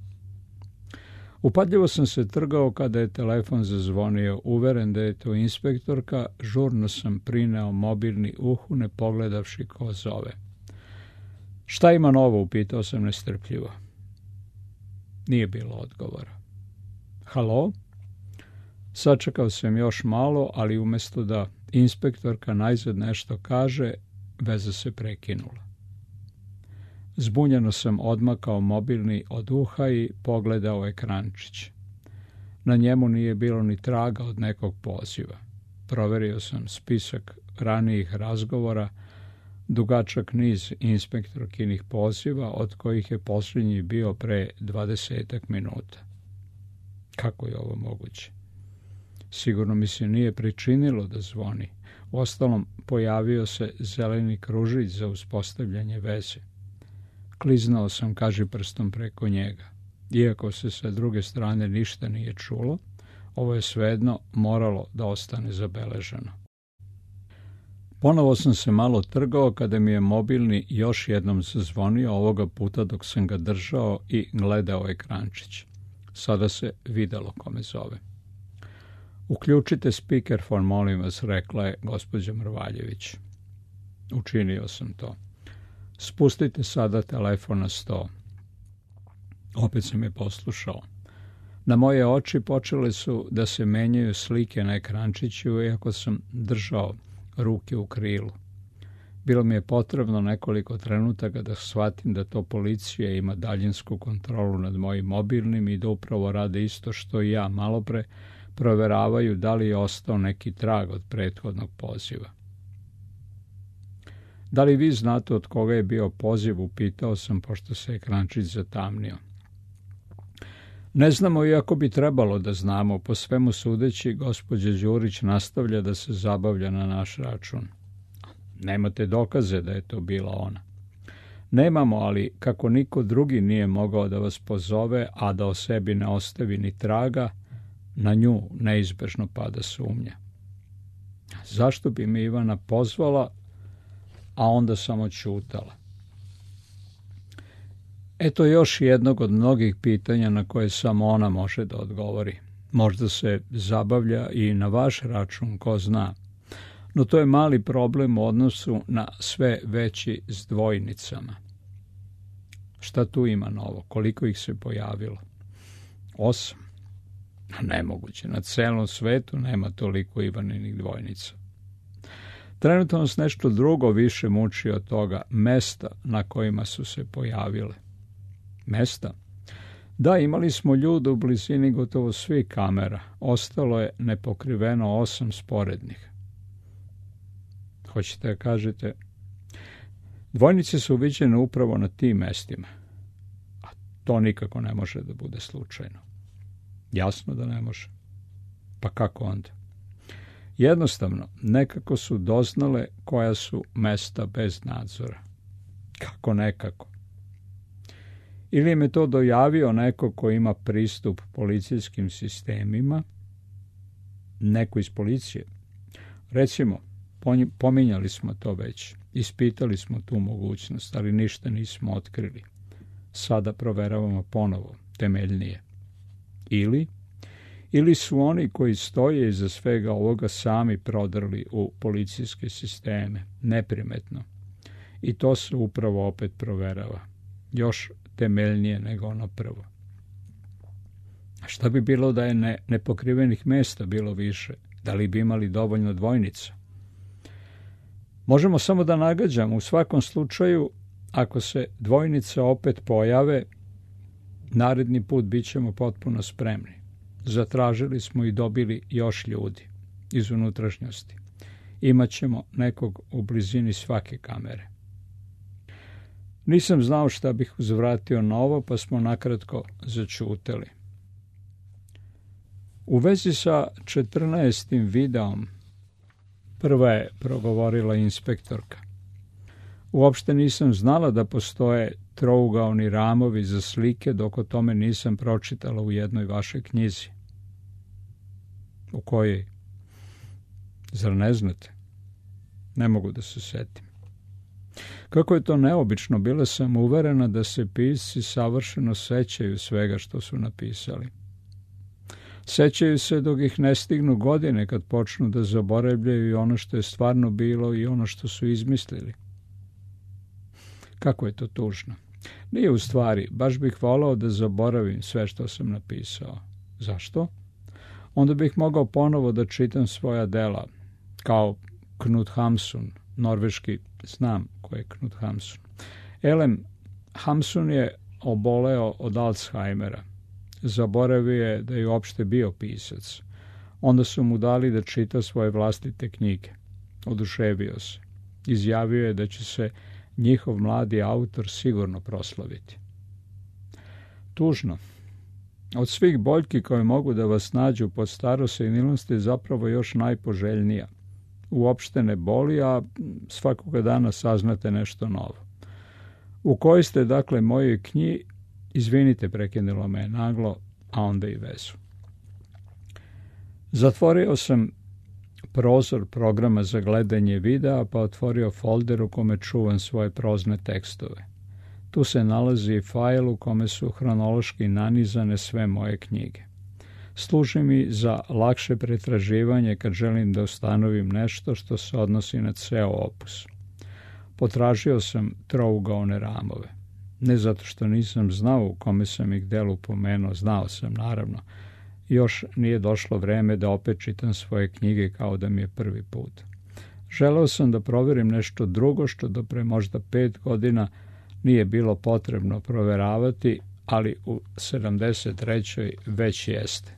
Upadljivo sam se trgao kada je telefon zazvonio, uveren da je to inspektorka, žurno sam prineo mobilni uhu ne pogledavši ko zove. Šta ima novo, upitao sam nestrpljivo. Nije bilo odgovora. Halo? Sačekao sam još malo, ali umjesto da inspektorka najzad nešto kaže, veza se prekinula. Zbunjeno sam odmakao mobilni od uha i pogledao ekrančić. Na njemu nije bilo ni traga od nekog poziva. Proverio sam spisak ranijih razgovora, dugačak niz inspektorkinih poziva, od kojih je posljednji bio pre dvadesetak minuta. Kako je ovo moguće? Sigurno mi se nije pričinilo da zvoni. Uostalom, pojavio se zeleni kružić za uspostavljanje veze. Kliznao sam kažiprstom preko njega. Iako se sa druge strane ništa nije čulo, ovo je svejedno moralo da ostane zabeleženo. Ponovo sam se malo trgao kada mi je mobilni još jednom zazvonio, ovoga puta dok sam ga držao i gledao ekrančić. Sada se videlo kome zove. Uključite speakerfon, molim vas, rekla je gospođa Mrvaljević. Učinio sam to. Spustite sada telefon na sto. Opet sam je poslušao. Na moje oči počele su da se menjaju slike na ekrančiću, iako sam držao ruke u krilu. Bilo mi je potrebno nekoliko trenutaka da shvatim da to policija ima daljinsku kontrolu nad mojim mobilnim i da upravo rade isto što i ja malopre, proveravaju da li je ostao neki trag od prethodnog poziva. Da li vi znate od koga je bio poziv, upitao sam, pošto se ekrančić zatamnio. Ne znamo, iako bi trebalo da znamo. Po svemu sudeći, gospođa Đurić nastavlja da se zabavlja na naš račun. Nemate dokaze da je to bila ona. Nemamo, ali kako niko drugi nije mogao da vas pozove, a da o sebi ne ostavi ni traga, na nju neizbežno pada sumnja. Zašto bi me Ivana pozvala, a onda samo ćutala? Eto još jednog od mnogih pitanja na koje samo ona može da odgovori. Možda se zabavlja i na vaš račun, ko zna. No to je mali problem u odnosu na sve veći s dvojnicama. Šta tu ima novo? Koliko ih se pojavilo? Osam. Nemoguće. Na celom svetu nema toliko Ivaninih dvojnica. Trenutno nas nešto drugo više muči od toga, mesta na kojima su se pojavile. Mesta? Da, imali smo ljude u blizini gotovo svih kamera. Ostalo je nepokriveno osam sporednih. Hoćete da kažete? Dvojnice su viđene upravo na tim mestima. A to nikako ne može da bude slučajno. Jasno da ne može. Pa kako onda? Jednostavno, nekako su doznale koja su mesta bez nadzora. Kako nekako? Ili im je to dojavio neko ko ima pristup policijskim sistemima, neko iz policije. Recimo, pominjali smo to već, ispitali smo tu mogućnost, ali ništa nismo otkrili. Sada proveravamo ponovo, temeljnije. Ili, ili su oni koji stoje iza svega ovoga sami prodrli u policijske sisteme, neprimetno. I to se upravo opet proverava. Još temeljnije nego ono prvo. A šta bi bilo da je ne, nepokrivenih mesta bilo više? Da li bi imali dovoljno dvojnica? Možemo samo da nagađamo. U svakom slučaju, ako se dvojnice opet pojave, naredni put bit ćemo potpuno spremni. Zatražili smo i dobili još ljudi iz unutrašnjosti. Imaćemo nekog u blizini svake kamere. Nisam znao šta bih uzvratio na ovo, pa smo nakratko začuteli. U vezi sa četrnaestim videom prva je progovorila inspektorka. Uopšte nisam znala da postoje trougaoni ramovi za slike, dok o tome nisam pročitala u jednoj vašoj knjizi. U kojoj? Zar ne znate? Ne mogu da se setim. Kako je to neobično, bila sam uverena da se pisci savršeno sećaju svega što su napisali. Sećaju se dok ih ne stignu godine, kad počnu da zaboravljaju i ono što je stvarno bilo i ono što su izmislili. Kako je to tužno. Nije u stvari, baš bih volao da zaboravim sve što sam napisao. Zašto? Onda bih mogao ponovo da čitam svoja dela, kao Knut Hamsun, norveški, znam ko je Knut Hamsun. Elem, Hamsun je oboleo od Alzheimera. Zaboravio je da je uopšte bio pisac. Onda su mu dali da čita svoje vlastite knjige. Oduševio se. Izjavio je da će se njihov mladi autor sigurno proslaviti. Tužno. Od svih boljki koje mogu da vas nađu pod starosenilnosti je zapravo još najpoželjnija. Uopšte ne boli, a svakoga dana saznate nešto novo. U kojoj ste, dakle, mojoj knji, izvinite, prekinula me naglo, a onda i vezu. Zatvorio sam prozor programa za gledanje videa, pa otvorio folder u kome čuvam svoje prozne tekstove. Tu se nalazi i fajl u kome su hronološki nanizane sve moje knjige. Služi mi za lakše pretraživanje kad želim da ustanovim nešto što se odnosi na ceo opus. Potražio sam trougaone ramove. Ne zato što nisam znao u kome sam ih delu pomenuo, znao sam naravno. Još nije došlo vreme da opet čitam svoje knjige kao da mi je prvi put. Želeo sam da proverim nešto drugo što do pre možda pet godina nije bilo potrebno proveravati, ali u sedamdeset trećoj već jeste.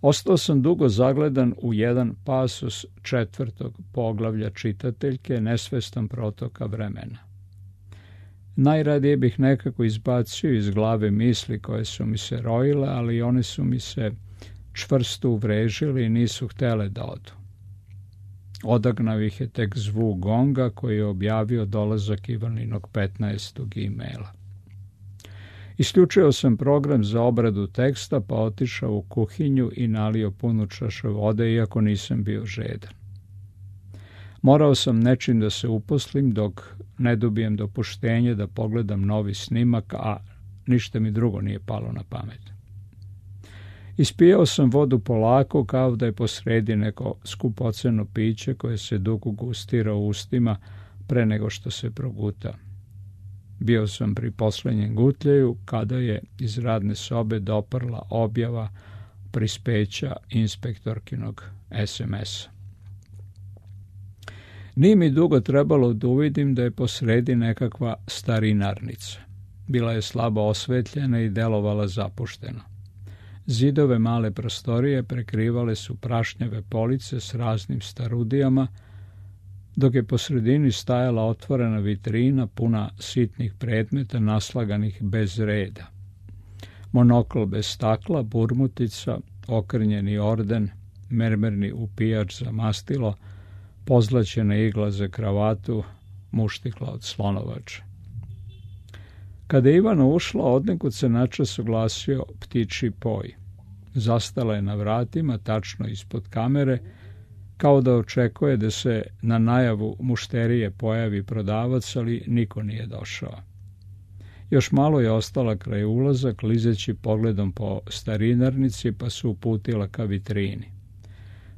Ostao sam dugo zagledan u jedan pasus četvrtog poglavlja čitateljke, nesvestan protoka vremena. Najradije bih nekako izbacio iz glave misli koje su mi se rojile, ali one su mi se čvrsto uvrežili i nisu htele da odu. Odagnao ih je tek zvuk gonga koji je objavio dolazak Ivaninog petnaestog e-maila. Isključio sam program za obradu teksta, pa otišao u kuhinju i nalio punu čašu vode, iako nisam bio žedan. Morao sam nečim da se uposlim dok ne dobijem dopuštenje da pogledam novi snimak, a ništa mi drugo nije palo na pamet. Ispijao sam vodu polako, kao da je posredi neko skupoceno piće koje se dugo gustira u ustima pre nego što se proguta. Bio sam pri poslednjem gutljeju kada je iz radne sobe doprla objava prispeća inspektorkinog es em es-a. Nije mi dugo trebalo da uvidim da je posredi nekakva starinarnica. Bila je slabo osvetljena i delovala zapušteno. Zidove male prostorije prekrivale su prašnjave police s raznim starudijama, dok je po sredini stajala otvorena vitrina puna sitnih predmeta naslaganih bez reda. Monokl bez stakla, burmutica, okrnjeni orden, mermerni upijač za mastilo, pozlaćena igla za kravatu, muštikla od slonovače. Kada je Ivana ušla, odnekud se načas oglasio ptičji poj. Zastala je na vratima, tačno ispod kamere, kao da očekuje da se na najavu mušterije pojavi prodavac, ali niko nije došao. Još malo je ostala kraj ulaza, klizeći pogledom po starinarnici, pa se uputila ka vitrini.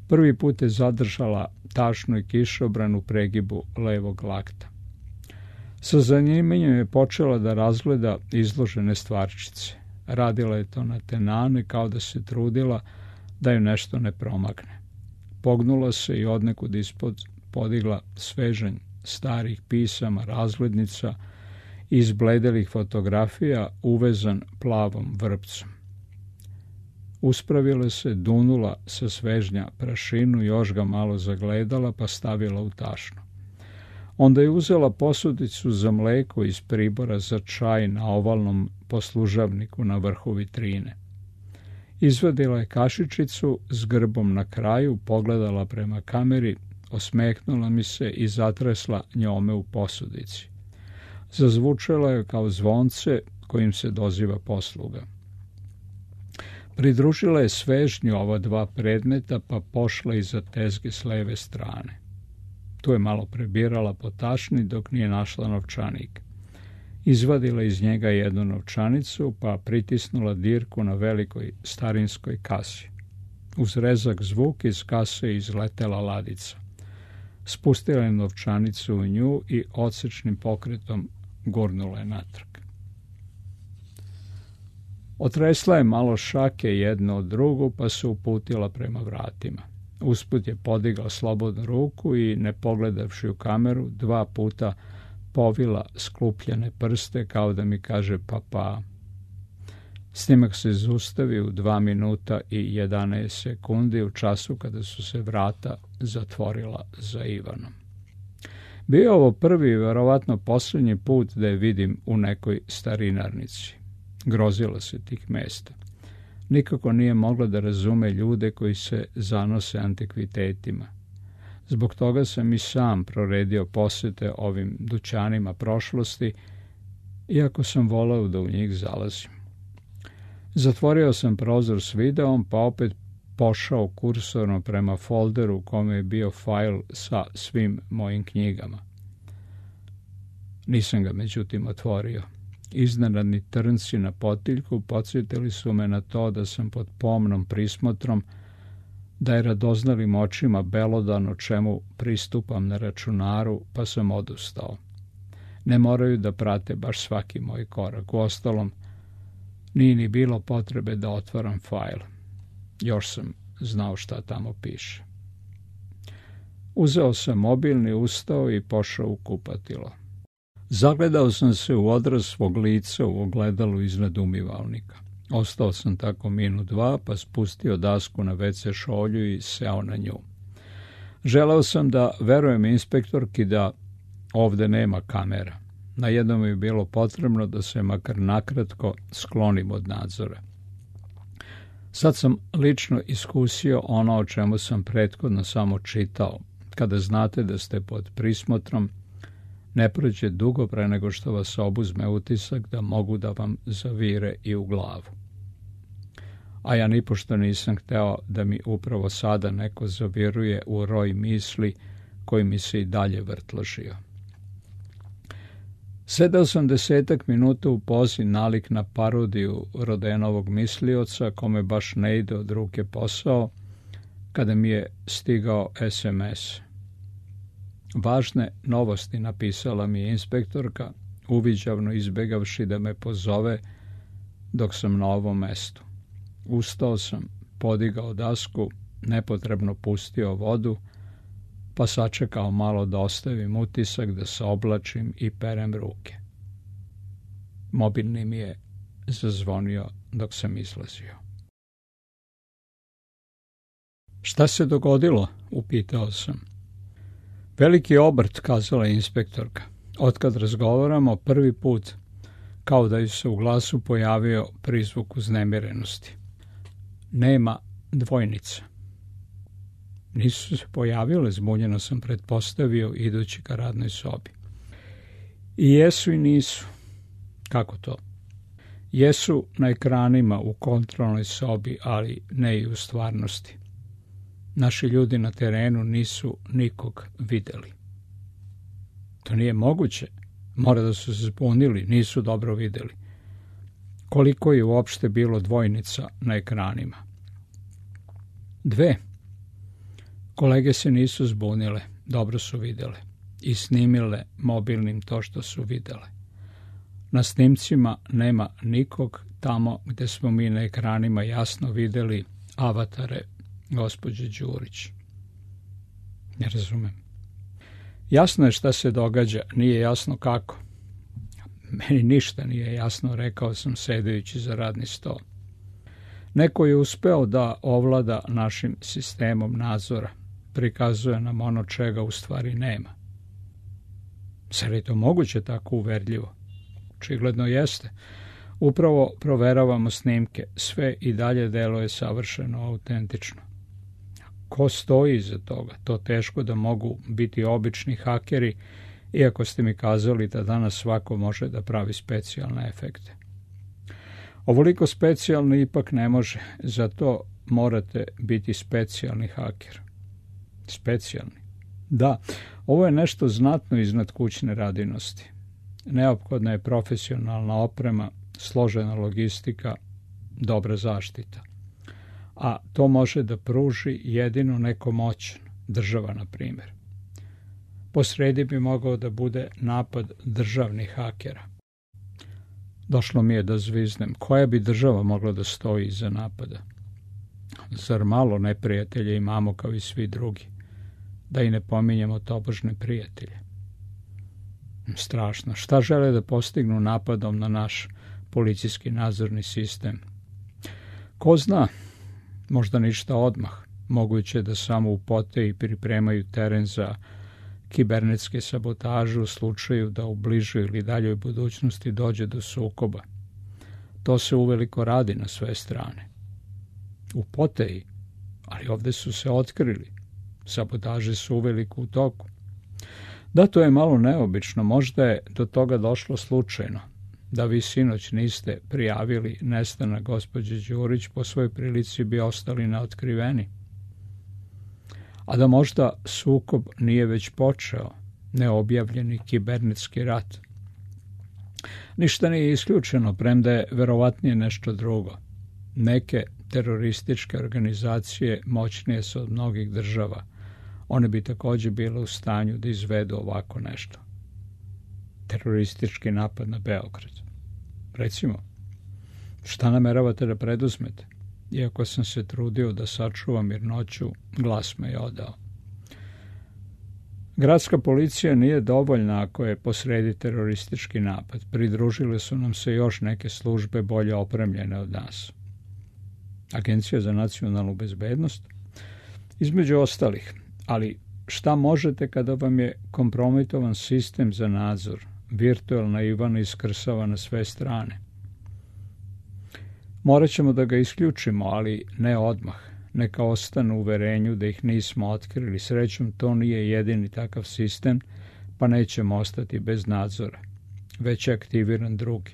Prvi put je zadržala tašnu i kišobran u pregibu levog lakta. Sa zanimanjem je počela da razgleda izložene stvarčice. Radila je to na tenane, kao da se trudila da ju nešto ne promakne. Pognula se i odnekud ispod podigla svežanj starih pisama, razglednica i izbledelih fotografija uvezan plavom vrpcom. Uspravila se, dunula sa svežnja prašinu, još ga malo zagledala, pa stavila u tašnu. Onda je uzela posudicu za mleko iz pribora za čaj na ovalnom poslužavniku na vrhu vitrine. Izvadila je kašičicu s grbom na kraju, pogledala prema kameri, osmehnula mi se i zatresla njome u posudici. Zazvučala je kao zvonce kojim se doziva posluga. Pridružila je svežnju ova dva predmeta, pa pošla iza tezge s leve strane. Tu je malo prebirala po tašni dok nije našla novčanik. Izvadila iz njega jednu novčanicu, pa pritisnula dirku na velikoj starinskoj kasi. Uz rezak zvuk iz kase izletela ladica. Spustila je novčanicu u nju i odsečnim pokretom gurnula je natrag. Otresla je malo šake jedno od drugu, pa se uputila prema vratima. Usput je podigla slobodnu ruku i, ne pogledavši u kameru, dva puta povila sklupljene prste kao da mi kaže pa pa. Snimak se zaustavi u dva minuta i jedanaest sekundi u času kada su se vrata zatvorila za Ivanom. Bio je ovo prvi i verovatno posljednji put da je vidim u nekoj starinarnici. Grozila se tih mesta. Nikako nije mogla da razume ljude koji se zanose antikvitetima. Zbog toga sam i sam proredio posete ovim dućanima prošlosti, iako sam voleo da u njih zalazim. Zatvorio sam prozor s videom, pa opet pošao kursorno prema folderu u kome je bio fajl sa svim mojim knjigama. Nisam ga međutim otvorio. Iznenadni trnci na potiljku podsjetili su me na to da sam pod pomnom prismotrom, da je radoznalim očima belodano čemu pristupam na računaru, pa sam odustao. Ne moraju da prate baš svaki moj korak. Uostalom, nije ni bilo potrebe da otvaram fajl. Još sam znao šta tamo piše. Uzeo sam mobilni, ustao i pošao u kupatilo. Zagledao sam se u odraz svog lica u ogledalu iznad umivalnika. Ostao sam tako minut dva, pa spustio dasku na ve ce šolju i seo na nju. Želeo sam da verujem inspektorki da ovde nema kamera. Na jednom je bilo potrebno da se makar nakratko sklonim od nadzora. Sad sam lično iskusio ono o čemu sam prethodno samo čitao. Kada znate da ste pod prismotrom, ne prođe dugo pre nego što vas obuzme utisak da mogu da vam zavire i u glavu. A ja nipošto nisam hteo da mi upravo sada neko zaviruje u roj misli koji mi se i dalje vrtložio. Sedao sam desetak minuta u pozi nalik na parodiju Rodenovog mislioca, kome baš ne ide od ruke posao, kada mi je stigao es em es. Važne novosti napisala mi je inspektorka, uviđavno izbegavši da me pozove dok sam na ovom mestu. Ustao sam, podigao dasku, nepotrebno pustio vodu, pa sačekao malo da ostavim utisak, da se oblačim i perem ruke. Mobilni mi je zazvonio dok sam izlazio. Šta se dogodilo? Upitao sam. Veliki obrt, kazala je inspektorka. Otkad razgovaramo, prvi put, kao da ju se u glasu pojavio prizvuk uznemirenosti. Nema dvojnica. Nisu se pojavile, zbunjeno sam pretpostavio, idući ka radnoj sobi. I jesu i nisu. Kako to? Jesu na ekranima u kontrolnoj sobi, ali ne i u stvarnosti. Naši ljudi na terenu nisu nikog videli. To nije moguće. Mora da su se zbunili, nisu dobro videli. Koliko je uopšte bilo dvojnica na ekranima? Dve. Kolege se nisu zbunile, dobro su videle i snimile mobilnim to što su videle. Na snimcima nema nikog tamo gde smo mi na ekranima jasno videli avatare gospođe Đurić. Ne razumem. Jasno je šta se događa, nije jasno kako. Meni ništa nije jasno, rekao sam sedajući za radni sto. Neko je uspeo da ovlada našim sistemom nadzora. Prikazuje nam ono čega u stvari nema. Zar je to moguće tako uverljivo? Očigledno jeste. Upravo proveravamo snimke. Sve i dalje deluje savršeno autentično. Ko stoji iza toga? To teško da mogu biti obični hakeri, iako ste mi kazali da danas svako može da pravi specijalne efekte. Ovoliko specijalni ipak ne može, zato morate biti specijalni haker. Specijalni. Da, ovo je nešto znatno iznad kućne radinosti. Neophodna je profesionalna oprema, složena logistika, dobra zaštita. A to može da pruži jedino neko moćan, država na primjer. Posredi bi mogao da bude napad državnih hakera. Došlo mi je da zviznem. Koja bi država mogla da stoji iza napada? Zar malo neprijatelje imamo kao i svi drugi? Da i ne pominjemo tobožne prijatelje. Strašno. Šta žele da postignu napadom na naš policijski nadzorni sistem? Ko zna, možda ništa odmah. Moguće da samo upote i pripremaju teren za kibernetske sabotaže u slučaju da u bližoj ili daljoj budućnosti dođe do sukoba. To se uveliko radi na sve strane. U poteji, ali ovde su se otkrili. Sabotaže su uveliko u toku. Da, to je malo neobično, možda je do toga došlo slučajno. Da vi sinoć niste prijavili nestanak gospođe Đurić, po svojoj prilici bi ostali neotkriveni. A da možda sukob nije već počeo, neobjavljeni kibernetski rat. Ništa nije isključeno, premda je verovatnije nešto drugo. Neke terorističke organizacije moćnije su od mnogih država. One bi također bile u stanju da izvedu ovako nešto. Teroristički napad na Beograd. Recimo, šta nameravate da preduzmete? Iako sam se trudio da sačuvam mirnoću, glas me je odao. Gradska policija nije dovoljna ako je posredi teroristički napad. Pridružile su nam se još neke službe bolje opremljene od nas. Agencija za nacionalnu bezbednost? Između ostalih. Ali šta možete kada vam je kompromitovan sistem za nadzor, virtualna Ivana iskrsava na sve strane? Morat ćemo da ga isključimo, ali ne odmah. Neka ostanu u uverenju da ih nismo otkrili. Srećom, to nije jedini takav sistem, pa nećemo ostati bez nadzora. Već je aktiviran drugi.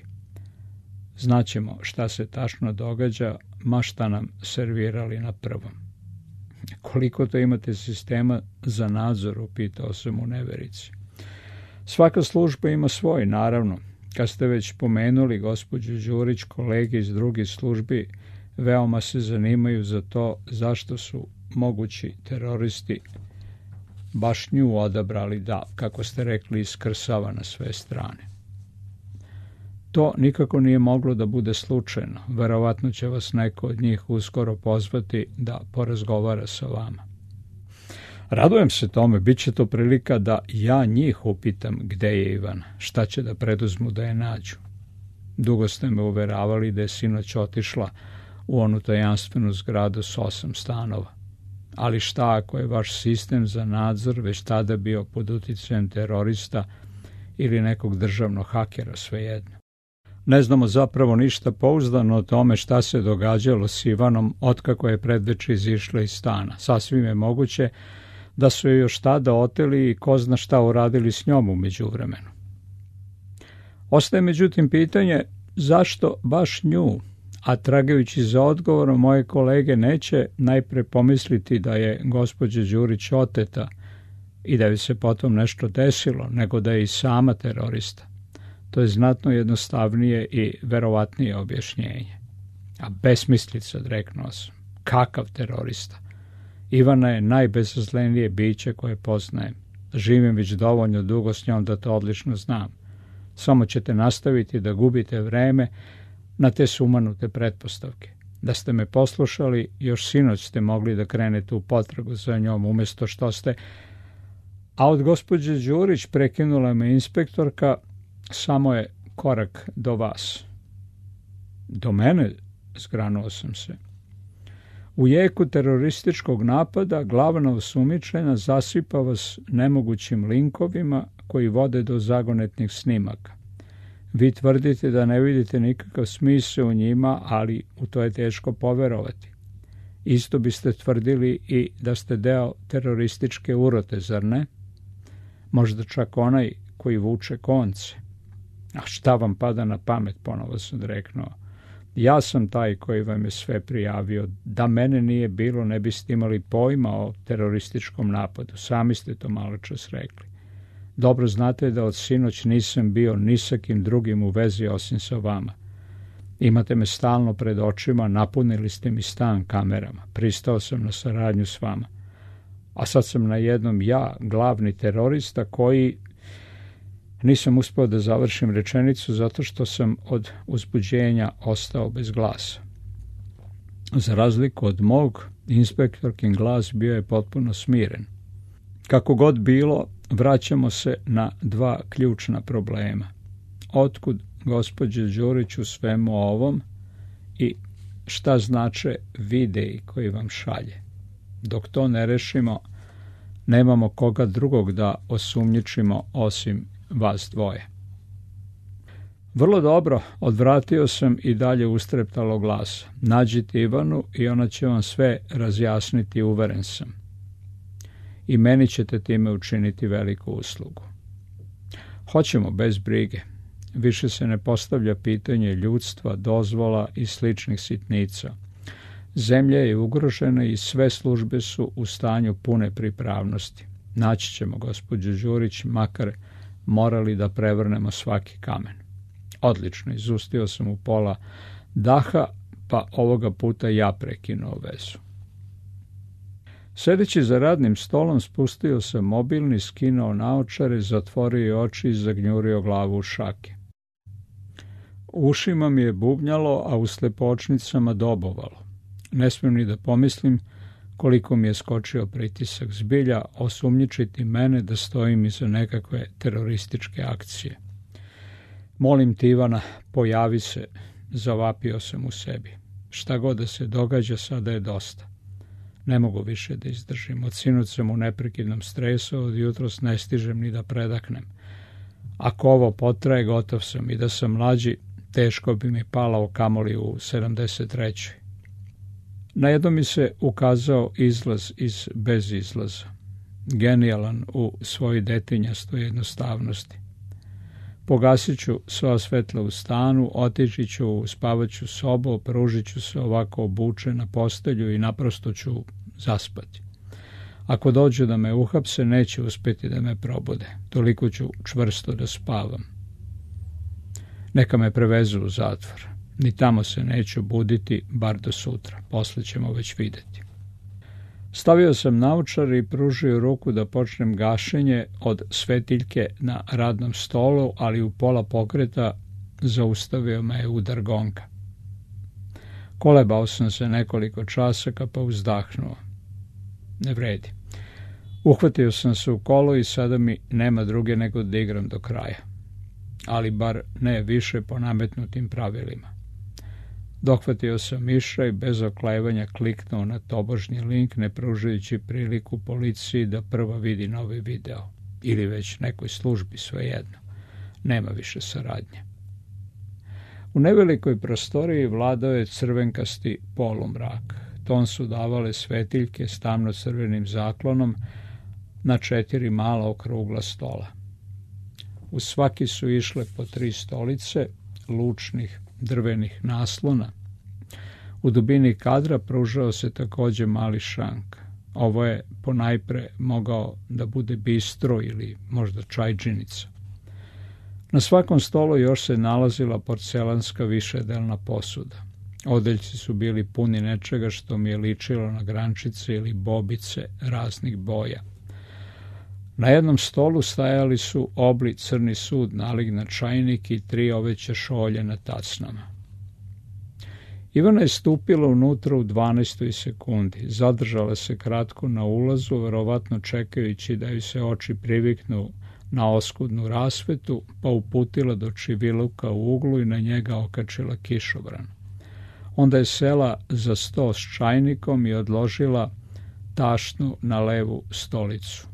Znaćemo šta se tačno događa, ma šta nam servirali na prvom. Koliko to imate sistema za nadzor, upitao sam u neverici. Svaka služba ima svoj, naravno. Kad ste već pomenuli gospođu Đurić, kolege iz drugih službi veoma se zanimaju za to zašto su mogući teroristi baš nju odabrali da, kako ste rekli, iskrsava na sve strane. To nikako nije moglo da bude slučajno. Verovatno će vas neko od njih uskoro pozvati da porazgovara sa vama. Radujem se tome, bit će to prilika da ja njih upitam gde je Ivana, šta će da preduzmu da je nađu. Dugo ste me uveravali da je sinoć otišla u onu tajanstvenu zgradu s osam stanova. Ali šta ako je vaš sistem za nadzor već tada bio pod uticajem terorista ili nekog državnog hakera, svejedno? Ne znamo zapravo ništa pouzdano o tome šta se događalo s Ivanom otkako je predveče izišla iz stana. Sasvim je moguće da su je još tada oteli i ko zna šta uradili s njom u međuvremenu. Ostaje međutim pitanje zašto baš nju, a tragajući za odgovorom moje kolege neće najpre pomisliti da je gospođa Đurić oteta i da bi se potom nešto desilo, nego da je i sama terorista. To je znatno jednostavnije i verovatnije objašnjenje. A besmislica, reknuo sam. Kakav terorista? Ivana je najbezazlenije biće koje poznajem. Živim već dovoljno dugo s njom da to odlično znam. Samo ćete nastaviti da gubite vreme na te sumanute pretpostavke. Da ste me poslušali, još sinoć ste mogli da krenete u potragu za njom, umjesto što ste... A od gospođe Đurić, prekinula me inspektorka, samo je korak do vas. Do mene? Zgranuo sam se. U jeku terorističkog napada glavna osumnjičena zasipa vas nemogućim linkovima koji vode do zagonetnih snimaka. Vi tvrdite da ne vidite nikakav smisao u njima, ali u to je teško poverovati. Isto biste tvrdili i da ste deo terorističke urote, zar ne? Možda čak onaj koji vuče konce. A šta vam pada na pamet, ponovo sam reknuo. Ja sam taj koji vam je sve prijavio. Da mene nije bilo, ne biste imali pojma o terorističkom napadu. Sami ste to malo čas rekli. Dobro znate da od sinoć nisam bio ni sa kim drugim u vezi osim sa vama. Imate me stalno pred očima, napunili ste mi stan kamerama. Pristao sam na saradnju s vama. A sad sam na jednom ja, glavni terorista, koji... Nisam uspio da završim rečenicu zato što sam od uzbuđenja ostao bez glasa. Za razliku od mog, inspektorkin glas bio je potpuno smiren. Kako god bilo, vraćamo se na dva ključna problema. Otkud gospođe Đurić u svemu ovom i šta znače videi koji vam šalje? Dok to ne rešimo, nemamo koga drugog da osumnjičimo osim vas dvoje. Vrlo dobro, odvratio sam i dalje ustreptalo glasa. Nađite Ivanu i ona će vam sve razjasniti, uveren sam. I meni ćete time učiniti veliku uslugu. Hoćemo bez brige. Više se ne postavlja pitanje ljudstva, dozvola i sličnih sitnica. Zemlja je ugrožena i sve službe su u stanju pune pripravnosti. Naći ćemo gospođu Đurić, makar morali da prevrnemo svaki kamen. Odlično, izustio sam u pola daha, pa ovoga puta ja prekinuo vezu. Sedeći za radnim stolom, spustio sam mobilni, skinuo naočare, zatvorio oči i zagnjurio glavu u šake. U ušima mi je bubnjalo, a u slepočnicama dobovalo. Ne smijem ni da pomislim koliko mi je skočio pritisak. Zbilja osumnjičiti mene da stojim iza nekakve terorističke akcije. Molim ti, Ivana, pojavi se, zavapio sam u sebi. Šta god da se događa, sada je dosta. Ne mogu više da izdržim. Od sinoć sam u neprekidnom stresu, od jutros ne stižem ni da predahnem. Ako ovo potraje, gotov sam. I da sam mlađi, teško bi mi palao kamoli u sedamdeset trećoj. Na jedno mi se ukazao izlaz iz bezizlaza. Genijalan u svojoj detinjastoj jednostavnosti. Pogasit ću sva svetla u stanu, otići ću u spavaću sobu, pružit ću se ovako obučen na postelju i naprosto ću zaspati. Ako dođu da me uhapse, neće uspjeti da me probude. Toliko ću čvrsto da spavam. Neka me prevezu u zatvor. Ni tamo se neću buditi, bar do sutra. Posle ćemo već vidjeti. Stavio sam naočare i pružio ruku da počnem gašenje od svetiljke na radnom stolu, ali u pola pokreta zaustavio me je udar gonga. Kolebao sam se nekoliko časaka, pa uzdahnuo. Ne vredi. Uhvatio sam se u kolo i sada mi nema druge nego da igram do kraja. Ali bar ne više po nametnutim pravilima. Dohvatio sam miša i bez oklevanja kliknuo na tobožnji link, ne pružajući priliku policiji da prva vidi novi video. Ili već nekoj službi, svejedno. Nema više saradnje. U nevelikoj prostoriji vladao je crvenkasti polumrak. Ton su davale svetiljke s tamno-crvenim zaklonom na četiri mala okrugla stola. U svaki su išle po tri stolice, lučnih drvenih naslona. U dubini kadra pružao se također mali šank. Ovo je ponajpre mogao da bude bistro ili možda čajđinica. Na svakom stolu još se nalazila porcelanska višedelna posuda. Odeljci su bili puni nečega što mi je ličilo na grančice ili bobice raznih boja. Na jednom stolu stajali su obli crni sud, nalik na čajnik i tri oveće šolje na tacnama. Ivana je stupila unutra u dvanaestoj sekundi. Zadržala se kratko na ulazu, verovatno čekajući da ju se oči priviknu na oskudnu rasvetu, pa uputila do čiviluka u uglu i na njega okačila kišobran. Onda je sela za sto s čajnikom i odložila tašnu na levu stolicu.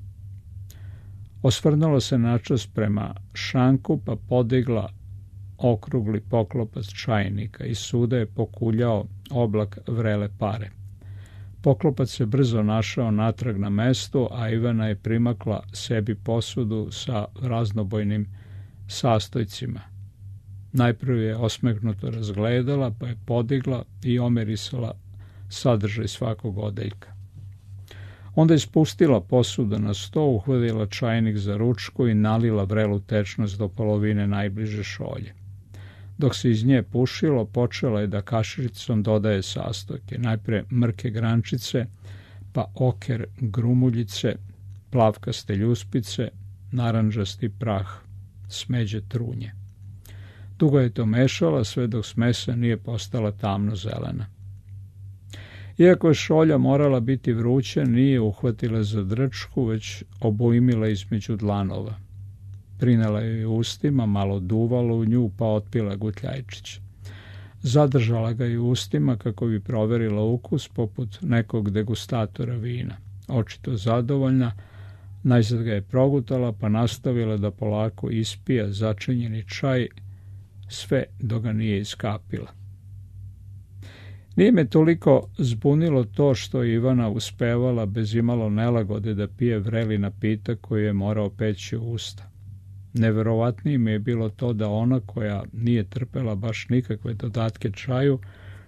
Osvrnula se načas prema šanku, pa podigla okrugli poklopac čajnika. Iz suda je pokuljao oblak vrele pare. Poklopac se brzo našao natrag na mestu, a Ivana je primakla sebi posudu sa raznobojnim sastojcima. Najprve je osmehnuto razgledala, pa je podigla i omirisala sadržaj svakog odeljka. Onda je spustila posudu na sto, uhvatila čajnik za ručku i nalila vrelu tečnost do polovine najbliže šolje. Dok se iz nje pušilo, počela je da kašicom dodaje sastojke. Najpre mrke grančice, pa oker grumuljice, plavkaste ljuspice, narandžasti prah, smeđe trunje. Dugo je to mešala, sve dok smesa nije postala tamno zelena. Iako je šolja morala biti vruća, nije uhvatila za drčku, već obujmila između dlanova. Prinela je ustima, malo duvalo u nju, pa otpila gutljajčić. Zadržala ga i ustima kako bi proverila ukus poput nekog degustatora vina. Očito zadovoljna, najzad ga je progutala, pa nastavila da polako ispija začinjeni čaj, sve dok ga nije iskapila. Nije me toliko zbunilo to što je Ivana uspevala bez imalo nelagode da pije vreli napitak koji je morao peći u usta. Neverovatnije mi je bilo to da ona, koja nije trpela baš nikakve dodatke čaju,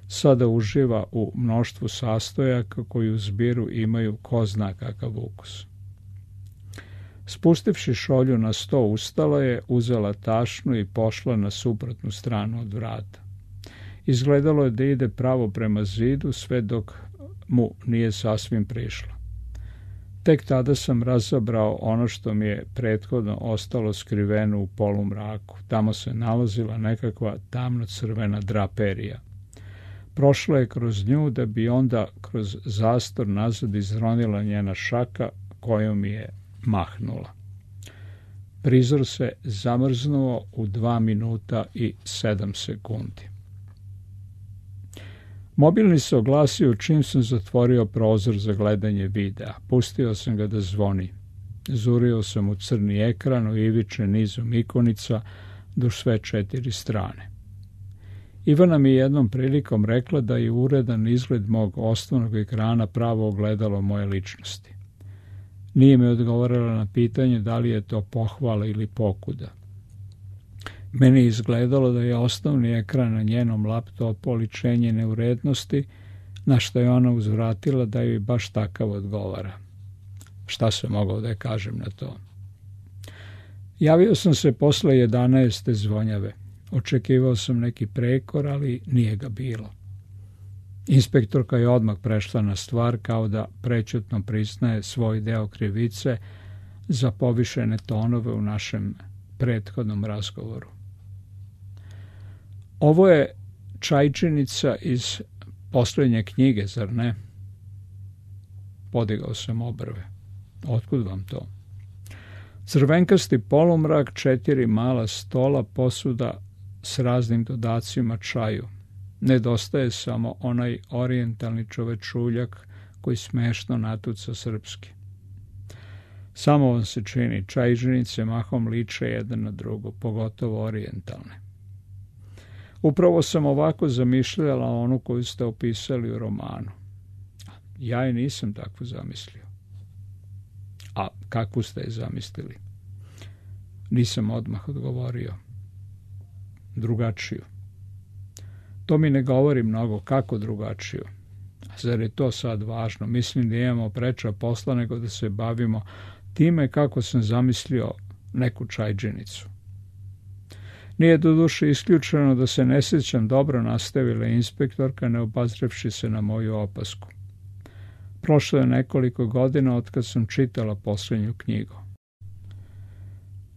sada uživa u mnoštvu sastojaka koji u zbiru imaju ko zna kakav ukus. Spustivši šolju na sto, ustala je, uzela tašnu i pošla na suprotnu stranu od vrata. Izgledalo je da ide pravo prema zidu, sve dok mu nije sasvim prišla. Tek tada sam razabrao ono što mi je prethodno ostalo skriveno u polumraku. Tamo se nalazila nekakva tamno-crvena draperija. Prošla je kroz nju, da bi onda kroz zastor nazad izronila njena šaka kojom mi je mahnula. Prizor se zamrznuo u dva minuta i sedam sekundi. Mobilni se oglasio čim sam zatvorio prozor za gledanje videa. Pustio sam ga da zvoni. Zurio sam u crni ekran, uiviče nizom ikonica duž sve četiri strane. Ivana mi je jednom prilikom rekla da je uredan izgled mog osnovnog ekrana pravo ogledalo moje ličnosti. Nije mi odgovorila na pitanje da li je to pohvala ili pokuda. Meni je izgledalo da je osnovni ekran na njenom laptopu oličenje neurednosti, na što je ona uzvratila da joj baš takav odgovara. Šta sam mogao da je kažem na to? Javio sam se posle jedanaeste zvonjave. Očekivao sam neki prekor, ali nije ga bilo. Inspektorka je odmah prešla na stvar, kao da prećutno priznaje svoj deo krivice za povišene tonove u našem prethodnom razgovoru. Ovo je čajčinica iz posljednje knjige, zar ne? Podigao sam obrve. Otkud vam to? Crvenkasti polumrak, četiri mala stola, posuda s raznim dodacima čaju. Nedostaje samo onaj orijentalni čovečuljak koji smešno natuca srpski. Samo vam se čini, čajžinice mahom liče jedan na drugo, pogotovo orijentalne. Upravo sam ovako zamišljala onu koju ste opisali u romanu. Ja je nisam takvu zamislio. A kakvu ste je zamislili? Nisam odmah odgovorio. Drugačiju. To mi ne govori mnogo, kako drugačiju. Zar je to sad važno? Mislim da imamo preča posla nego da se bavimo time kako sam zamislio neku čajđinicu. Nije doduše isključeno da se ne sjećam dobro, nastavila inspektorka, ne obazrevši se na moju opasku. Prošlo je nekoliko godina od kad sam čitala posljednju knjigu.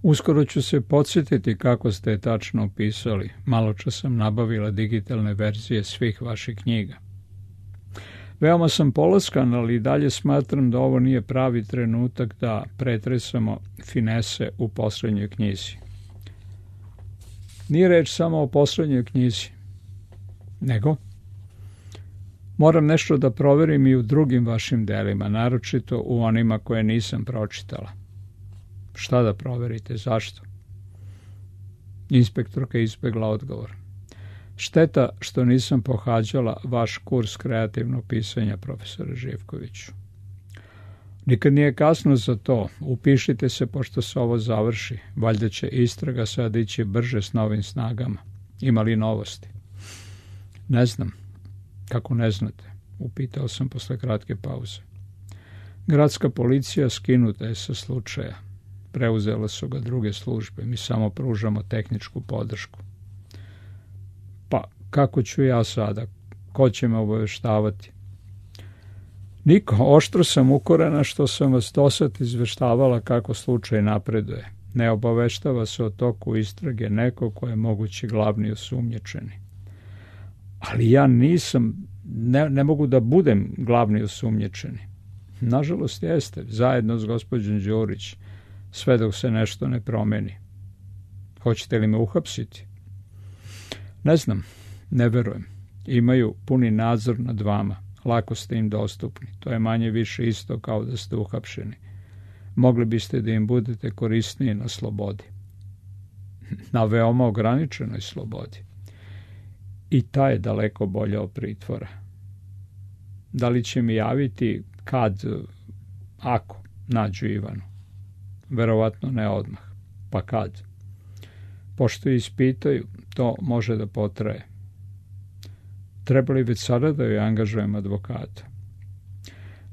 Uskoro ću se podsjetiti kako ste je tačno opisali. Maločas sam nabavila digitalne verzije svih vaših knjiga. Veoma sam polaskan, ali i dalje smatram da ovo nije pravi trenutak da pretresamo finese u posljednjoj knjizi. Nije reč samo o posljednjoj knjizi, nego moram nešto da proverim i u drugim vašim delima, naročito u onima koje nisam pročitala. Šta da proverite, zašto? Inspektorka je izbjegla odgovor. Šteta što nisam pohađala vaš kurs kreativnog pisanja, profesore Živkoviću. Nikad nije kasno za to. Upišite se pošto se ovo završi. Valjda će istraga sad ići brže s novim snagama. Ima li novosti? Ne znam. Kako ne znate? Upitao sam posle kratke pauze. Gradska policija skinuta je sa slučaja. Preuzela su ga druge službe. Mi samo pružamo tehničku podršku. Pa, kako ću ja sada? Ko će me obaveštavati? Niko, oštro sam ukorena što sam vas dosad izveštavala kako slučaj napreduje. Ne obaveštava se o toku istrage neko ko je mogući glavni osumnjičeni. Ali ja nisam, ne, ne mogu da budem glavni osumnjičeni. Nažalost jeste, zajedno s gospođom Đurić, sve dok se nešto ne promeni. Hoćete li me uhapsiti? Ne znam, ne verujem. Imaju puni nadzor nad vama. Lako ste im dostupni. To je manje više isto kao da ste uhapšeni. Mogli biste da im budete korisniji na slobodi. Na veoma ograničenoj slobodi. I ta je daleko bolja od pritvora. Da li će mi javiti kad, ako nađu Ivanu? Verovatno ne odmah. Pa kad? Pošto ispitaju, to može da potraje. Treba li već sada da joj angažujem advokata?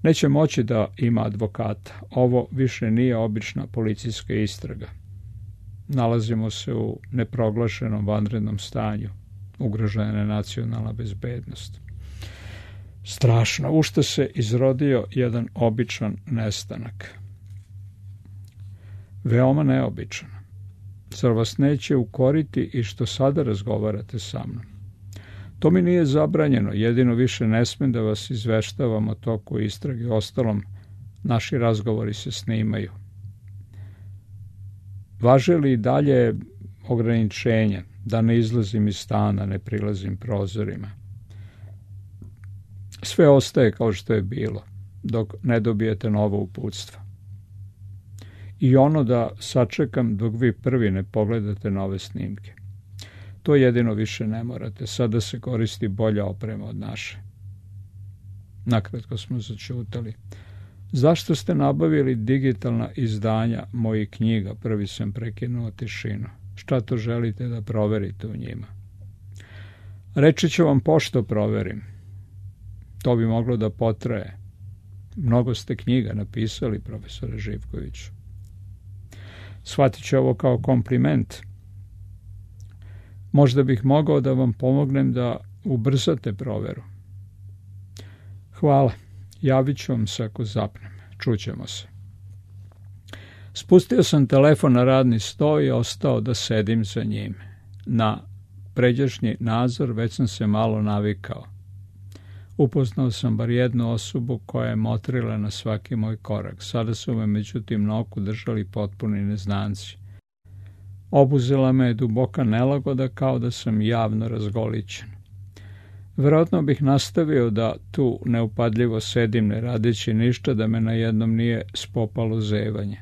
Neće moći da ima advokata. Ovo više nije obična policijska istraga. Nalazimo se u neproglašenom vanrednom stanju. Ugrožena je nacionalna bezbednost. Strašno, u što se izrodio jedan običan nestanak. Veoma neobičan. Zar vas neće ukoriti i što sada razgovarate sa mnom? To mi nije zabranjeno, jedino više ne smem da vas izveštavam o toku istrage. Ostalom, naši razgovori se snimaju. Važe li dalje ograničenja, da ne izlazim iz stana, ne prilazim prozorima? Sve ostaje kao što je bilo, dok ne dobijete novo uputstvo. I ono da sačekam dok vi prvi ne pogledate nove snimke. To jedino više ne morate. Sada se koristi bolja oprema od naše. Nakratko smo začutali. Zašto ste nabavili digitalna izdanja mojih knjiga? Prvi sam prekinuo tišinu. Šta to želite da proverite u njima? Reći ću vam pošto proverim. To bi moglo da potraje. Mnogo ste knjiga napisali, profesore Živkoviću. Shvatit ću ovo kao kompliment. Možda bih mogao da vam pomognem da ubrzate proveru. Hvala. Javit ću vam se ako zapnem. Čućemo se. Spustio sam telefon na radni sto i ostao da sedim za njim. Na pređašnji nadzor već sam se malo navikao. Upoznao sam bar jednu osobu koja je motrila na svaki moj korak. Sada su me međutim na oku držali potpuni neznanci. Obuzela me je duboka nelagoda kao da sam javno razgolićen. Vjerojatno bih nastavio da tu neupadljivo sedim ne radeći ništa da me na jednom nije spopalo zevanje.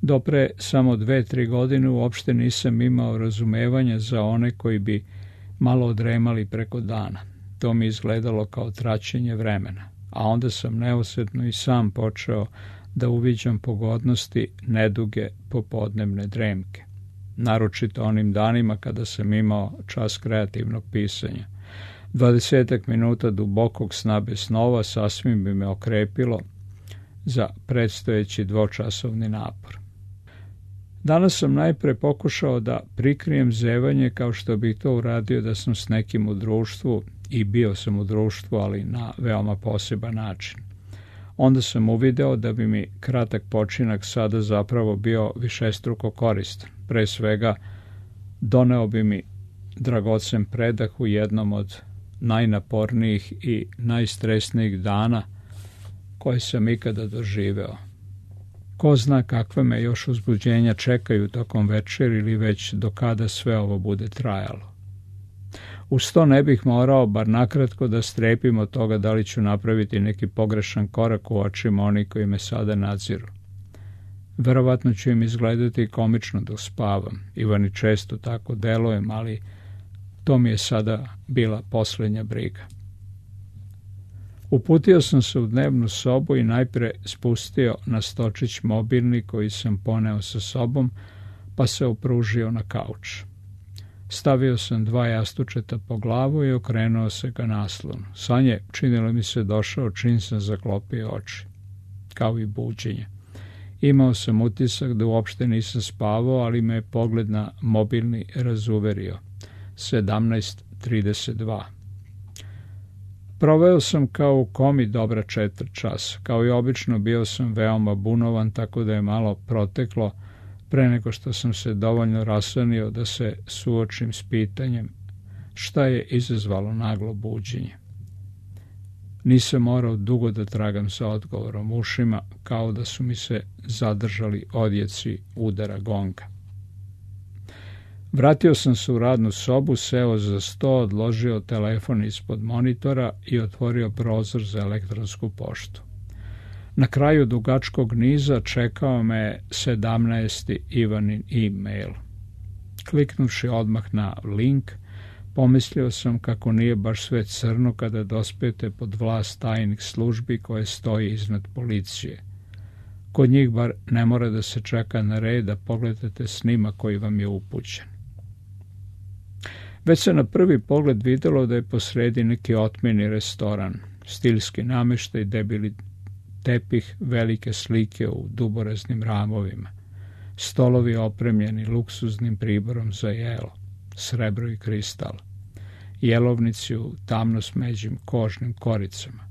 Dopre samo dve, tri godine uopšte nisam imao razumevanja za one koji bi malo odremali preko dana. To mi izgledalo kao traćenje vremena, a onda sam neosjetno i sam počeo da uviđam pogodnosti neduge popodnevne dremke. Naročito onim danima kada sam imao čas kreativnog pisanja. Dvadesetak minuta dubokog sna bez snova sasvim bi me okrepilo za predstojeći dvočasovni napor. Danas sam najpre pokušao da prikrijem zevanje kao što bih to uradio da sam s nekim u društvu i bio sam u društvu, ali na veoma poseban način. Onda sam uvideo da bi mi kratak počinak sada zapravo bio višestruko koristan. Pre svega, doneo bi mi dragocen predah u jednom od najnapornijih i najstresnijih dana koje sam ikada doživeo. Ko zna kakve me još uzbuđenja čekaju tokom večer ili već do kada sve ovo bude trajalo. Uz to ne bih morao bar nakratko da strepim od toga da li ću napraviti neki pogrešan korak u očima onih koji me sada nadziru. Verovatno ću im izgledati komično dok spavam. Ivani često tako delujem, ali to mi je sada bila posljednja briga. Uputio sam se u dnevnu sobu i najpre spustio na stočić mobilni koji sam poneo sa sobom, pa se opružio na kauč. Stavio sam dva jastučeta po glavu i okrenuo se ka naslonu. Sanje činilo mi se došao čim sam zaklopio oči, kao i buđenje. Imao sam utisak da uopšte nisam spavao, ali me je pogled na mobilni razuverio. sedamnaest trideset dva. Proveo sam kao u komi dobra četvrt časa. Kao i obično bio sam veoma bunovan, tako da je malo proteklo pre nego što sam se dovoljno rasanio da se suočim s pitanjem šta je izazvalo naglo buđenje. Nisam morao dugo da tragam sa odgovorom ušima, kao da su mi se zadržali odjeci udara gonga. Vratio sam se u radnu sobu, seo za sto, odložio telefon ispod monitora i otvorio prozor za elektronsku poštu. Na kraju dugačkog niza čekao me sedamnaesti Ivanin e-mail. Kliknuši odmah na link, pomislio sam kako nije baš sve crno kada dospete pod vlast tajnih službi koje stoji iznad policije. Kod njih bar ne mora da se čeka na red da pogledate snimak koji vam je upućen. Već se na prvi pogled videlo da je posredi neki otmeni restoran, stilski nameštaj, debeli tepih, velike slike u duboraznim ramovima, stolovi opremljeni luksuznim priborom za jelo, srebro i kristal, jelovnici u tamno smeđim kožnim koricama.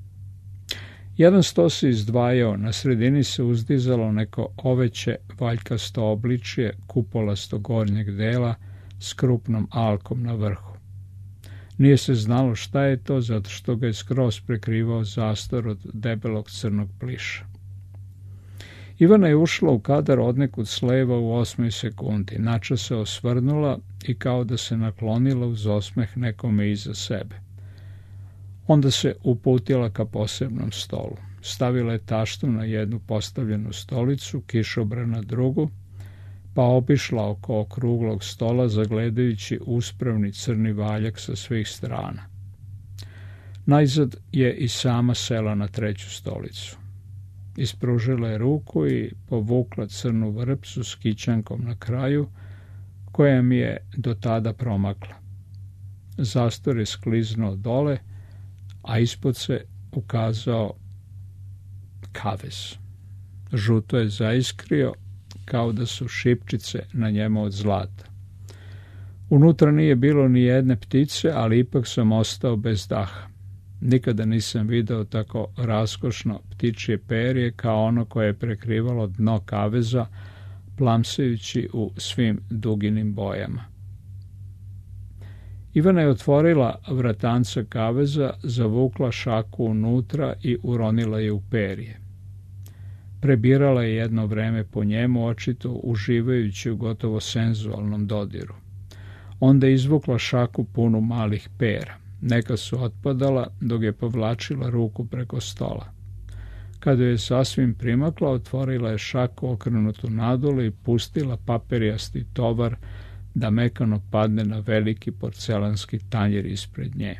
Jedan sto se izdvajao, na sredini se uzdizalo neko oveće valjkasto obličje kupolasto gornjeg dela s krupnom alkom na vrhu. Nije se znalo šta je to, zato što ga je skroz prekrivao zastor od debelog crnog pliša. Ivana je ušla u kadar odnekud s leva u osmoj sekundi, načas se osvrnula i kao da se naklonila uz osmeh nekome iza sebe. Onda se uputila ka posebnom stolu. Stavila je taštu na jednu postavljenu stolicu, kišobran na drugu, pa obišla oko okruglog stola zagledajući uspravni crni valjak sa svih strana. Najzad je i sama sela na treću stolicu. Ispružila je ruku i povukla crnu vrpcu s kićankom na kraju, koja mi je do tada promakla. Zastor je skliznuo dole, a ispod se ukazao kavez. Žuto je zaiskrio, kao da su šipčice na njemu od zlata. Unutra nije bilo ni jedne ptice, ali ipak sam ostao bez daha. Nikada nisam video tako raskošno ptičje perje kao ono koje je prekrivalo dno kaveza, plamsajući u svim duginim bojama. Ivana je otvorila vratanca kaveza, zavukla šaku unutra i uronila je u perje. Prebirala je jedno vreme po njemu, očito uživajući u gotovo senzualnom dodiru. Onda je izvukla šaku punu malih pera. Neka su otpadala dok je povlačila ruku preko stola. Kada je sasvim primakla, otvorila je šaku okrenutu nadolu i pustila papirijasti tovar da mekano padne na veliki porcelanski tanjir ispred nje.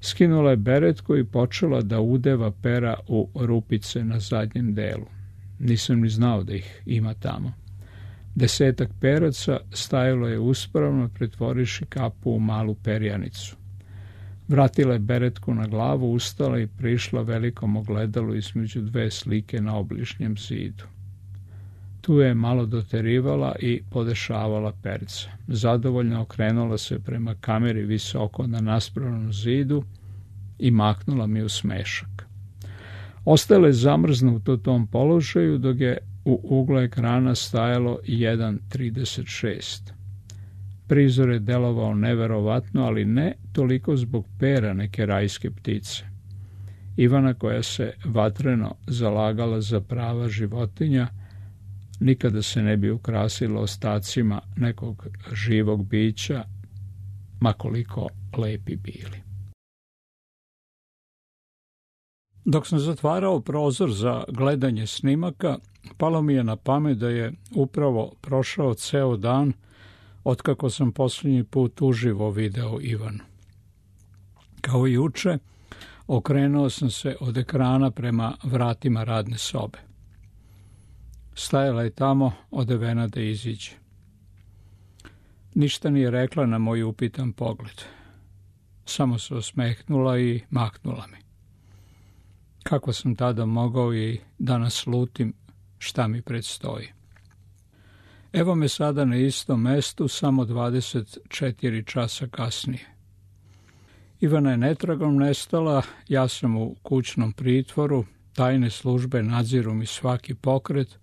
Skinula je beretku i počela da udeva pera u rupice na zadnjem delu. Nisam ni znao da ih ima tamo. Desetak peraca stajalo je uspravno, pretvoriši kapu u malu perjanicu. Vratila je beretku na glavu, ustala i prišla velikom ogledalu između dve slike na obližnjem zidu. Tu je malo doterivala i podešavala perca. Zadovoljno okrenula se prema kameri visoko na naspravnom zidu i mahnula mi u smešak. Ostala je zamrznuta u tom položaju dok je u uglu ekrana stajalo jedan trideset šest. Prizor je delovao neverovatno, ali ne toliko zbog pera neke rajske ptice. Ivana, koja se vatreno zalagala za prava životinja, nikada se ne bi ukrasila ostacima nekog živog bića, ma koliko lepi bili. Dok sam zatvarao prozor za gledanje snimaka, palo mi je na pamet da je upravo prošao ceo dan otkako sam posljednji put uživo video Ivanu. Kao i juče, okrenuo sam se od ekrana prema vratima radne sobe. Stajala je tamo, odevena da iziđe. Ništa nije rekla na moj upitan pogled. Samo se osmehnula i mahnula mi. Kako sam tada mogao i da naslutim šta mi predstoji. Evo me sada na istom mestu, samo dvadeset četiri časa kasnije. Ivana je netragom nestala, ja sam u kućnom pritvoru, tajne službe nadziru mi svaki pokret,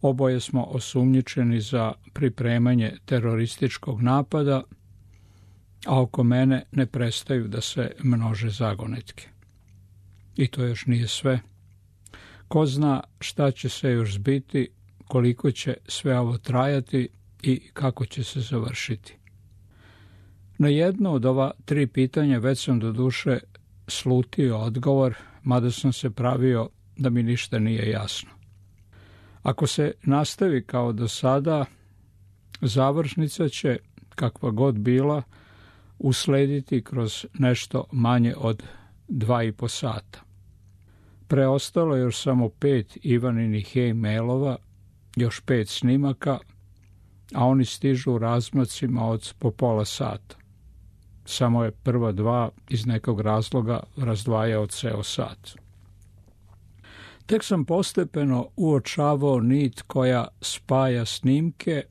oboje smo osumnjičeni za pripremanje terorističkog napada, a oko mene ne prestaju da se množe zagonetke. I to još nije sve. Ko zna šta će se još zbiti, koliko će sve ovo trajati i kako će se završiti. Na jedno od ova tri pitanja već sam doduše slutio odgovor, mada sam se pravio da mi ništa nije jasno. Ako se nastavi kao do sada, završnica će, kakva god bila, uslediti kroz nešto manje od dva i po sata. Preostalo je još samo pet Ivaninih e-mailova, još pet snimaka, a oni stižu u razmacima od po pola sata. Samo je prva dva iz nekog razloga razdvajao ceo sat. Tek sam postepeno uočavao nit koja spaja snimke,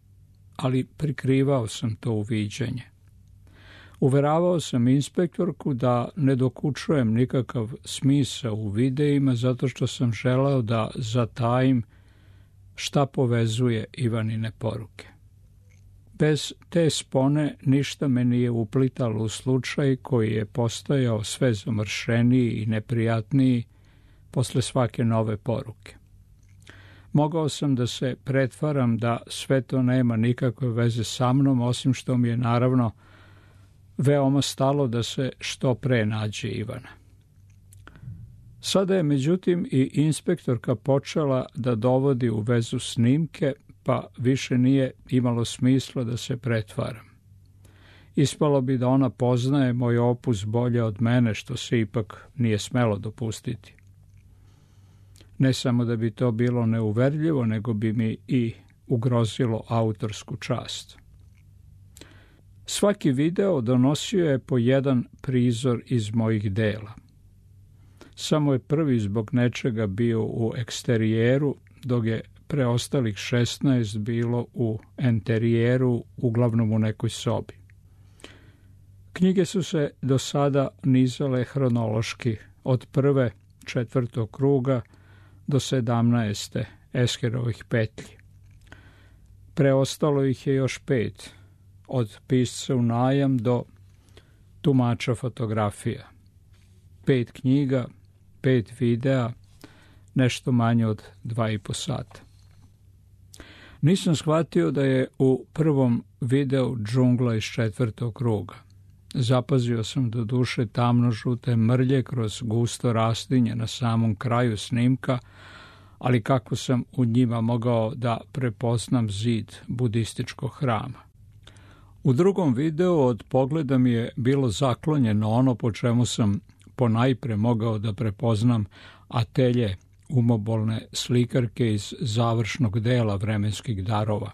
ali prikrivao sam to uviđenje. Uveravao sam inspektorku da ne dokučujem nikakav smisao u videima zato što sam želeo da zatajim šta povezuje Ivanine poruke. Bez te spone ništa me nije uplitalo u slučaj koji je postajao sve zamršeniji i neprijatniji posle svake nove poruke. Mogao sam da se pretvaram da sve to nema nikakve veze sa mnom, osim što mi je naravno veoma stalo da se što pre nađe Ivana. Sada je međutim i inspektorka počela da dovodi u vezu snimke, pa više nije imalo smisla da se pretvaram. Ispalo bi da ona poznaje moj opus bolje od mene, što se ipak nije smelo dopustiti. Ne samo da bi to bilo neuverljivo, nego bi mi i ugrozilo autorsku čast. Svaki video donosio je po jedan prizor iz mojih dela. Samo je prvi zbog nečega bio u eksterijeru, dok je preostalih šesnaest bilo u enterijeru, uglavnom u nekoj sobi. Knjige su se do sada nizale hronološki, od prve četvrtog kruga do sedamnaeste Eskerovih petlji. Preostalo ih je još pet, od pisca u najam do tumača fotografija. Pet knjiga, pet videa, nešto manje od dva i po sata. Nisam shvatio da je u prvom videu džungla iz četvrtog kruga. Zapazio sam do duše tamno-žute mrlje kroz gusto rastinje na samom kraju snimka, ali kako sam u njima mogao da prepoznam zid budističkog hrama. U drugom videu od pogleda mi je bilo zaklonjeno ono po čemu sam ponajpre mogao da prepoznam atelje umobolne slikarke iz završnog dela Vremenskih darova.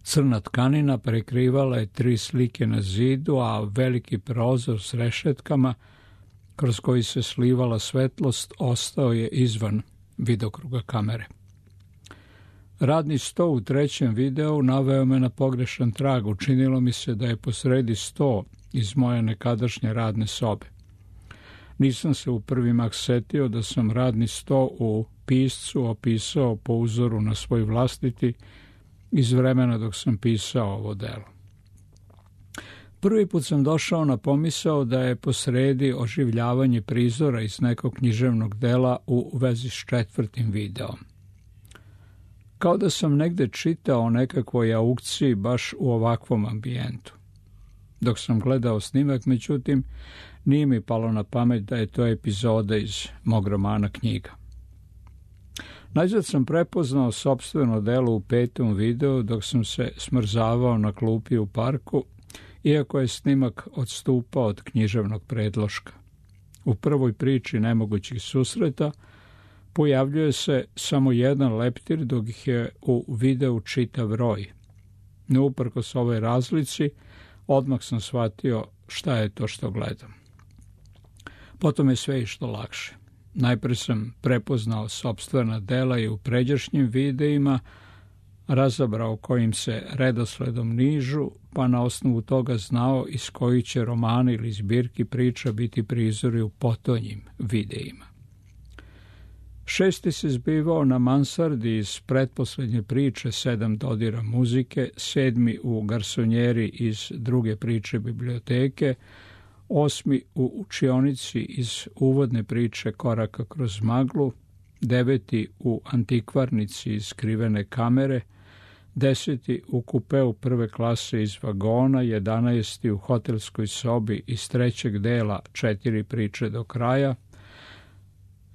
Crna tkanina prekrivala je tri slike na zidu, a veliki prozor s rešetkama, kroz koji se slivala svetlost, ostao je izvan vidokruga kamere. Radni sto u trećem videu naveo me na pogrešan trag. Učinilo mi se da je posredi sto iz moje nekadašnje radne sobe. Nisam se u prvi mah setio da sam radni sto u piscu opisao po uzoru na svoj vlastiti iz vremena dok sam pisao ovo delo. Prvi put sam došao na pomisao da je posredi oživljavanje prizora iz nekog književnog dela u vezi s četvrtim videom. Kao da sam negde čitao o nekakvoj aukciji baš u ovakvom ambijentu. Dok sam gledao snimak, međutim, nije mi palo na pamet da je to epizoda iz mog romana Knjiga. Najzad sam prepoznao sopstveno delo u petom videu dok sam se smrzavao na klupi u parku, iako je snimak odstupao od književnog predloška. U prvoj priči nemogućih susreta pojavljuje se samo jedan leptir, dok ih je u videu čitav roj. No, uprkos ovoj razlici, odmah sam shvatio šta je to što gledam. Potom je sve išlo lakše. Najpre sam prepoznao sopstvena dela i u pređašnjim videima, razabrao kojim se redosledom nižu, pa na osnovu toga znao iz kojih će romana ili zbirki priča biti prizori u potonjim videima. Šesti se zbivao na mansardi iz pretposlednje priče Sedam dodira muzike, sedmi u garsonjeri iz druge priče biblioteke, osmi u učionici iz uvodne priče Koraka kroz maglu, deveti u antikvarnici iz Skrivene kamere, deseti u kupeu prve klase iz vagona, jedanaesti u hotelskoj sobi iz trećeg dela Četiri priče do kraja,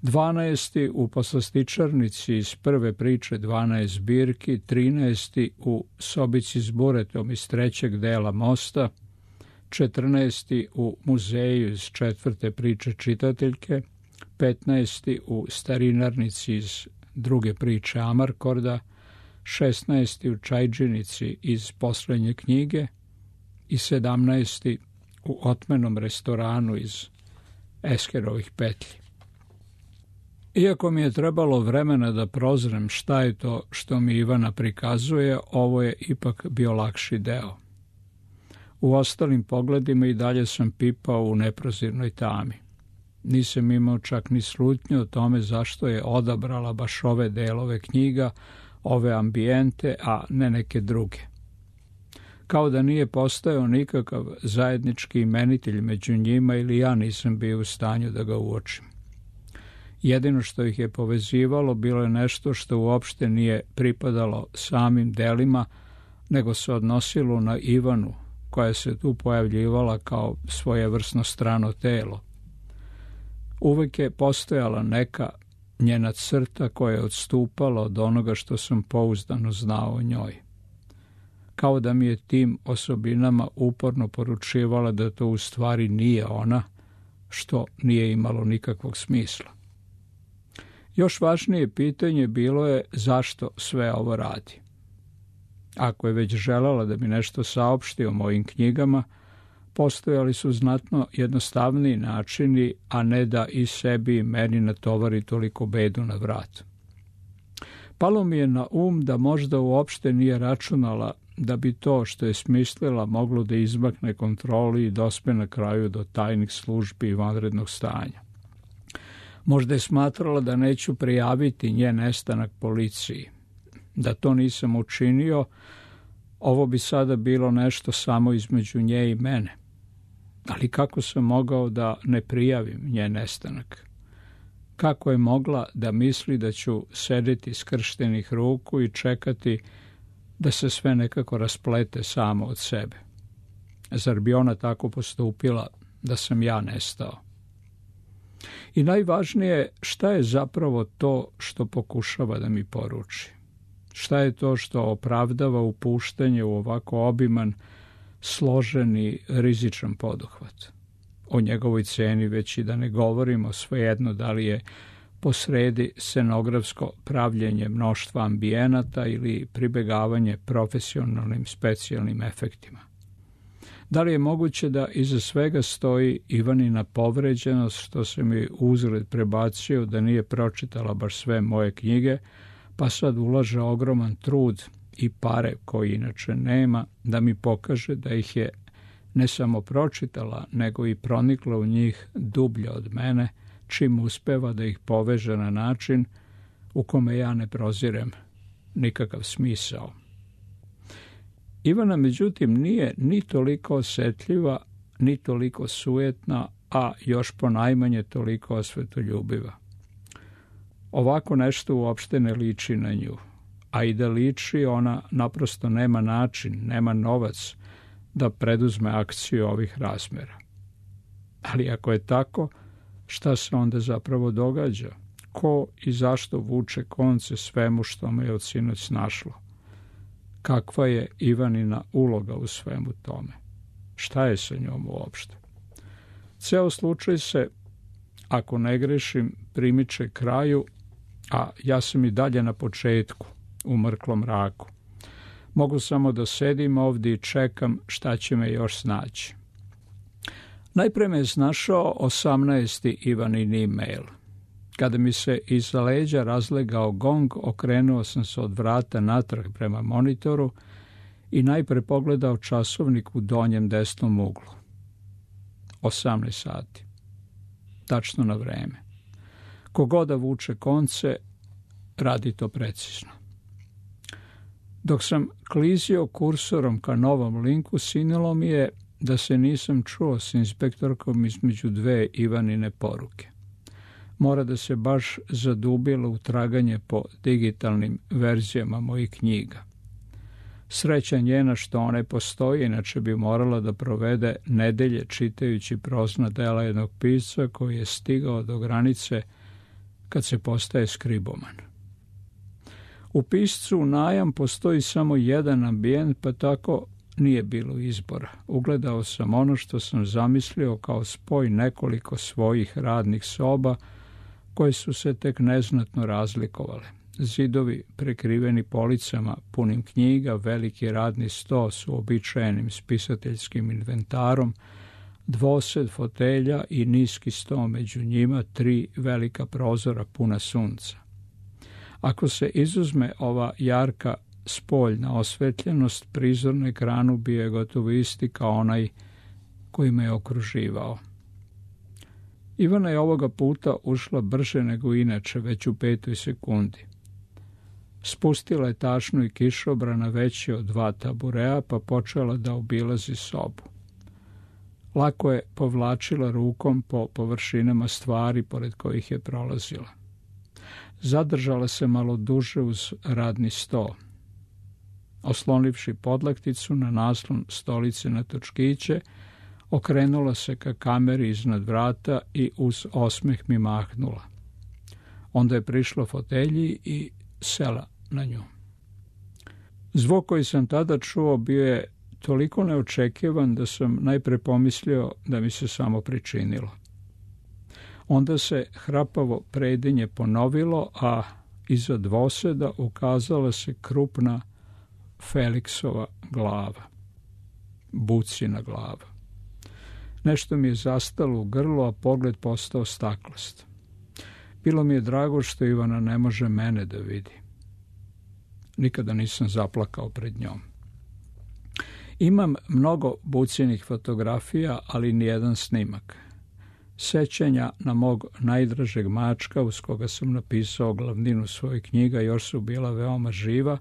dvanaesti u poslastičarnici iz prve priče dvanaest zbirki, trinaesti u sobici s buretom iz trećeg dela Mosta, četrnaesti u muzeju iz četvrte priče čitateljke, petnaesti u starinarnici iz druge priče Amarkorda, šesnaesti u čajđinici iz poslednje knjige i sedamnaesti u otmenom restoranu iz Eskerovih petlji. Iako mi je trebalo vremena da prozrem šta je to što mi Ivana prikazuje, ovo je ipak bio lakši deo. U ostalim pogledima i dalje sam pipao u neprozirnoj tami. Nisam imao čak ni slutnju o tome zašto je odabrala baš ove delove knjiga, ove ambijente, a ne neke druge. Kao da nije postojao nikakav zajednički imenitelj među njima ili ja nisam bio u stanju da ga uočim. Jedino što ih je povezivalo bilo je nešto što uopšte nije pripadalo samim delima, nego se odnosilo na Ivanu, koja se tu pojavljivala kao svojevrsno strano telo. Uvek je postojala neka njena crta koja je odstupala od onoga što sam pouzdano znao o njoj. Kao da mi je tim osobinama uporno poručivala da to u stvari nije ona, što nije imalo nikakvog smisla. Još važnije pitanje bilo je zašto sve ovo radi. Ako je već želela da mi nešto saopšti o mojim knjigama, postojali su znatno jednostavniji načini, a ne da i sebi i meni natovari toliko bedu na vrat. Palo mi je na um da možda uopšte nije računala da bi to što je smislila moglo da izmakne kontroli i dospe na kraju do tajnih službi i vanrednog stanja. Možda je smatrala da neću prijaviti njen nestanak policiji. Da to nisam učinio, ovo bi sada bilo nešto samo između nje i mene. Ali kako sam mogao da ne prijavim njen nestanak? Kako je mogla da misli da ću sedeti skrštenih ruku i čekati da se sve nekako rasplete samo od sebe? Zar bi ona tako postupila da sam ja nestao? I najvažnije, šta je zapravo to što pokušava da mi poruči? Šta je to što opravdava upuštanje u ovako obiman, složen i rizičan poduhvat? O njegovoj ceni već i da ne govorimo, svejedno da li je posredi scenografsko pravljenje mnoštva ambijenata ili pribegavanje profesionalnim specijalnim efektima. Da li je moguće da iza svega stoji Ivanina povređenost što se mi uzgled prebacio da nije pročitala baš sve moje knjige, pa sad ulaže ogroman trud i pare koji inače nema da mi pokaže da ih je ne samo pročitala, nego i pronikla u njih dublje od mene, čim uspeva da ih poveže na način u kome ja ne prozirem nikakav smisao. Ivana, međutim, nije ni toliko osjetljiva, ni toliko sujetna, a još ponajmanje toliko osvetoljubiva. Ovako nešto uopšte ne liči na nju, a i da liči, ona naprosto nema način, nema novac da preduzme akciju ovih razmera. Ali ako je tako, šta se onda zapravo događa? Ko i zašto vuče konce svemu što me je od sinoć snašlo? Kakva je Ivanina uloga u svemu tome? Šta je sa njom uopšte? Ceo slučaj se, ako ne grešim, primiče kraju, a ja sam i dalje na početku, u mrklom mraku. Mogu samo da sedim ovdje i čekam šta će me još snaći. Najpre me je snašao osamnaesti Ivanin e-mail. Kada mi se iza leđa razlegao gong, okrenuo sam se od vrata natrag prema monitoru i najpre pogledao časovnik u donjem desnom uglu. osamnaest sati. Tačno na vreme. Kogoda vuče konce, radi to precizno. Dok sam klizio kursorom ka novom linku, sinilo mi je da se nisam čuo s inspektorkom između dve Ivanine poruke. Mora da se baš zadubila u traganje po digitalnim verzijama mojih knjiga. Sreća njena što one postoji, inače bi morala da provede nedelje čitajući prozna dela jednog pisca koji je stigao do granice kad se postaje skriboman. U piscu u najam postoji samo jedan ambijent, pa tako nije bilo izbora. Ugledao sam ono što sam zamislio kao spoj nekoliko svojih radnih soba koje su se tek neznatno razlikovale. Zidovi prekriveni policama punim knjiga, veliki radni sto s uobičajenim spisateljskim inventarom, dvosed fotelja i niski sto među njima, tri velika prozora puna sunca. Ako se izuzme ova jarka spoljna osvetljenost, prizor na ekranu bio je gotovo isti kao onaj koji me je okruživao. Ivana je ovoga puta ušla brže nego inače, već u petoj sekundi. Spustila je tašnu i kišobrana veći od dva taburea, pa počela da obilazi sobu. Lako je povlačila rukom po površinama stvari pored kojih je prolazila. Zadržala se malo duže uz radni sto. Oslonivši podlakticu na naslon stolice na točkiće, okrenula se ka kameri iznad vrata i uz osmeh mi mahnula. Onda je prišla fotelji i sela na nju. Zvuk koji sam tada čuo bio je toliko neočekivan da sam najpre pomislio da mi se samo pričinilo. Onda se hrapavo predenje ponovilo, a iza dvoseda ukazala se krupna Feliksova glava. Bucina glava. Nešto mi je zastalo u grlu, a pogled postao staklast. Bilo mi je drago što Ivana ne može mene da vidi. Nikada nisam zaplakao pred njom. Imam mnogo bucinih fotografija, ali nijedan snimak. Sećanja na mog najdražeg mačka, uz koga sam napisao glavninu svojih knjiga, još su bila veoma živa,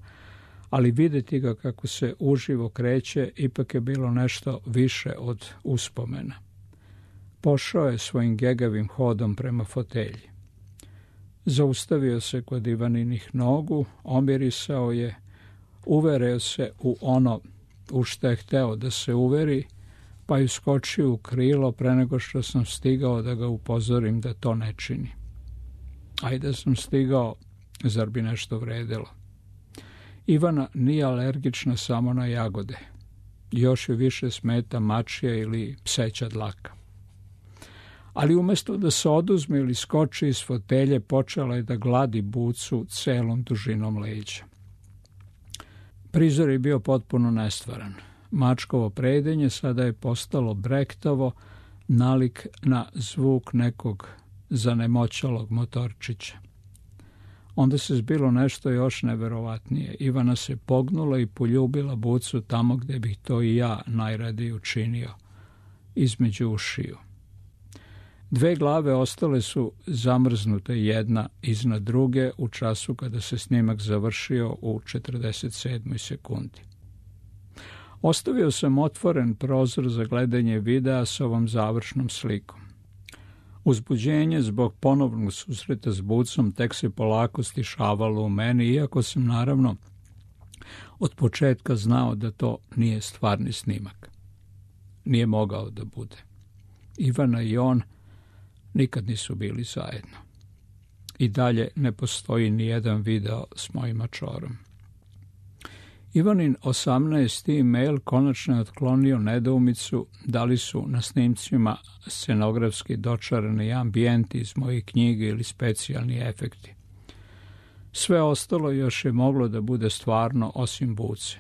ali vidjeti ga kako se uživo kreće ipak je bilo nešto više od uspomena. Pošao je svojim gegavim hodom prema fotelji. Zaustavio se kod Ivaninih nogu, omirisao je, uverio se u ono u što je hteo da se uveri, pa je skočio u krilo pre nego što sam stigao da ga upozorim da to ne čini. Ajde sam stigao, zar bi nešto vredilo. Ivana nije alergična samo na jagode. Još je više smeta mačija ili pseća dlaka. Ali umjesto da se oduzme ili skoči iz fotelje, počela je da gladi bucu celom dužinom leđa. Prizor je bio potpuno nestvaran. Mačkovo predenje sada je postalo brektavo, nalik na zvuk nekog zanemoćalog motorčića. Onda se zbilo nešto još neverovatnije. Ivana se pognula i poljubila bucu tamo gdje bih to i ja najradije učinio, između ušiju. Dve glave ostale su zamrznute jedna iznad druge u času kada se snimak završio u četrdeset sedmoj sekundi. Ostavio sam otvoren prozor za gledanje videa s ovom završnom slikom. Uzbuđenje zbog ponovnog susreta s bucom tek se polako stišavalo u meni, iako sam naravno od početka znao da to nije stvarni snimak. Nije mogao da bude. Ivana i on nikad nisu bili zajedno. I dalje ne postoji ni jedan video s mojim mačorom. Ivanin osamnaesti e-mail konačno je otklonio nedoumicu da li su na snimcima scenografski dočarani ambijenti iz mojih knjiga ili specijalni efekti. Sve ostalo još je moglo da bude stvarno osim buce.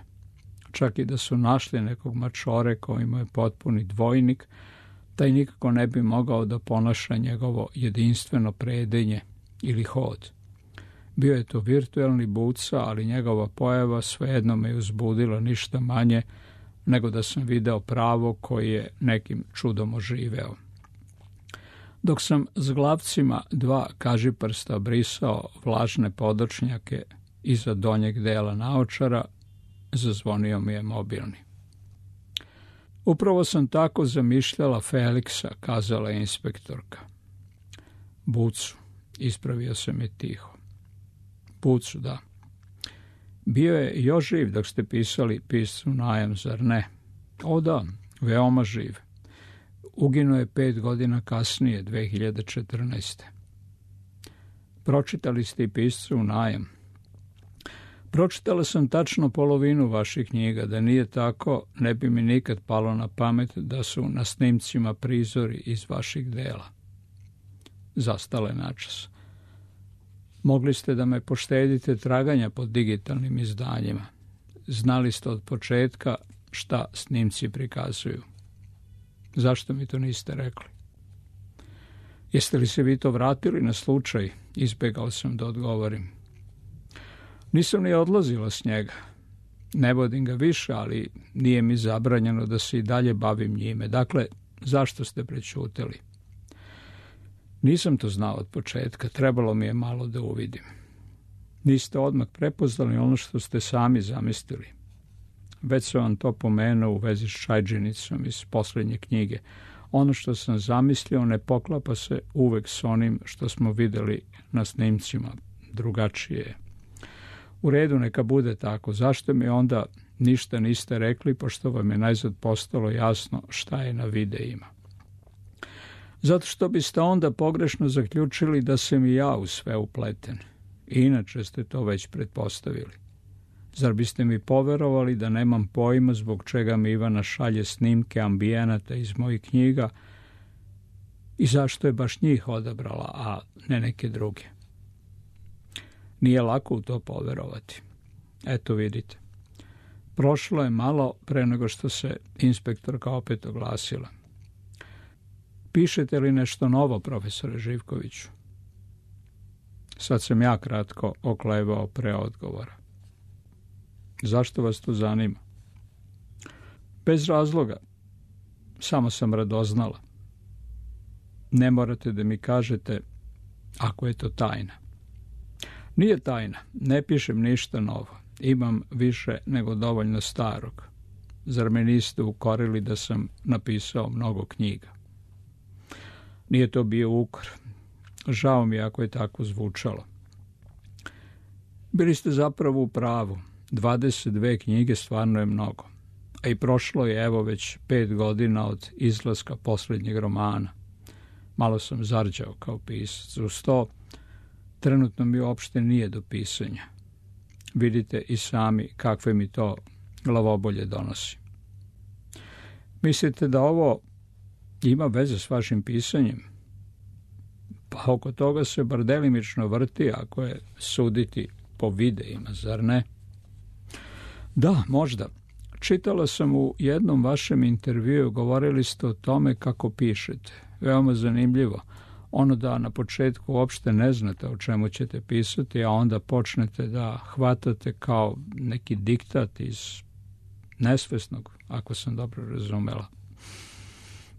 Čak i da su našli nekog mačore koji mu je potpuni dvojnik, taj nikako ne bi mogao da ponaša njegovo jedinstveno predenje ili hod. Bio je to virtuelni Buca, ali njegova pojava svejedno me uzbudila ništa manje nego da sam video pravo koji je nekim čudom oživeo. Dok sam s glavcima dva kažiprsta brisao vlažne podočnjake iza donjeg dela naočara, zazvonio mi je mobilni. Upravo sam tako zamišljala Feliksa, kazala je inspektorka. Bucu, ispravio sam je tiho. Bucu, da. Bio je još živ dok ste pisali piscu najam, zar ne? O da, veoma živ. Uginuo je pet godina kasnije, dve hiljade četrnaeste. Pročitali ste i piscu najam. Pročitala sam tačno polovinu vaših knjiga, da nije tako, ne bi mi nikad palo na pamet da su na snimcima prizori iz vaših dela. Zastala je načas. Mogli ste da me poštedite traganja po digitalnim izdanjima. Znali ste od početka šta snimci prikazuju. Zašto mi to niste rekli? Jeste li se vi to vratili na slučaj? Izbegao sam da odgovorim. Nisam ni odlazila s njega. Ne vodim ga više, ali nije mi zabranjeno da se i dalje bavim njime. Dakle, zašto ste prećutali? Nisam to znao od početka, trebalo mi je malo da uvidim. Niste odmah prepoznali ono što ste sami zamislili. Već sam vam to pomenuo u vezi s čajđenicom iz posljednje knjige. Ono što sam zamislio ne poklapa se uvek s onim što smo videli na snimcima. Drugačije je. U redu, neka bude tako. Zašto mi onda ništa niste rekli, pošto vam je najzad postalo jasno šta je na videima? Zato što biste onda pogrešno zaključili da sam i ja u sve upleten. Inače ste to već pretpostavili. Zar biste mi poverovali da nemam pojma zbog čega mi Ivana šalje snimke ambijenata iz mojih knjiga i zašto je baš njih odabrala, a ne neke druge? Nije lako u to poverovati. Eto vidite. Prošlo je malo pre nego što se inspektorka opet oglasila. Pišete li nešto novo, profesore Živkoviću? Sad sam ja kratko oklevao pre odgovora. Zašto vas to zanima? Bez razloga. Samo sam radoznala. Ne morate da mi kažete ako je to tajna. Nije tajna. Ne pišem ništa novo. Imam više nego dovoljno starog. Zar me niste ukorili da sam napisao mnogo knjiga? Nije to bio ukor. Žao mi ako je tako zvučalo. Bili ste zapravo u pravu. dvadeset dve knjige stvarno je mnogo. A i prošlo je evo već pet godina od izlaska posljednjeg romana. Malo sam zarđao kao pisac. Uz to, trenutno mi uopšte nije do pisanja. Vidite i sami kakve mi to glavobolje donosi. Mislite da ovo ima veze s vašim pisanjem? Pa oko toga se bar delimično vrti, ako je suditi po videima, zar ne? Da, možda. Čitala sam u jednom vašem intervjuu, govorili ste o tome kako pišete. Veoma zanimljivo. Ono da na početku uopšte ne znate o čemu ćete pisati, a onda počnete da hvatate kao neki diktat iz nesvesnog, ako sam dobro razumela.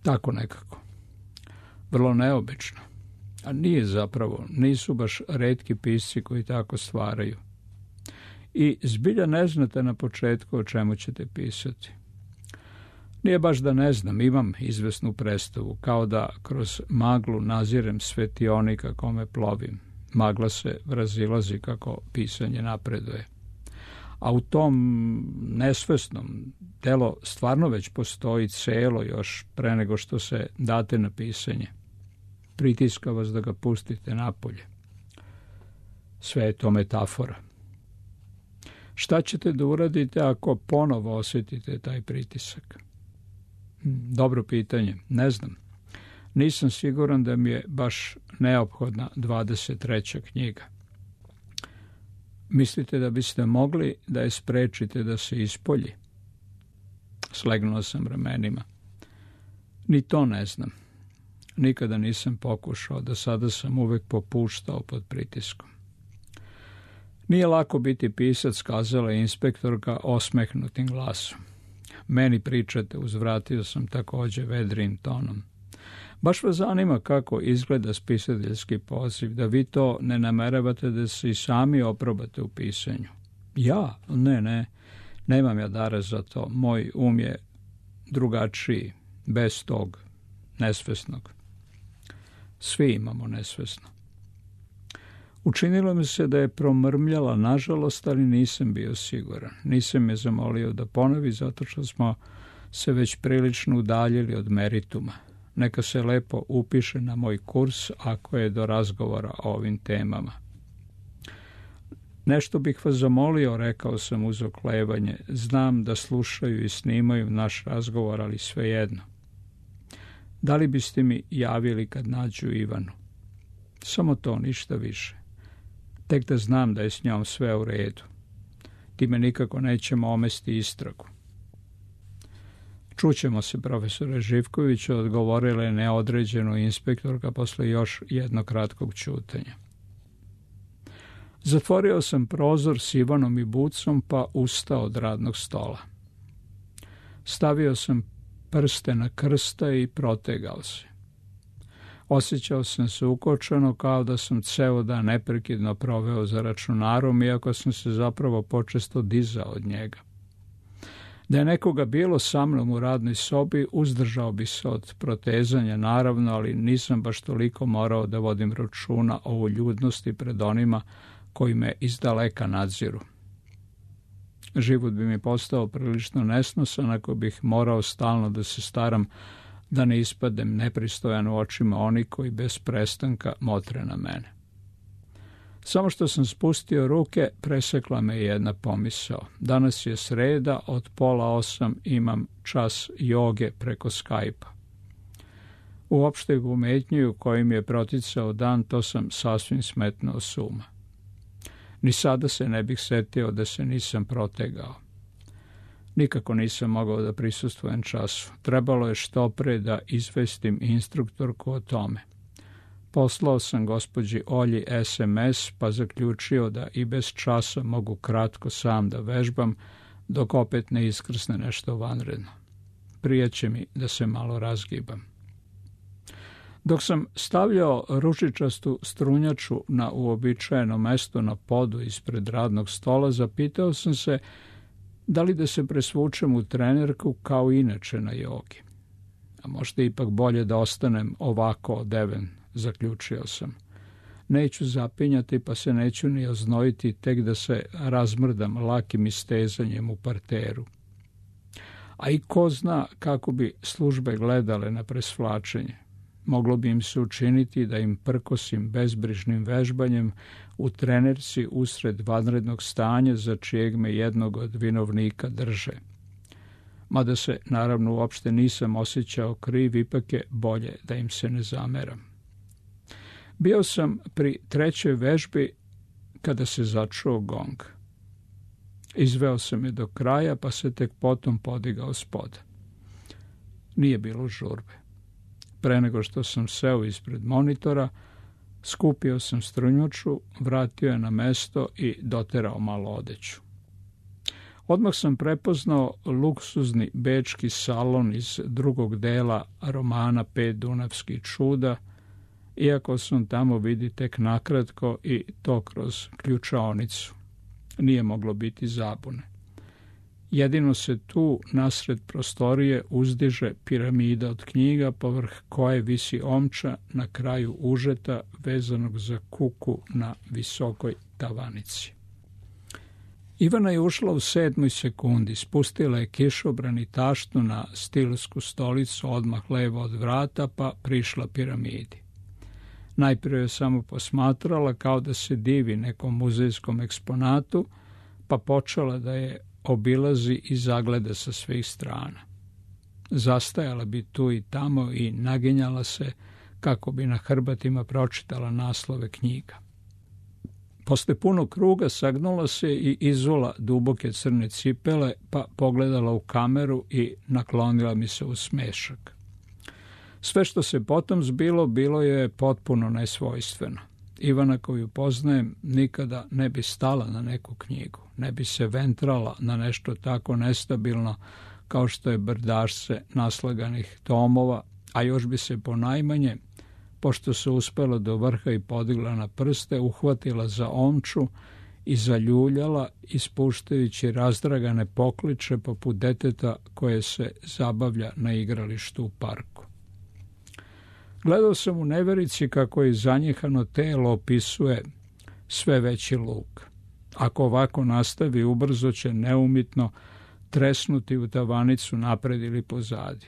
Tako nekako. Vrlo neobično. A nije zapravo, nisu baš retki pisci koji tako stvaraju. I zbilja ne znate na početku o čemu ćete pisati. Nije baš da ne znam, imam izvesnu predstavu, kao da kroz maglu nazirem svetionika kome plovim. Magla se razilazi kako pisanje napreduje. A u tom nesvesnom telo stvarno već postoji celo još pre nego što se date na pisanje. Pritiska vas da ga pustite napolje. Sve je to metafora. Šta ćete da uradite ako ponovo osjetite taj pritisak? Dobro pitanje, ne znam. Nisam siguran da mi je baš neophodna dvadeset treća knjiga. Mislite da biste mogli da je sprečite da se ispolji? Slegnuo sam ramenima. Ni to ne znam. Nikada nisam pokušao, do sada sam uvek popuštao pod pritiskom. Nije lako biti pisac, kazala je inspektorka osmehnutim glasom. Meni pričate, uzvratio sam također vedrim tonom. Baš vas zanima kako izgleda spisateljski poziv, da vi to ne nameravate da se i sami oprobate u pisanju. Ja? Ne, ne, nemam ja dara za to. Moj um je drugačiji, bez tog nesvesnog. Svi imamo nesvesno. Učinilo mi se da je promrmljala, nažalost, ali nisam bio siguran. Nisam je zamolio da ponovi, zato što smo se već prilično udaljili od merituma. Neka se lepo upiše na moj kurs ako je do razgovora o ovim temama. Nešto bih vas zamolio, rekao sam uz oklevanje. Znam da slušaju i snimaju naš razgovor, ali svejedno. Da li biste mi javili kad nađu Ivanu? Samo to, ništa više. Tek da znam da je s njom sve u redu. Time nikako nećemo omesti istragu. Čućemo se, profesore Živković, odgovorila je neodređeno inspektorka posle još jednog kratkog ćutanja. Zatvorio sam prozor s Ivanom i Bucom pa ustao od radnog stola. Stavio sam prste na krsta i protegao se. Osjećao sam se ukočeno kao da sam ceo dan neprekidno proveo za računarom, iako sam se zapravo počesto dizao od njega. Da je nekoga bilo sa mnom u radnoj sobi, uzdržao bi se od protezanja, naravno, ali nisam baš toliko morao da vodim računa o uljudnosti pred onima koji me izdaleka nadziru. Život bi mi postao prilično nesnosan ako bih morao stalno da se staram da ne ispadem nepristojan u očima oni koji bez prestanka motre na mene. Samo što sam spustio ruke, presekla me jedna pomisao. Danas je sreda, od pola osam imam čas joge preko Skype-a. U opšteg umetnju kojim je proticao dan, to sam sasvim smetnuo s uma. Ni sada se ne bih setio da se nisam protegao. Nikako nisam mogao da prisustvujem času. Trebalo je što pre da izvestim instruktorku o tome. Poslao sam gospođi Olji es em es, pa zaključio da i bez časa mogu kratko sam da vežbam, dok opet ne iskrsne nešto vanredno. Prijeće mi da se malo razgibam. Dok sam stavljao ručičastu strunjaču na uobičajeno mesto na podu ispred radnog stola, zapitao sam se da li da se presvučem u trenerku kao inače na jogi. A možda ipak bolje da ostanem ovako odeven, zaključio sam. Neću zapinjati, pa se neću ni oznojiti, tek da se razmrdam lakim istezanjem u parteru. A i ko zna kako bi službe gledale na presvlačenje. Moglo bi im se učiniti da im prkosim bezbrižnim vežbanjem u trenerci usred vanrednog stanja za čijeg me jednog od vinovnika drže. Mada se, naravno, uopšte nisam osjećao kriv, ipak je bolje da im se ne zameram. Bio sam pri trećoj vežbi kada se začuo gong. Izveo sam je do kraja, pa se tek potom podigao s poda. Nije bilo žurbe. Pre nego što sam seo ispred monitora, skupio sam strunjaču, vratio je na mesto i doterao malo odeću. Odmah sam prepoznao luksuzni bečki salon iz drugog dela romana Pet dunavskih čuda, iako sam tamo vidi tek nakratko i to kroz ključaonicu. Nije moglo biti zabune. Jedino se tu, nasred prostorije, uzdiže piramida od knjiga, povrh koje visi omča na kraju užeta vezanog za kuku na visokoj tavanici. Ivana je ušla u sedmoj sekundi, spustila je kišobran i taštu na stilsku stolicu odmah levo od vrata, pa prišla piramidi. Najprije je samo posmatrala kao da se divi nekom muzejskom eksponatu, pa počela da je obilazi i zagleda sa svih strana. Zastajala bi tu i tamo i naginjala se kako bi na hrbatima pročitala naslove knjiga. Posle punog kruga sagnula se i izula duboke crne cipele, pa pogledala u kameru i naklonila mi se u smešak. Sve što se potom zbilo, bilo je potpuno nesvojstveno. Ivana koju poznajem nikada ne bi stala na neku knjigu, ne bi se ventrala na nešto tako nestabilno kao što je brdašce naslaganih tomova, a još bi se ponajmanje, pošto se uspela do vrha i podigla na prste, uhvatila za omču i zaljuljala, ispuštajući razdragane pokliče poput deteta koje se zabavlja na igralištu u parku. Gledao sam u neverici kako je zanjehano telo opisuje sve veći luk. Ako ovako nastavi, ubrzo će neumitno tresnuti u tavanicu napred ili pozadi.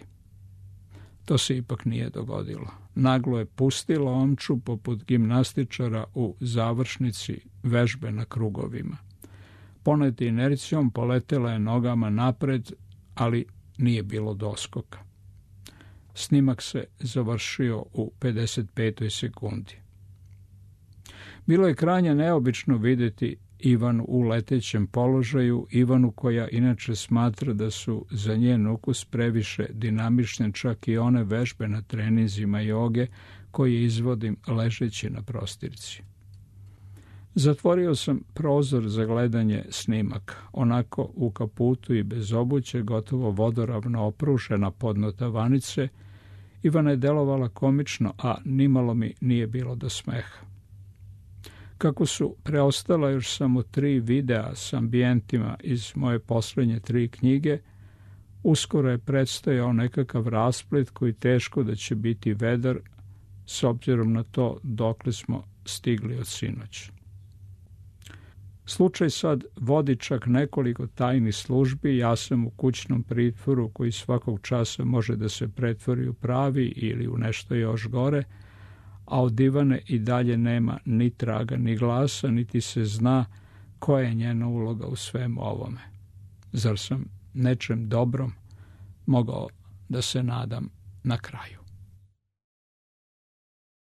To se ipak nije dogodilo. Naglo je pustila omču poput gimnastičara u završnici vežbe na krugovima. Poneti inercijom poletela je nogama napred, ali nije bilo doskoka. Snimak se završio u pedeset petoj sekundi. Bilo je krajnje neobično vidjeti Ivanu u letećem položaju, Ivanu koja inače smatra da su za njen ukus previše dinamične čak i one vežbe na treninzima joge koje izvodim ležeći na prostirci. Zatvorio sam prozor za gledanje snimaka. Onako u kaputu i bez obuće, gotovo vodoravno oprušena podno tavanice, Ivana je delovala komično, a nimalo mi nije bilo do smeha. Kako su preostala još samo tri videa s ambijentima iz moje poslednje tri knjige, uskoro je predstojao nekakav rasplet koji teško da će biti vedar s obzirom na to dokle smo stigli od sinoć. Slučaj sad vodi čak nekoliko tajnih službi, ja sam u kućnom pritvoru koji svakog časa može da se pretvori u pravi ili u nešto još gore, a od Ivane i dalje nema ni traga ni glasa, niti se zna koja je njena uloga u svemu ovome. Zar sam nečem dobrom mogao da se nadam na kraju?